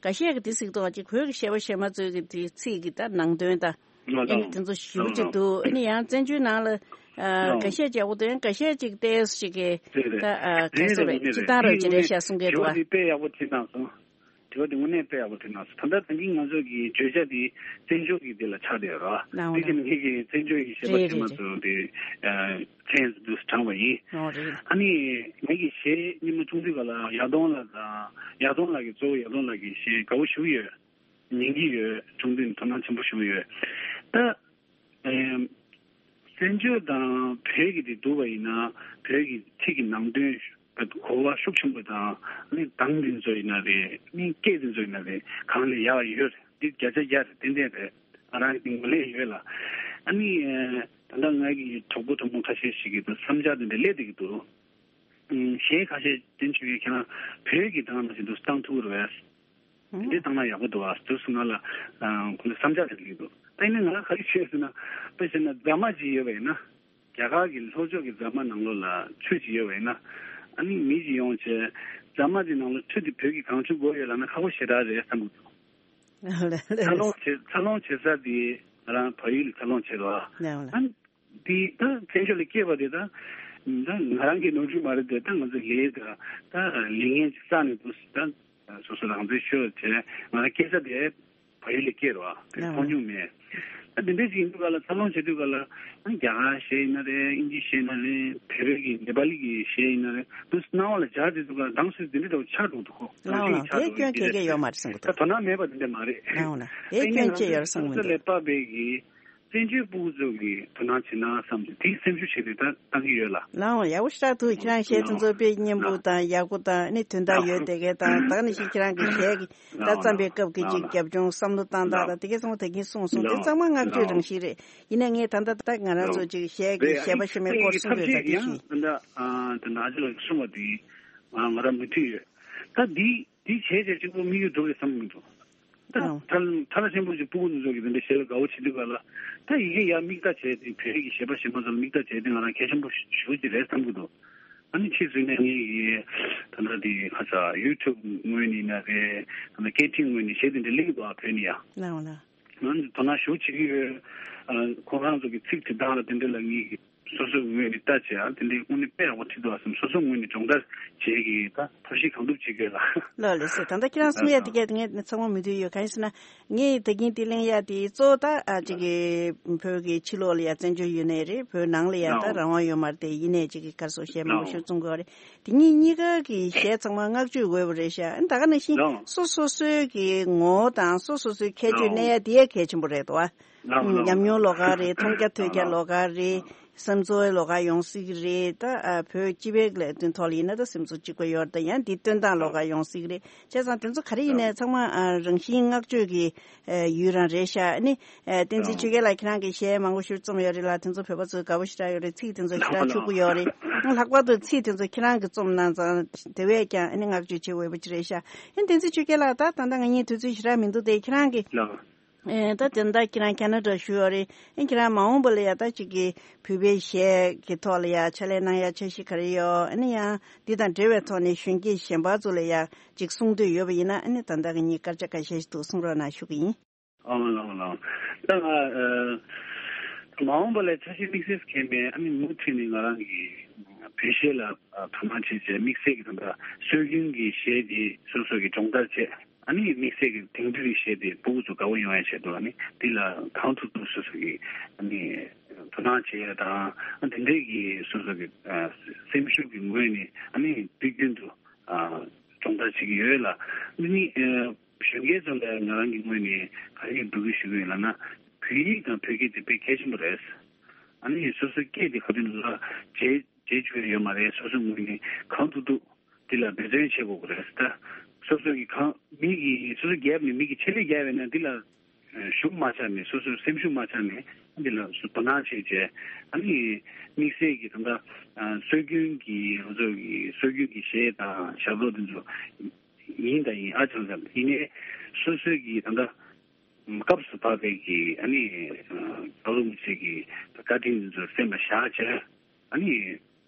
འགའ་ཤས་ཀྱིས་དེ་གཟིགས་མདོག་ཅིག་བོད་ཀྱི་གཞས་པ་གཞས་མ་ཚོས་ཀྱི་དེ་ཚིག་གི་ད་ནང་དོན་དང་ཨ་ནི་དེ་ཚོ་ཞེ་པོ་ཅིག་འདུག་ཨ་ནི་ཡང་བཙན་བྱོལ་ནང་ལ་ཨ་འགའ་ཤས་ཅིག་ཡག་པོ་འདུག་ཡང་འགའ་ཤས་ཅིག་ཏོག་ཙམ་ཅིག་གི་ད་ཨ་ག་རེ་ཟེར་རེད། སྤྱིར་བཏང་རང་ཅིག་རེད་ཤག་གསུང་གི་འདུག་བ། དེ་དཔེ་ཡག་པོ་བྲིས་གནང་སོང་། དྲི་བ་དེ་དངོས་གནས་དཔེ་ཡག་པོ་དྲིས་གནང་སོང་། ད་ལྟ་ད་གིན་ང་ཚོ་གི་བརྗོད་བྱ་དེ་བཙན་བྱོལ་གྱི་དེ་ལ་ཆགས་བསྡད་ཡོད་རེད་བ། ལའོ་དེ་བཞིན་ངེད་ཀྱི་བཙན་བྱོལ་གྱི་གཞས་པ་རེད་གཞས་མ་རེད་ཚོ་དེ་ཚན་དུ་དྲངས་པ་ཡིན། ཨོ་རེད། ཨ་ནི་ངེད་ཀྱི་གཞས་སྙན་མོ་ཆུང་དུས་ག་ལ་ཡར་ལྡོང་ལགས་དང་ཡར་ལྡོང་ལགས་ཀྱི་གཙོ་བོ་ཡར་ལྡོང་ལགས་ཀྱི་གཞས་དགའ་པོ་ཞེ་པོ་ཡོད། ཉན་གྱི་ཡོད། ཆུང་དུས་དོ་སྣང་ཆེན་པོ་ཞེ་པོ་ཡོད། ད། ཨེམ། བཙན་བྱོལ་དང་བོད་ཀྱི་དེ་བསྡུར་བ་ཡིན་ན་བོད་ཀྱི་ཚིག་གི་ནང་དོན་གོ་བ་ཤུགས་ཆེན་པོ་དང་ནི་གདངས་འདི་ཚོ་ཡིན་ན་རེད། ནི་སྐད་འདི་ཚོ་ཡིན་ན་རེད། གང་ལས་ཡག་ཡོད་རེད། འདི་བརྒྱ་ཆ་བརྒྱ་རེད། ཏན་ཏན་རེད། ང་རང་གི་ངོས་ལས་ཡོད་ལ། ཨ་ནི་ཨེ་ད་ལྟ་ང་གི་གྲོགས་པོ་གྲོགས་མོ་ཁ་ཤས་ཤིག་གིས་བསམ་འཆར་འདི་འདྲ་སླེབས་བསྡད་ཀྱི་འདུག་ཨུམ། གཞས་ཁ་ཤས་དེ་ཆུ་ཡོད་ཁྱེད་རང་བོད་ཀྱི་གདངས་ནང་བཞིན་དུ་བཏང་ཐུབ་ཀྱི་རེད་པས། དེ་འདྲའི་བཏང་ན་ཡག་པོ་འདུག་ཨ། དུས་སུ་ང་ལ་ཁོ་ལ་བསམ་འཆར་དེ་ལེགས་འདུག་ད་ཡིན་ན་ང་ག་རེ་ཤེས་ཟེར་ན། དཔེ་བྱས་ན་རྫ་མ་ཅིག་ཡོད་པ་ཡིན་ན། རྒྱ་གར་གྱི་ལྷོ་ཕྱོགས་ཀྱི་རྫ་མ་ནང་ལོགས་ལ་ཆུ་ཅིག་ཡོད་པ་ཡིན་ན། ཨ་ནི་མི་ཅིག་ཡོང་བྱས་རྫ་མ་དེ་ནང་ལ་ཆུ་དེ་བོད་ཀྱི་གང་བྱུང་དགོས་ཡོད་ལབ་ན་ཁག་པོ་ཞེ་དྲག་རེད་བསམ་གྱི་འདུག་འཚར་ལོངས་བྱེད་འཚར་ལོངས་བྱེད་ས་དེ་ང་རང་བལ་ཡུལ་འཚར་ལོངས་བྱེད་རོགས། ཨ་ནི། དེ་ད་བཙན་བྱོལ་ལ་སྐྱེས་པ་དེ་ད་ད་ང་རང་གི་ནོར་འཁྲུལ་མ་རེད་དེ། ད་ང་ཚོ་ལས་ད་ད་ལས་ངན་ཅིག་བསགས་ནས་འདུག་ད་སོ་སོ་རང་བཙན་ཤོར་བྱས་ང་རང་སྐྱེས་ས་དེ་བལ་ཡུལ་ལ་སྐྱེས་རོགས། དེ་མཐོང་མྱོང་མེད། ད་དེ་འདྲ་ཅིག་ཡིན་དུས་ག་ལ་འཚར་ལོངས་བྱེད་དུས་ག་ལ་རྒྱ་གར་གཞས་ཡིན་ན་རེད། དབྱིན་ཇི་གཞས་ཡིན་ན་རེད། བོད་པའི་གི་ནེ་པ་ལི་གི་གཞས་ཡིན་ན་རེད། འདུག་སྣང་བ་ལ་འཇགས་བསྡད་དུས་ག་ལ་གདངས་ཚོད་དེ་འདྲ་འདྲ་བོ་ཆགས་འགྲོ་འདུག་གོ། ལའོ་ལའོ་དེ་སྐྱོན་ཁྱེད་ཀྱིས་ཡོད་མ་རེད་བསམ་གི་འདུག་ད་དོ་སྣང་མེད་པ་དེ་འདྲ་མ་རེད། ལའོ་ལ་དེ་སྐྱོན་ཅི་ཡོད་རེད་བསམ་གི་འདུག་ལས་པ་བས་ཀྱི་བཙན་བྱོལ་སྤུ་གུ་ཚོ་གི་དོ་སྣང་བྱེད་ན་བསམ་སྟེ་དེའི་སེམས་ཤུགས་བྱས་ཏེ་ད་བཏང་གི་ཡོད་ལ། ལའོ་ཡག་པོ་ཞེ་དྲག་འདུག་ཁྱེད་རང་གཞས་དེ་ཚོ་དཔེ་སྙན་པོ་དང་ཡག་པོ་དང་ནི་དོན་དག་ཡོད་དེ་གས་དང་ད་ནི་ཞིག་ཁྱེད་རང་གི་གཞས་ཀྱི་ད་བརྩམས་པའི་སྐབས་ཀྱི་ཅིག་རྒྱབ་ལྗོངས་བསམ་བློ་བཏང་སྟངས་དང་དེ་གས་ཚང་མ་ད་གིན་གསུངས་སོང་། དེ་ཚང་མ་བསྔགས་བརྗོད་རང་བཞིན་རེད། ཡིན་ནའི་ངས་ད་ལྟ་ད་ང་རང་ཚོ་ཅིག་གཞས་ཀྱི་གཞས་པ་གཞས་མའི་སྐོར་གསུངས་ཡོད་ད་དེ་ཞུས། ད་ལྟ་ཨ་ད་ལྟ་ཨ་ཅག་ལགས་ཀྱིས་གསུངས་པ་དེ་ང་རང་མོས་མཐུན་ཡོད། ད་འདི། དེ་བྱས་བྱས་གཅིག་པོ་དམིགས་ཡུལ་འགྲུབ་རེད་བསམ་གྱི་འདུག་ད་ཨང་། ཐ་ཐ་ལ་ཆེན་པོ་ཞིག་སྤུ་གུ་འདི་ཚོ་གི་དེ་འདྲ་གཞས་ལ་དགའ་བོ་བྱེད་དུས་ག་ལ། ད་ཡི་གེ་ཡར་མིག་ལྟ་བྱས་ཏེ་བོད་ཀྱི་གཞས་པ་གཞས་མ་ཚོ་ལ་མིག་ལྟ་བྱས་ཏེ་ང་རང་གལ་ཆེན་པོ་ཞེ་པོ་ཅིག་རེད་བསམ་གྱི་འདུག་ཨ་ནི་ཕྱིས་སུ་ནས་ངས་ཀྱི་ད་ལྟ་དེ་ཁ་ས་ཡུ་ཊུབ་ངོས་ནས་ཡིན་ན་རེད། ད་ལྟ་སྐད་འཕྲིན་ངོས་ནས་གཞས་དེ་འདྲ་གླེང་གི་འདུག་ཨ་བོད་ནས་ཡ། ལའོ་ལ། ང་ཚོ་དོ་སྣང་ཞེ་པོ་བྱེད་ཀྱི་ཡོད། ཨ་ཁོ་རང་ཚོ་གི་ཚིག་དེ་དག་ལ་དེ་འདྲ་ལ་ངས་ཀྱི་སོ་སོའི་ངོས་ནས་ལྟ་བྱས་ཨ་དེ་འདྲའི་དངོས་གནས་དཔེ་ཡག་པོ་བྲིས་འདུག་ཨ་བསམ། སོ་སོའི་ངོས་ནས་སྦྱོང་བརྡར་བྱེད་ཀྱི་ད་ཐབས་ཤེས་གང་ཐུབ་བྱེད་དགོས་ལ། ལགས་ལགས་སོ། ད་ལྟ་ཁྱེད་རང་གསུང་ཡ་དེ་གས་ངས་ཚང་མ་མོས་མཐུན་ཡོད། གང་ཡིན་ཟེར་ན་ངས་ད་གིན་དེ་གླེང་ཡ་དེ་གཙོ་བོ་ད་ཨ་ཅིག་གི་བོད་ཀྱི་ཕྱི་ལོགས་ལ་ཡ་བཙན་བྱོལ་ཡོད་ནའི་རེད། བོད་ནང་ལ་ཡ་ད་རང་དབང་ཡོད་མ་རེད་དེ། ཡིན་ནའི་ཅིག་གི་ག་རེ་ཟེར་གཞས་མང་པོ་ཞིག་བཙུགས་དགོས་རེད། དེ་གཉིས་གཉིས་ཀ་གི་གཞས་ཚང་མ་བསྔགས་བརྗོད་འོས་པ་རེད་ཤག་ཨ་ནི་ད་ག་ནང་བཞིན་ལགས། སོ་སོ་སོའི་གི་ངོ་བོ་དང་སོ་སོ་སོའི་ཁྱད་ཆོས་ལགས། གནས་ཡ་དེ་ཡ་གལ་ཆེན་པོ་རེད་དོ། ལགས་ལགས། ཉམས་མྱོང་ལོགས་ཀ་རེད། མཐོང་རྒྱ་ཐོས་རྒྱ་ལོགས་ཀ་རེད། སེམས་ཚོར་ལོགས་ཀ་ཡོང་སྲིད་ཀྱི་རེད། ད་ཨ་བོད་སྤྱི་པའི་ལས་དོན་ཐོག་ལ་ཡིན་ན་ད་སེམས་ཚོར་གཅིག་པ་ཡོད་རེད། ད་ཡང་འདི་སྟོན་སྟངས་ལོགས་ཀ་ཡོང་སྲིད་ཀྱི་རེད། བྱས་ཙང་དེ་ཚོ་ག་རེ་ཡིན་ནའི་ཚང་མ་ཨ་རང་བཞིན་བསྔགས་བརྗོད་ཀྱི་ཨ་ཡུལ་རང་རེད་ཤག་ཨ་ནི་ཨ་བསྟན་འཛིན་ཆོས་རྒྱལ་ལགས་ཁྱེད་རང་གིས་གཞས་མང་པོ་ཞིག་རྩོམ་ཡོད་རེད་ལ། དེ་ཚོ་བོད་པ་ཚོས་དགའ་པོ་ཞེ་དྲག་ཡོད་རེད། ཚིག་དེ་ཚོ་ཞེ་དྲག་ཕྱུག་པོ་ཡོད་རེད། ལྷག་པར་དུ་ཚིག་དེ་ཚོ་ཁྱེད་རང་གིས་རྩོམ་གནང་ཙང་དེ་བས་ཀྱང་ཨ་ནི་བསྔགས་བརྗོད་བྱེད་འོས་པ་ཅིག་རེད་ཤག་ཨ་ནི་བསྟན་འཛིན་ཆོས་རྒྱལ་ལགས། ད་ད་ལྟ་ང་གཉིས་དུས་ཚོད་ཞེ་དྲག་མི་འདུག་སྟེ། ཁྱེད་རང་གིས་ཨེ་ད་དེ་འདྲ་ཁྱེད་རང་ཁ་ན་ཌ་བཞུགས་ཡོད་རེད། ཨེ་ཁྱེད་རང་མ་འོངས་པ་ལ་ཡ་ད་ཅིག་གི་བོད་པའི་གཞས་ཀྱི་ཐོག་ལ་ཡ་ཕྱག་ལས་གནང་ཡ་འཆར་གཞི་ག་རེ་ཡོད། ཨ་ནི་ཡང་འདི་དང་འབྲེལ་བའི་ཐོག་ནས་གཞོན་སྐྱེས་གཞན་པ་ཚོ་ལ་ཡ་ཅིག་གསུང་འདོད་ཡོད་པ་ཡིན་ན། ཨ་ནི་ད་ལྟ་གི་ངའི་སྐར་ཆ་ཁ་ཤས་ཤིག་འདུག་གསུང་རོགས་གནང་ཞུ་གི་ཡིན། ཨ་ལགས་ལགས། ད་ང་ཨ་མ་འོངས་པ་ལ་འཆར་གཞི་དམིགས་བསལ་གང་ཡང་མེད། ཨ་ནི་མུ་མཐུད་ནས་ང་རང་གི་བོད་གཞས་ལ་དོ་སྣང་བྱེད་ཆེད་དམིགས་བསལ་གྱི་ད་ལྟ་སྲོལ་རྒྱུན་གྱི་གཞས་དེ་སོ་སོ་གི་སྦྱོང་བརྡར་བྱས། ཨ་ནི་དམིགས་བསལ་གྱི་དེང་དུས་ཀྱི་གཞས་དེ་སྤུ་གུ་ཚོ་དགའ་བོ་ཡོང་ཡ་ཆེད་དུ། ཨ་ནི་འདི་ལ་གང་ཐུབ་ཐུབ་སོ་སོ་གི་ཨ་ནི་དོ་སྣང་བྱེད་ཡ་དང་། ཨ་དེ་འདྲའི་གི་སོ་སོ་གི་ཨ་སེམས་ཤུགས་ཀྱི་ངོས་ནས་ཨ་ནི་དུས་རྒྱུན་དུ་ཨ་སྦྱོང་བརྡར་བྱེད་ཀྱི་ཡོད་ལ། འདི་ནི་ཨ་གཞོན་སྐྱེས་ཚོ་ལ་ང་རང་གི་ངོས་ནས་ག་རེ་འབོད་སྐུལ་ཞུ་གི་ཡོད་ལབ་ན། བོད་ཡིག་དང་བོད་སྐད་དེ་དཔེ་གལ་ཆེན་པོ་རེད། ཨ་ནི་སོ་སོའི་སྐད་དེ་ག་དུས་ལ་བརྗེད་བརྗེད་བཅུག་ཡ་ཡོད་མ་རེད། སོ་སོའི་ངོས་ནས་གང་ཐུབ་ཐུབ་འདི་ལ་འབད་བརྩོན་བྱེད་དགོས་ཀྱི་རེད། ད་སོ་སོ་གི་གང་མི་གི་སོ་སོ་རྒྱབ་ནས་མི་གི་ཆེད་ལས་རྒྱབ་ཡོད་ན་འདི་ལ་ གཞུང་མ་ཆགས་ནས་སོ་སོའི་སེམས་ཤུགས་མ་ཆགས་ནས་འདི་ལ་སོ་དོ་སྣང་བྱས་བྱས་ཨ་ནི་དམིགས་བསལ་གྱི་ད་ལྟ་སྲོལ་རྒྱུན་གྱི་ང་ཚོ་གི་སྲོལ་རྒྱུན་གྱི་གཞས་དང་ཞབས་བྲོ་འདི་ཚོ་ཡིན་དང་ཡིན་ཨ་ཅང་ཙམ་ཡིན་ནའི་སོ་སོའི་གི་ད་ལྟ་སྐབས་སུ་བབས་པའི་གི་ཨ་ནི་རྒྱལ་བ་རིན་པོ་ཆེ་གི་བཀའ་དྲིན་འདི་ཚོ་སེམས་ལ་བཞག་བྱས་ཨ་ནི་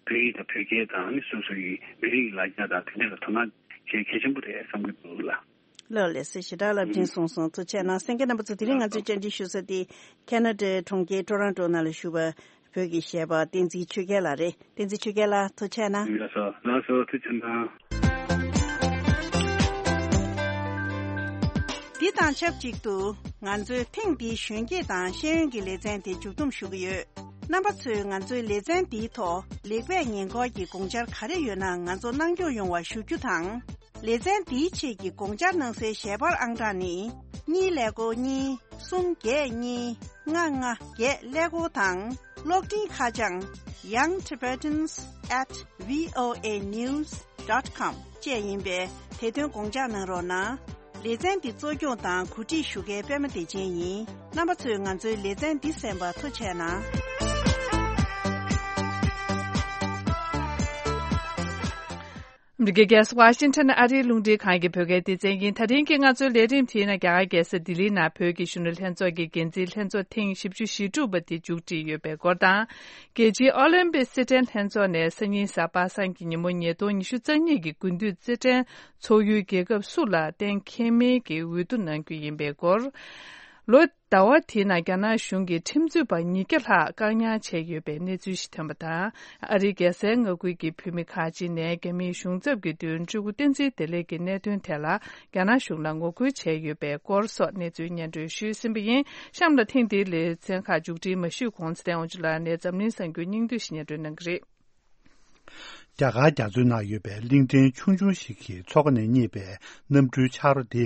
བོད་ཡིག་དང་བོད་སྐད་དང་ཨ་ནི་སོ་སོ་གི་མི་རིགས་ལ་རྒྱ་དང་དེ་འདྲ་ལ་དོ་སྣང་བྱེད་གལ་ཆེན་པོ་རེད་བསམ་གྱི་འདུག་ལ། ལགས་ལགས་སེ་ཞེ་དྲག་ལ་འཕྲིན་སོང་སོང་ཐུགས་ཆེ་གནང་གསན་མཁན་རྣམ་པ་ཚོ། དེ་རིང་ང་ཚོས་བཅར་འདྲི་ཞུ་ས་དེ་ཁེ་ན་ཌའི་གྲོང་ཁྱེར་ཊོ་རོན་ཊོ་ནང་ལ་བཞུགས་པ་བོད་ཀྱི་གཞས་པ་བསྟན་འཛིན་ཆོས་རྒྱལ་ལགས་རེད། བསྟན་འཛིན་ཆོས་རྒྱལ་ལགས་ཐུགས་ཆེ་གནང་། ལགས་སོ་ལགས་སོ་ཐུགས་ཆེ་གནང་། འདི་དང་ཆབས་ཅིག་ཏུ་ང་ཚོའི་ཐེངས་འདིའི་གཞོན་སྐྱེས་དང་ཤེས་ཡོན་གྱི་ལེ་ཚན་དེ་མཇུག་བསྡོམས་ཞུ་གི་ཡོད། རྣམ་པ་ཚོས་ང་ཚོའི་ལེ་ཚན་འདིའི་ཐོག་ལེགས་སྤེལ་ཉེས་འགོག་གི་དགོངས་འཆར་ག་རེ་ཡོད་ན་ང་ཚོ་གནང་སྐྱོང་ཡོང་བ་ཞུ་རྒྱུ་དང་། ལེ་ཚན་འདིའི་ཆེད་ཀྱི་དགོངས་འཆར་གནང་སའི་ཞལ་པར་ཨང་གྲངས་ནི། གཉིས་ཀླད་ཀོར་གཉིས། གསུམ་བརྒྱད་གཉིས། ལྔ་ལྔ་བརྒྱད་ཀླད་ཀོར་དང་། གློག་འཕྲིན་ཁ་བྱང་young tibetans at voa news dot com བཅས་ཡིན་པས་དེ་དོན་དགོངས་འཇགས་གནང་རོགས་གནང་། ལེ་ཚན་འདི་གཙོ་སྐྱོང་དང་གོ་སྒྲིག་ཞུ་མཁན་པད་མ་བདེ་ཆེན་ཡིན། རྣམ་པ་ཚོས་ང་ཚོའི་ལེ་ཚན་འདི་གསན་པར་ཐུགས་རྗེ་གནང་། ཨ་མི་རི་ཀའི་རྒྱལ་ས་ཝ་ཤིང་ཊོན་ཨ་རིའི་རླུང་འཕྲིན་ཁང་གི་བོད་སྐད་སྡེ་ཚན་ཡིན། ད་རིང་གི་ང་ཚོའི་ལས་རིམ་དེའི་ནང་རྒྱ་གར་རྒྱལ་ས་ལྡི་ལིའི་ནང་བོད་ཀྱི་གཞོན་ནུ་ལྷན་ཚོགས་ཀྱི་འགན་འཛིན་ལྷན་ཚོགས་ཐེངས་བཞི་བཅུ་ཞེ་དྲུག་པ་དེ་མཇུག་སྒྲིལ་ཡོད་པའི་སྐོར་དང་། རྒྱལ་སྤྱིའི་ཨོ་ལིམ་པིག་རྩེད་འགྲན་ལྷན་ཚོགས་ནས་སང་ཉིན་གཟའ་པ་སངས་ཀྱི་ཉིན་མོ་ཉིས་སྟོང་ཉི་ཤུ་རྩ་གཉིས་ཀྱི་དགུན་དུས་རྩེད་འགྲན་ཚོགས་ཡུལ་རྒྱལ་ཁབ་སུ་ལ་གཏན་འཁེལ་མིན་གྱི་འོས་བསྡུ་གནང་རྒྱུ་ཡིན་པའི་སྐོར། ལོ་ཟླ་བ་དེའི་ནང་རྒྱ་ནག་གཞུང་གིས་ཁྲིམས་རྩོད་པ་ཉིས་བརྒྱ་ལྷག་བཀག་ཉར་བྱས་ཡོད་པའི་གནས་ཚུལ་ཞིག་ཐོན་པ་དང་། ཨ་རིའི་རྒྱལ་སའི་མངའ་ཁུལ་གྱི་བོད་མི་ཁག་ཅིག་ནས་རྒྱ་མིའི་གཞུང་ཚབ་ཀྱི་མདུན་སྤྲུལ་སྐུ་བསྟན་འཛིན་བདེ་ལེགས་ཀྱི་གནད་དོན་ཐད་ལ་རྒྱ་ནག་གཞུང་ལ་ངོ་རྒོལ་བྱས་ཡོད་པའི་སྐོར་སོགས་གནས་ཚུལ་སྙན་སྒྲོན་ཞུས་ཟིན་པ་ཡིན། གཤམ་ལ་ཐེངས་འདིའི་ལེ་ཚན་ཁག་མཇུག་སྒྲིལ་མ་ཞུས་གོང་ཚེ་བརྟན་དབང་ཕྱུག་ལགས་ནས་འཛམ་གླིང་གསར་འགྱུར་སྙིང་བསྡུས་ཤིག་སྙན་སྒྲོན་གནང་གི་རེད། རྒྱ་གར་རྒྱ་མཚོའི་ནང་ཡོད་པའི་གླིང་ཕྲན་ཆུང་ཆུང་ཞིག་གི་མཚོ་ཁ་ནས་རྙེད་པའི་གནམ་གྲུའི་ཆག་རོ་དེ་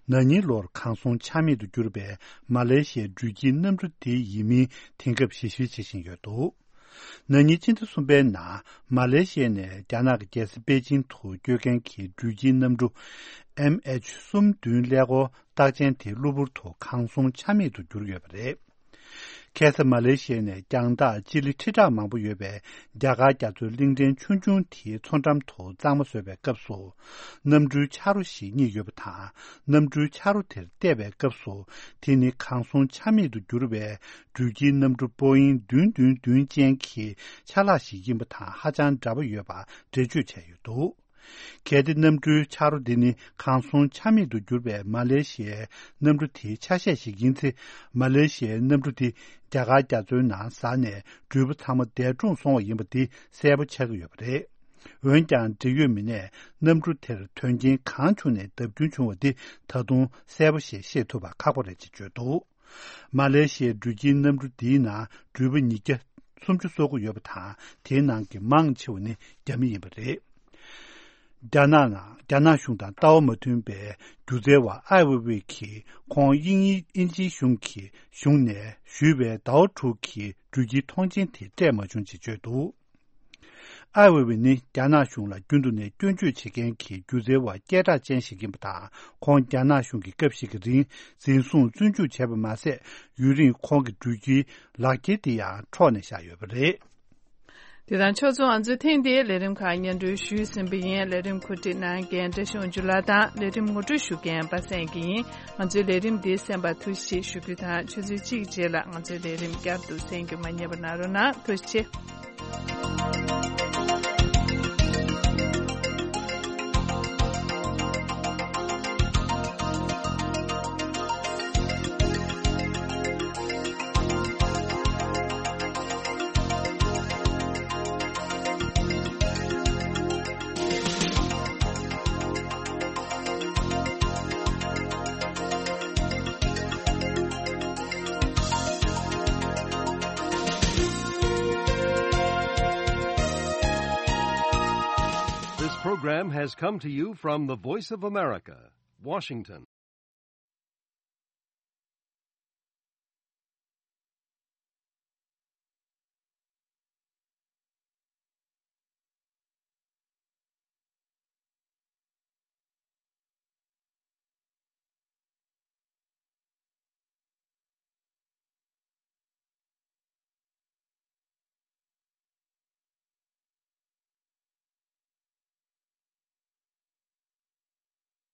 ན་ནིང་ལོར་གང་སོང་ཆ་མེད་དུ་གྱུར་པའི་མ་ལེ་ཤི་ཡའི་འགྲུལ་སྐྱེལ་གནམ་གྲུ་དེ་ཡིན་མིན་དེང་སྐབས་ཞིབ་བཤེར་བྱེད་བཞིན་ཡོད་འདུག་ན་ནིང་སྤྱི་ཟླ་གསུམ་པའི་ནང་མ་ལེ་ཤི་ཡ་ནས་རྒྱ་ནག་གི་རྒྱལ་ས་པེ་ཅིང་དུ་སྐྱོད་མཁན་གྱི་འགྲུལ་སྐྱེལ་གནམ་གྲུ་ཨེམ་ཨེཆ་གསུམ་བདུན་ཀླད་ཀོར་རྟགས་ཅན་དེ་གློ་བུར་དུ་གང་སོང་ཆ་མེད་དུ་གྱུར་ཡོད་པ་རེད། ཁ་སང་མ་ལེ་ཤི་ཡ་ནས་རྒྱང་ཐག་སྤྱི་ལེ་ཁྲི་ཕྲག་མང་པོ་ཡོད་པའི་རྒྱ་གར་རྒྱ་མཚོའི་གླིང་ཕྲན་ཆུང་ཆུང་དེའི་མཚོ་འགྲམ་དུ་གཙང་མ་བཟོས་པའི་སྐབས་སུ། གནམ་གྲུའི་ཆག་རོ་ཞིག་རྙེད་ཡོད་པ་དང་། གནམ་གྲུའི་ཆག་རོ་དེར་བལྟས་པའི་སྐབས་སུ། དེ་ནི་གང་སོང་ཆ་མེད་དུ་གྱུར་བའི་འགྲུལ་སྐྱེལ་གནམ་གྲུ་པོ་ཨིན་བདུན་བདུན་བདུན་ཅན་གྱི་ཆ་ལག་ཞིག་ཡིན་པ་དང་ཧ་ཅང་འདྲ་པོ་ཡོད་པ་འགྲེལ་བརྗོད་བྱས་ཡོད་འདུག་གལ་ཏེ་གནམ་གྲུའི་ཆག་རོ་འདི་ནི་གང་སོང་ཆ་མེད་དུ་གྱུར་པའི་མ་ལེ་ཤི་ཡའི་གནམ་གྲུ་དེའི་ཆ་ཤས་ཤིག་ཡིན་ཚེ། མ་ལེ་ཤི་ཡའི་གནམ་གྲུ་དེ་རྒྱ་གར་རྒྱ་མཚོའི་ནང་ཟགས་ནས་འགྲུལ་པ་ཚང་མ་འདས་གྲོངས་སོང་བ་ཡིན་པ་འདི་གསལ་པོ་ཆགས་ཀྱི་ཡོད་པ་རེད། འོན་ཀྱང་འབྲེལ་ཡོད་མི་སྣས་གནམ་གྲུ་དེར་དོན་རྐྱེན་གང་བྱུང་ནས་བརྡབ་སྐྱོན་བྱུང་བ་འདི་ད་དུང་གསལ་པོ་ཞིག་ཤེས་ཐུབ་པ་ཁག་པོ་རེད་ཅེས་བརྗོད་འདུག་མ་ལེ་ཤི་ཡའི་འགྲུལ་སྐྱེལ་གནམ་གྲུ་འདིའི་ནང་འགྲུལ་པ་ཉིས་བརྒྱ་སུམ་ཅུ་སོ་དགུ་ཡོད་པ་དང་། དེའི་ནང་གི་མང་ཆེ་བ་ནི་རྒྱ་མི་ཡིན་པ་རེད། རྒྱ་ནག་ནང་རྒྱ་ནག་གཞུང་དང་ལྟ་བ་མ་མཐུན་པའི་སྒྱུ་རྩལ་བ་ཨའེ་ཝེ་ཝེ་གིས་ཁོང་དབྱིན་ཡིག་དབྱིན་ཇིའི་གཞུང་གི་གཞུང་ནས་ཞུས་པའི་ཟླ་བ་དྲུག་གི་འགྲུལ་སྐྱེལ་ཐོངས་མཆན་དེ་སྤྲད་མ་བྱུང་ཅེས་བརྗོད་འདུག་ཨའེ་ཝེ་ཝེ་ནི་རྒྱ་ནག་གཞུང་ལ་རྒྱུན་དུ་ནས་སྐྱོན་བརྗོད་བྱེད་མཁན་གྱི་སྒྱུ་རྩལ་བ་སྐད་གྲགས་ཅན་ཞིག་ཡིན་པ་དང་། ཁོང་རྒྱ་ནག་གཞུང་གི་སྐབས་ཤིག་གི་རིང་འཛིན་བཟུང་བཙོན་འཇུག་བྱས་པ་མ་ཟད། ཡུན་རིང་ཁོང་གི་འགྲུལ་སྐྱེལ་ལག་འཁྱེར་དེ་ཡང་འཕྲོག་ནས་བཞག་ཡོད་པ་རེད། དེ་དང་ཕྱོགས་མཚུངས་ང་ཚོའི་ཐེངས་འདིའི་ལས་རིམ་ཁག་སྙན་སྒྲོན་ཞུས་ཟིན་པ་ཡིན། ལས་རིམ་གོ་སྒྲིག་གནང་མཁན་བཀྲ་ཤིས་དབང་ཕྱུག་ལགས་དང་ལས་རིམ་ངོ་སྤྲོད་ཞུ་མཁན་པ་སངས་སྐྱིད་ཡིན། ང་ཚོའི་ལས་རིམ་འདི་གསན་པར་ཐུགས་རྗེ་ཆེ་ཞུ་རྒྱུ་དང་། ཆུ་ཚོད་གཅིག་རྗེས་ལ་ང་ཚོའི་ལས་རིམ་བསྐྱར་དུ་གསན་རྒྱུ་མ་བསྙེལ་བ་གནང་རོགས་གནང་། ཐུགས་རྗེ་ཆེ། This program has come to you from the Voice of America, Washington.